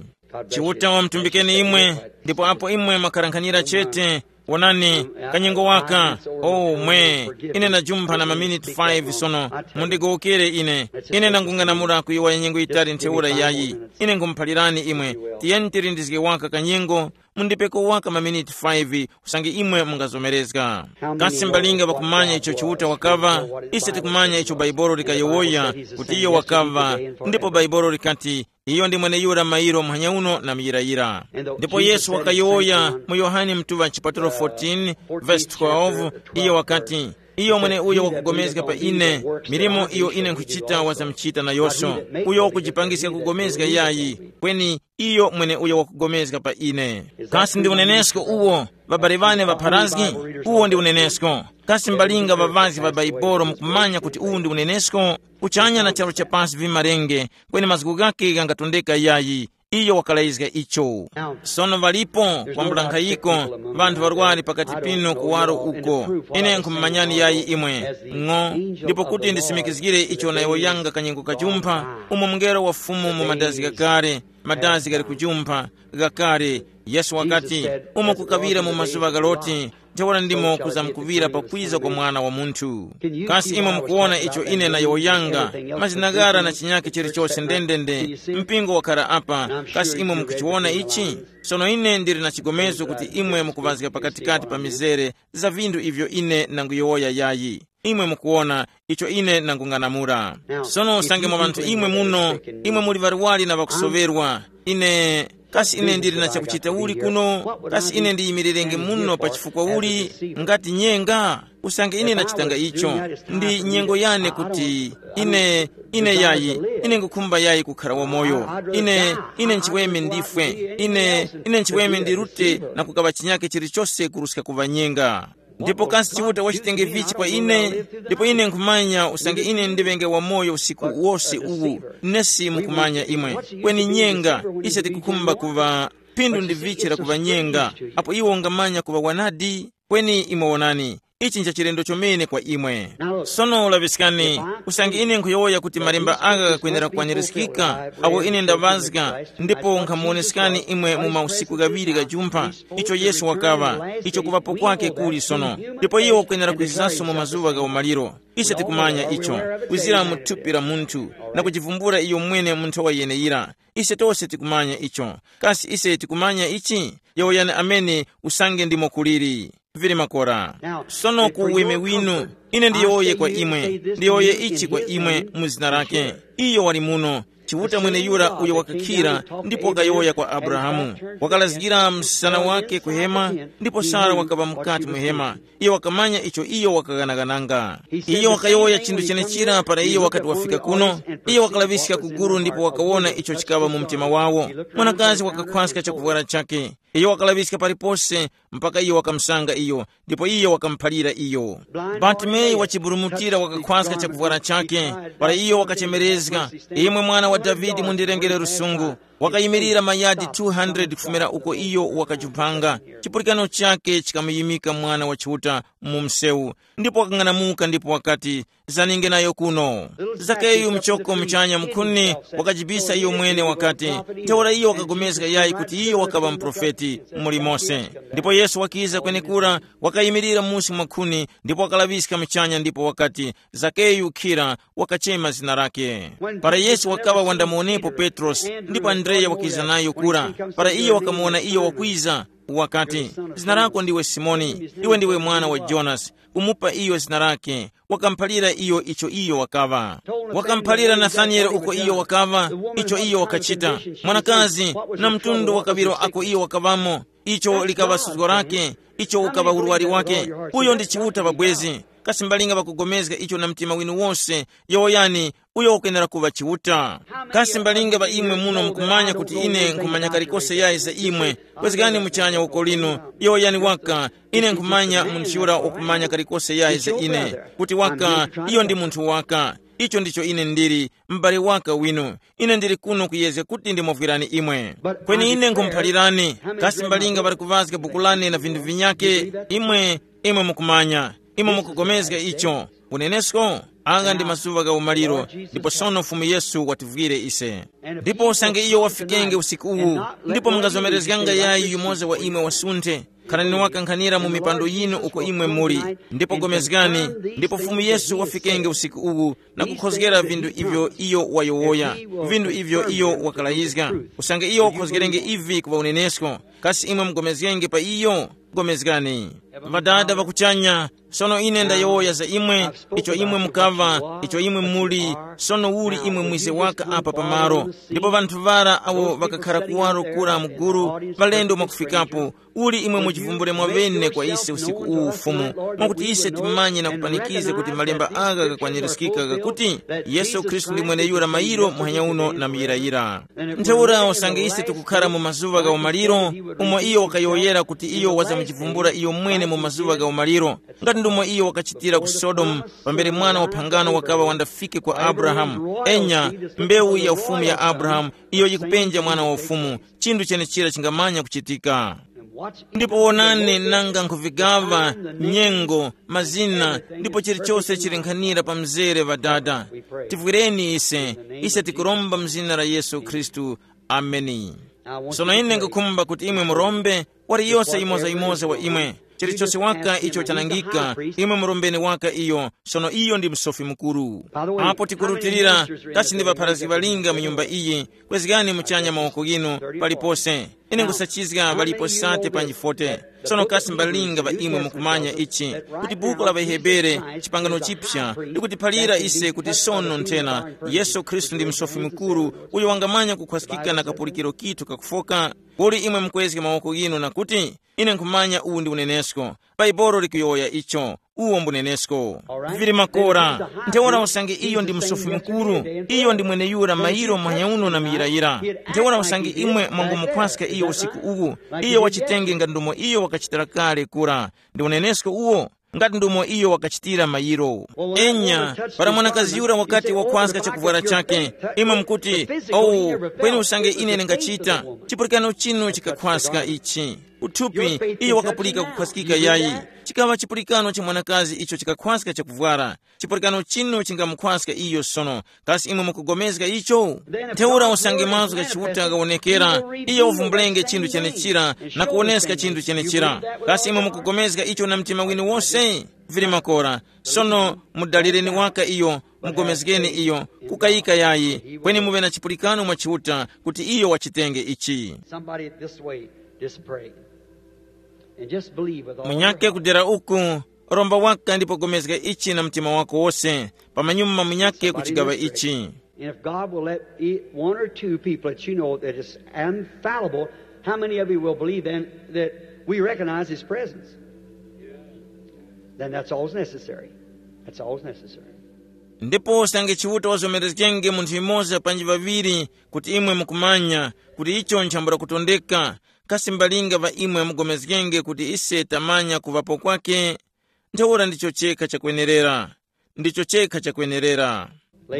Chiuta wamutumbikeni imwe, ndipo apo imwe mwakarankhanira chete, wonani, kanyengo waka, oh mwe, ine ndajumpha na maminiti five sono, mundigowokere ine, ine ndangung'anamula kuyowoya nyengo yitali ntheura yayi, ine nkhumuphalirani imwe, tiyeni tilindizge waka kanyengo, mundipeko waka maminiti five, usange imwe mungazomerezga. Kasi mbalinga ŵakumanya icho Chiuta wakaŵa? Ise tikumanya icho Baibolo likayowoya, kuti iyo wakaŵa, ndipo Baibolo likati, iyo ndi mweneyura mairo muhanya uno na muyirayira. Ndipo Yesu wakayowoya mu Yohane mtuŵa chipatulo fourteen, verse twelve, iyo wakati, iyo mwene uyo wakugomezga pa ine, milimo iyo ine nkhuchita wazamuchita nayoso. Uyo wakujipangiska kugomezga yayi, kweni iyo mwene uyo wakugomezga pa ine. Kasi ndi unenesko uwo, ŵabale ŵane ŵapharazgi? Uwo ndi unenesko. Kasi mbalinga ŵaŵazgi ŵa Baibolo mukumanya kuti uwu ndi unenesko? Kuchanya na charu cha pasi vimalenge, kweni mazgu ghakhe ghangatondeka yayi. Iyo wakalayizga icho. Sono ŵalipo kwambula nkhayiko ŵanthu ŵarwari pakati pinu kuwaro uko. Ine nkhumumanyani yayi imwe, ng'o, ndipo kuti ndisimikizgire icho nayowoyanga kanyengo kajumpha, umo mungelo wa Fumu mu madazi ghakale, madazi ghali kujumpha, ghakale, Yesu wakati, umo kukaŵira mu mazuŵa gha Loti, ntheura ndimo kuzamkuŵira pakwiza kwa Mwana wa Munthu. Kasi imwe mukuwona icho ine nayowoyanga, mazina ghara na chinyakhe chilichose ndendende, mpingo wakhara apa, kasi imwe mukuchiwona ichi? Sono ine ndili na chigomezo kuti imwe mukuŵazga pakatikati pa mizere za vinthu ivyo ine nanguyowoya yayi. Imwe mukuwona icho ine nangung'anamula. Sono usange mwa ŵanthu imwe muno, imwe muli ŵarwari na ŵakusoŵerwa, ine, kasi ine ndili na chakuchita uli kuno? Kasi ine ndiyimirirenge muno pa chifukwa uli? Ngati nyenga, usange ine nachitanga icho, ndi nyengo yane kuti ine, ine yayi, ine ngukhumba yayi kukhara wamoyo. Ine, ine nchiweme ndifwe. Ine, ine nchiweme ndirute na kukaŵa chinyake chilichose kuruska kuŵa nyenga. Ndipo kasi Chiuta wachitenge vichi kwa ine? Ndipo ine nkhumanya usange ine ndiŵenge wamoyo usiku wose uwu, nesi mukumanya imwe. Kweni nyenga, ise tikukhumba kuŵa phindu ndi vichi la kuŵa nyenga, apo iwo ungamanya kuŵa wanadi? Kweni imwe wonani, ichi ncha chilendo chomene kwa imwe. Sono laŵiskani, usange ine nkhuyowoya kuti malemba agha ghakwenera kukwanirizgika, awo ine ndaŵazga, ndipo nkhamuwoneskani imwe mu mausiku ghaŵiri ghajumpha, icho Yesu wakaŵa, icho kuŵapo kwake kuli sono, ndipo iyo wakwenera kwizizanso mu mazuŵa gha umaliro. Ise tikumanya icho, kwizira mu thupi la munthu, na kujivumbula iyo mwene mu nthowa yeneyira. Ise tose tikumanya icho. Kasi ise tikumanya ichi? Yowoyani amene, usange ndimo kuliri. Vili makora. Sono ku uweme winu, ine ndiyowoye kwa imwe, ndiyowoye ichi kwa imwe mu zina lake. Iyo wali muno, Chiuta mweneyura uyo wakakhira ndipo wakayowoya kwa Abrahamu. Wakalazgira msana wake ku hema, ndipo Sara wakaŵa mukati mu hema. Iyo wakamanya icho iyo wakaghanagananga. Iyo wakayowoya chinthu chenechira para iyo wakati wafika kuno. Iyo wakalaŵiska ku guru ndipo wakawona icho chikaŵa mu mtima wawo. Mwanakazi wakakhwaska chakuvwara chake. Iyo wakalaŵiska palipose mpaka iyo wakamusanga iyo, ndipo iyo wakamuphalira iyo. Bartimeyu wachiburumutira wakakhwaska chakuvwara chake, para iyo wakachemerezga, “Imwe Mwana wa Davide, mundirengere lusungu.” Wakayimirira mayadi two hundred kufumira uko iyo wakajumphanga. Chipulikano chake chikamuyimika Mwana wa Chiuta mu msewu, ndipo wakang'anamuka ndipo wakati, "Zaninge nayo kuno." Zakeyu mchoko muchanya mukhuni wakajibisa iyo mwene wakati, ntheura iyo wakapulikana yayi kuti iyo wakaŵa muprofeti muli mose. Ndipo Yesu wakiza kwenekura, wakayimirira musi mwa khuni ndipo wakalaŵiska muchanya ndipo wakati, "Zakeyu, khira," wakachema zina lake. Para Yesu wakaŵa wandamuwonepo Petrosi, ndipo Andreya wakiza nayo kura. Para iyo wakamuwona iyo wakwiza, wakati, "Zina lako ndiwe Simoni, iwe ndiwe mwana wa Jonasi." Kumupa iyo zina lake, wakamuphalira iyo icho iyo wakaŵa. Wakamuphalira Nathanieli uko iyo wakaŵa, icho iyo wakachita. Mwanakazi, na mtundu wa kaŵiro ako iyo wakaŵamo, icho likaŵa suzgo lake, icho ukaŵa urwari wake. Uyo ndi Chiuta pabwezi. Kasi mbalinga ŵakugomezga icho na mtima winu wose, yowoyani, uyo ukwenera kuŵa Chiuta. Kasi mbalinga ŵa imwe muno mukumanya kuti ine nkhumanya kalikose yayi za imwe? Kwezgani muchanya uko lino, yowoyani waka, ine nkhumanya munthu yura wakumanya kalikose yayi za ine, kuti waka, iyo ndi munthu waka. Icho ndicho ine ndili, m'bale waka winu. Ine ndili kuno kuyezga kuti ndimuvwirani imwe. Kweni ine nkhumuphalirani, kasi mbalinga ŵali kuvazga buku lane na vinthu vinyake? Imwe, imwe mukumanya, imwe mukugomezga icho. Unenesko, anga ndi mazuŵa gha umaliro, ndipo sono Fumu Yesu wativwire ise. Ndipo usange iyo wafikenge usiku uwu, ndipo mungazomerezganga yayi yumoza wa imwe wasunthe, khalani wakankhanira mu mipando yinu uko imwe muli, ndipo gomezgani, ndipo Fumu Yesu wafikenge usiku uwu, na kukhozgera vinthu ivyo iyo wayowoya, vinthu ivyo iyo wakalayizga. Usange iyo wakhozgerenge ivi kuŵa unenesko, kasi imwe mugomezgenge pa iyo? Gomezgani. Ŵadada ŵa kuchanya, sono ine ndayowoya za imwe, icho imwe mukaŵa, icho imwe muli, sono uli imwe mwize waka apa pamalo. Ndipo ŵanthu ŵara awo ŵakakhara kuwaro kura mu gulu, ŵalendo mwakufikapo, uli imwe muchivumbule mwaŵene kwa ise usiku uwu Fumu, mwakuti ise timanye na kupanikiza kuti malemba agha ghakwanirizgika ghakuti, Yesu Khristu ndi mweneyura mayiro muhanya uno na muyirayira. Ntheura usange ise tikukhara mu mazuŵa gha umaliro, umo iyo wakayowoyera kuti iyo wazamuchivumbula iyo mwene mu mazuŵa gha umaliro, ngati ndumo iyo wakachitira ku Sodomu, pambere mwana wa phangano wakaŵa wandafike kwa Abrahamu, enya, mbewu ya ufumu ya Abrahamu, iyo yikupenja mwana wa ufumu, chinthu chenechira chingamanya kuchitika. Ndipo wonani nanga nkhuvigaŵa nyengo, mazina, ndipo chilichose chili nkhanira pa mzere ŵadada. Tivwireni ise, ise tikuromba mzina la Yesu Khristu. Ameni. Sono ine nkukhumba kuti imwe murombe, wali yose yimoza-yimoza wa imwe. Chilichose waka icho chanangika, imwe murombeni waka iyo, sono iyo ndi msofi mukuru. Apo tikurutilira, kasi ndi ŵapharazgi ŵalinga mu nyumba iyi, kwezgani muchanya mawoko ghinu palipose. Ine nkusachizga ŵalipo sate panji fote. Sono kasi mbalinga ŵa imwe mukumanya ichi, kuti buku la ŵaHebere, chipangano chipsa, likutiphalira ise kuti sono nthena Yesu Khristu ndi msofi mukuru uyo wangamanya kukhwaskika na kapulikiro kithu kakufoka? Kuli imwe mukwezge mawoko ghinu na kuti, ine nkhumanya uwu ndi unenesko. Baibolo likuyowoya icho. Uwo mbunenesko. Vili makora. Ntheura usange iyo ndi msofi mukuru, iyo ndi mweneyura mayiro manyauno na muyirayira. Ntheura usange imwe mwangumukhwaska iyo usiku uwu, iyo wachitenge ngati ndomo iyo wakachitira kale kura. Ndi unenesko uwo, ngati ndomo iyo wakachitira mayiro. Enya, para mwanakazi yura wakati wakhwaska chakuvwara chake, imwe mukuti, "Oh, kweni usange ine ndingachita, chipulikano chinu chikakhwaska ichi." Kuthupi, iyo wakapulika kukhwaskika yayi. Chikaŵa chipulikano cha mwanakazi icho chikakhwaska chakuvwara. Chipulikano chinu chingamukhwaska iyo sono. Kasi imwe mukugomezga icho? Ntheura usange mazgu gha Chiuta ghawonekera, iyo uvumbulenge chinthu chenechira na kuwoneska chinthu chenechira. Kasi imwe mukugomezga icho na mtima winu wose? Vili makora. Sono mudalireni waka iyo, mugomezgeni iyo, kukayika yayi, kweni muŵe na chipulikano mwa Chiuta kuti iyo wachitenge ichi. Somebody this way, just pray. And just believe with all your Munyake heart. Kudera uku, romba waka ndipo gomezga ichi na mtima wako wose, pamanyuma munyake kuchigaŵa ichi. And if God will let e- one or two people that you know that is infallible, how many of you will believe then that we recognize His presence? Then that's always necessary. That's always necessary. Ndipo usange Chiuta wazomerezgenge munthu yumoza panji ŵaŵiri kuti imwe mukumanya kuti icho nchambula kutondeka, kasi mbalinga ŵa imwe mugomezgenge kuti ise tamanya kuŵapo kwake? Ntheura ndicho chekha chakwenerera. Ndicho chekha chakwenerera.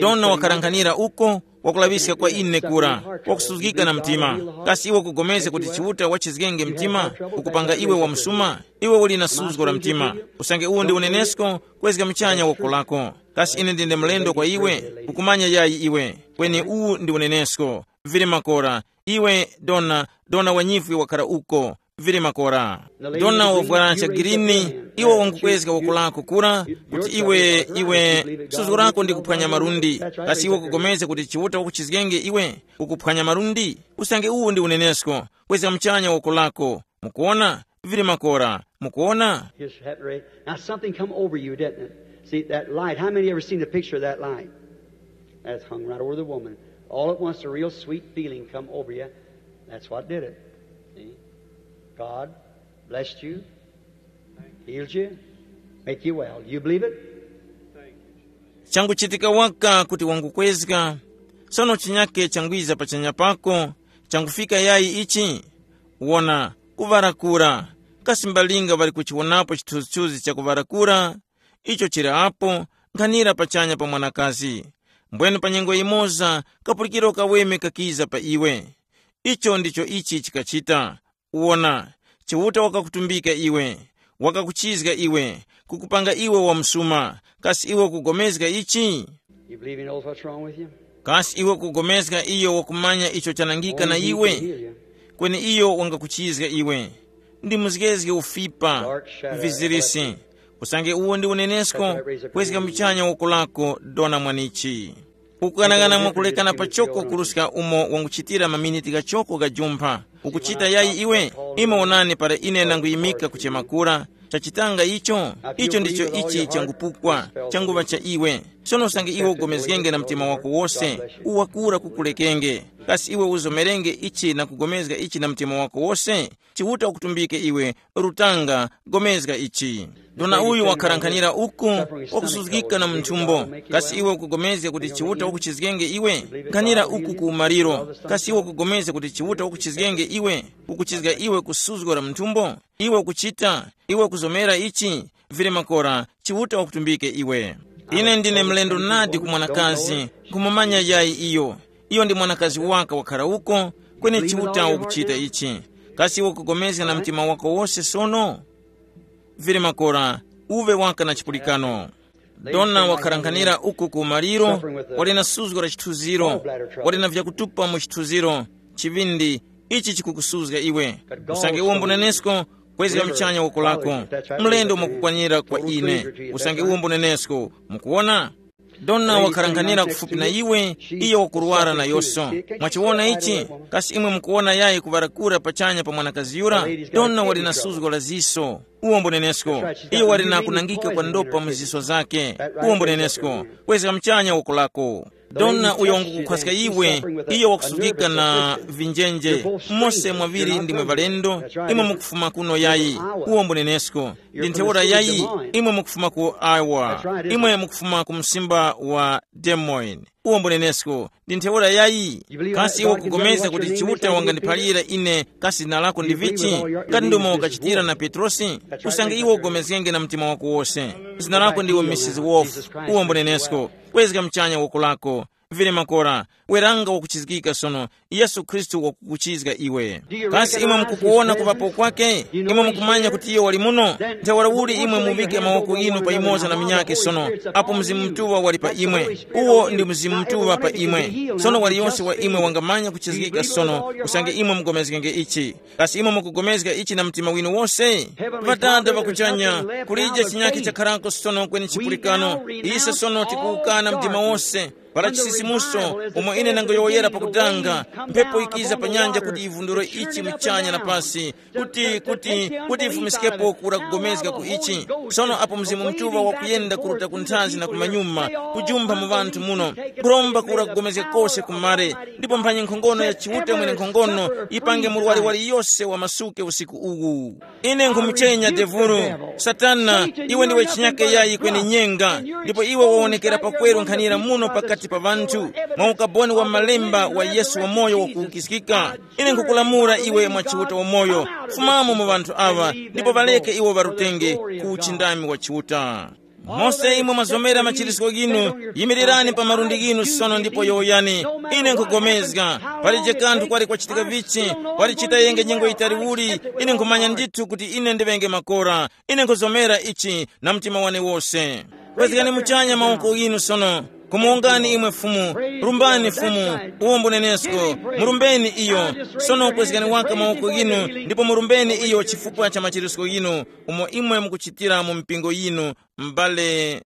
Dona wakalankhanira uko, wakulaŵiska kwa ine kura, wakusuzgika na mtima. Kasi iwe ukugomezga kuti Chiuta wachizgenge mtima, ukupanga iwe wa msuma? Iwe uli na suzgo la mtima. Usange uwu ndi unenesko, kwezga muchanya woko lako. Kasi ine ndine mlendo kwa iwe? Ukumanya yayi iwe? Kweni uwu ndi unenesko. Vili makora. Iwe dona, dona wa nyifwi wakhala uko. Vili makora. Dona wovwara cha girini, iwe wangukwezga woko lako kura, kuti iwe, iwe, suzgo lako ndi kuphwanya malundi. Kasi iwe kugomezga kuti Chiuta wakuchizgenge iwe, ukuphwanya malundi? Usange uwu ndi unenesko. Kwezga muchanya woko lako. Mukuona? Vili makora. Mukuona? His hat ray. Now something come over you, didn't it? See that light. How many ever seen the picture of that light? That's hung right over the woman. All at once, a real sweet feeling come over you. That's what did it. See? God blessed you, healed you, make you well. You believe it? Changuchitika waka kuti wangukwezga. Sono chinyake changwiza pachanya pako, changufika yayi ichi? Wona, kuŵarakura. Kasi mbalinga ŵali kuchiwonapo chithunzithunzi cha kuŵarakura? Icho chili apo, nkhanira pachanya pa mwanakazi. Mbwene pa nyengo yimoza, kapulikiro kaweme kakiza pa iwe. Icho ndicho ichi chikachita. Wona, Chiuta wakakutumbika iwe, wakakuchizga iwe, kukupanga iwe wa msuma. Kasi iwe ukugomezga ichi? You believe he knows what's wrong with you? Kasi iwe ukugomezga iyo wakumanya icho chanangika na iwe? Kweni iyo wangakuchizga iwe. Ndi muzgezge ufipa, vizirisi. Usange uwo ndi unenesko, kwezga muchanya woko lako, dona mwanichi. Ukughanaghana mwakulekana pachoko kuruska umo wanguchitira maminiti ghachoko gha jumpha. Ukuchita yayi iwe? Ime wonani para ine nanguyimika kuchema kura. Chachitanga icho, icho ndicho ichi changupukwa, changuŵa cha iwe. Sono usange iwe ugomezgenge na mtima wako wose, uwakura kukulekenge. Kasi iwe uzomerenge ichi na kugomezga ichi na mtima wako wose? Chiuta ukutumbike iwe, rutanga, gomezga ichi. Dona uyu wakharankhanyira uku, wakusuzgika na munthumbo. Kasi iwe ukugomezga kuti Chiuta wakuchizgenge iwe? Nkhanira uku ku umaliro. Kasi iwe ukugomezga kuti Chiuta wakuchizgenge iwe? Ukuchizga iwe kusuzgo la munthumbo? Iwe ukuchita, iwe ukuzomera ichi? Vili makora, Chiuta wakutumbike iwe. Ine ndine mlendo nadi ku mwanakazi, nkhumumanya yayi iyo. Iyo ndi mwanakazi waka wakhara uko, kweni Chiuta wakuchita ichi. Kasi iwe ukugomezga na mtima wako wose sono? Vili makora, uve waka na chipulikano. Dona wakharanganira uku ku maliro, wali na suzgo la chithuziro, wali na vyakutupa mu chithuziro, chivindi, ichi chikukusuzga iwe. Usange uwo mbunenesko, kwezga mchanya woko lako. Mlendo mwakukwanira kwa ine. Usange uwo mbunenesko, mukuwona? Dona wakharanganira kufupi na iwe, iyo wakurwara na yoso. Mwachiwona ichi? Kasi imwe mukuwona yayi kuŵarakura pachanya pa mwanakazi yura? Dona wali na suzgo la ziso. Uwo mbunenesko. Iyo wali na kunangika kwa ndopa mu ziso zake. Uwo mbunenesko. Kwezga mchanya woko lako. Dona uyo wangukukhwaska iwe, iyo wakusungika na vinjenje. Mose mwaŵiri ndimwe ŵalendo, imwe mukufuma kuno yayi. Uwo mbunenesko. Ndi ntheura yayi, imwe mukufuma ku Iowa. Imwe mukufuma ku msimba wa Des Moines. Uwo mbunenesko. Ndi ntheura yayi. Kasi iwe ukugomezga kuti Chiuta wangandiphalira ine kasi zina lako ndi vichi? Ngati ndomwe wakachitira na Petrosi, usange iwe ugomezgenge na mtima wako wose. Zina lako ndiwe Misisi Wolf. Uwo mbunenesko. Kwezga mchanya woko lako. Vile makora, weranga wakuchizgika sono. Yesu Khristu wakukuchizga iwe. Kasi imwe mukukuwona kuŵapo kwake? Imwe mukumanya kuti iyo wali muno? Ntheura uli imwe muvike mawoko inu pa yumoza na munyakhe sono, apo Mzimu Mutuŵa wali pa imwe. Uwo ndi Mzimu Mutuŵa pa imwe. Sono waliyose wa imwe wangamanya kuchizgika sono, usange imwe mugomezgenge ichi. Kasi imwe mukugomezga ichi na mtima winu wose? Ŵadada ŵa kuchanya, kulije chinyakhe chakharako sono kweni chipulikano. Ise sono tikuwukana mdima wose. Para chisisimuso, umo ine ndangoyowoyera pakutanga, mphepo ikiza pa nyanja kuti yivundure ichi muchanya na pasi, kuti, kuti, kuti yifumiskepo kura kugomezga ku ichi. Sono apo Mzimu Mutuŵa wakuyenda kuruta ku nthazi na kumanyuma, kujumpha mu ŵanthu muno, kuromba kura kugomezga kose kumare, ndipo mphanyi nkhongono ya Chiuta mwene nkhongono yipange murwari waliyose wamasuke usiku uwu. Ine nkhumuchenya devulu. Satana, iwe ndiwe chinyake yayi kweni nyenga, ndipo iwe wawonekera pakweru nkhanira muno pakati pa ŵanthu, mwa ukaboni wa malemba wa Yesu wamoyo wakuwukiskika. Ine nkhukulamula iwe mwa Chiuta wamoyo, fumamo mu ŵanthu aŵa, ndipo ŵaleke iwo ŵarutenge ku uchindami wa Chiuta. Mose imwe mwazomera machiritiko ghinu, yimirirani pa malundi ghinu sono ndipo yowoyani, ine nkhugomezga. Palije kanthu kwali kwachitika vichi, kwali chitayenge nyengo yitali uli, ine nkhumanya ndithu kuti ine ndiŵenge makora. Ine nkhuzomera ichi na mtima wane wose. Kwezgani muchanya mawoko ghinu sono. Kumuwongani imwe Fumu. Rumbani Fumu. Uwombo nenesko. Murumbeni iyo. Sono kwezgani waka mawoko ghinu, ndipo murumbeni iyo chifukwa cha machiritiko ghinu, umo imwe mukuchitira mu mpingo yinu, m'bale.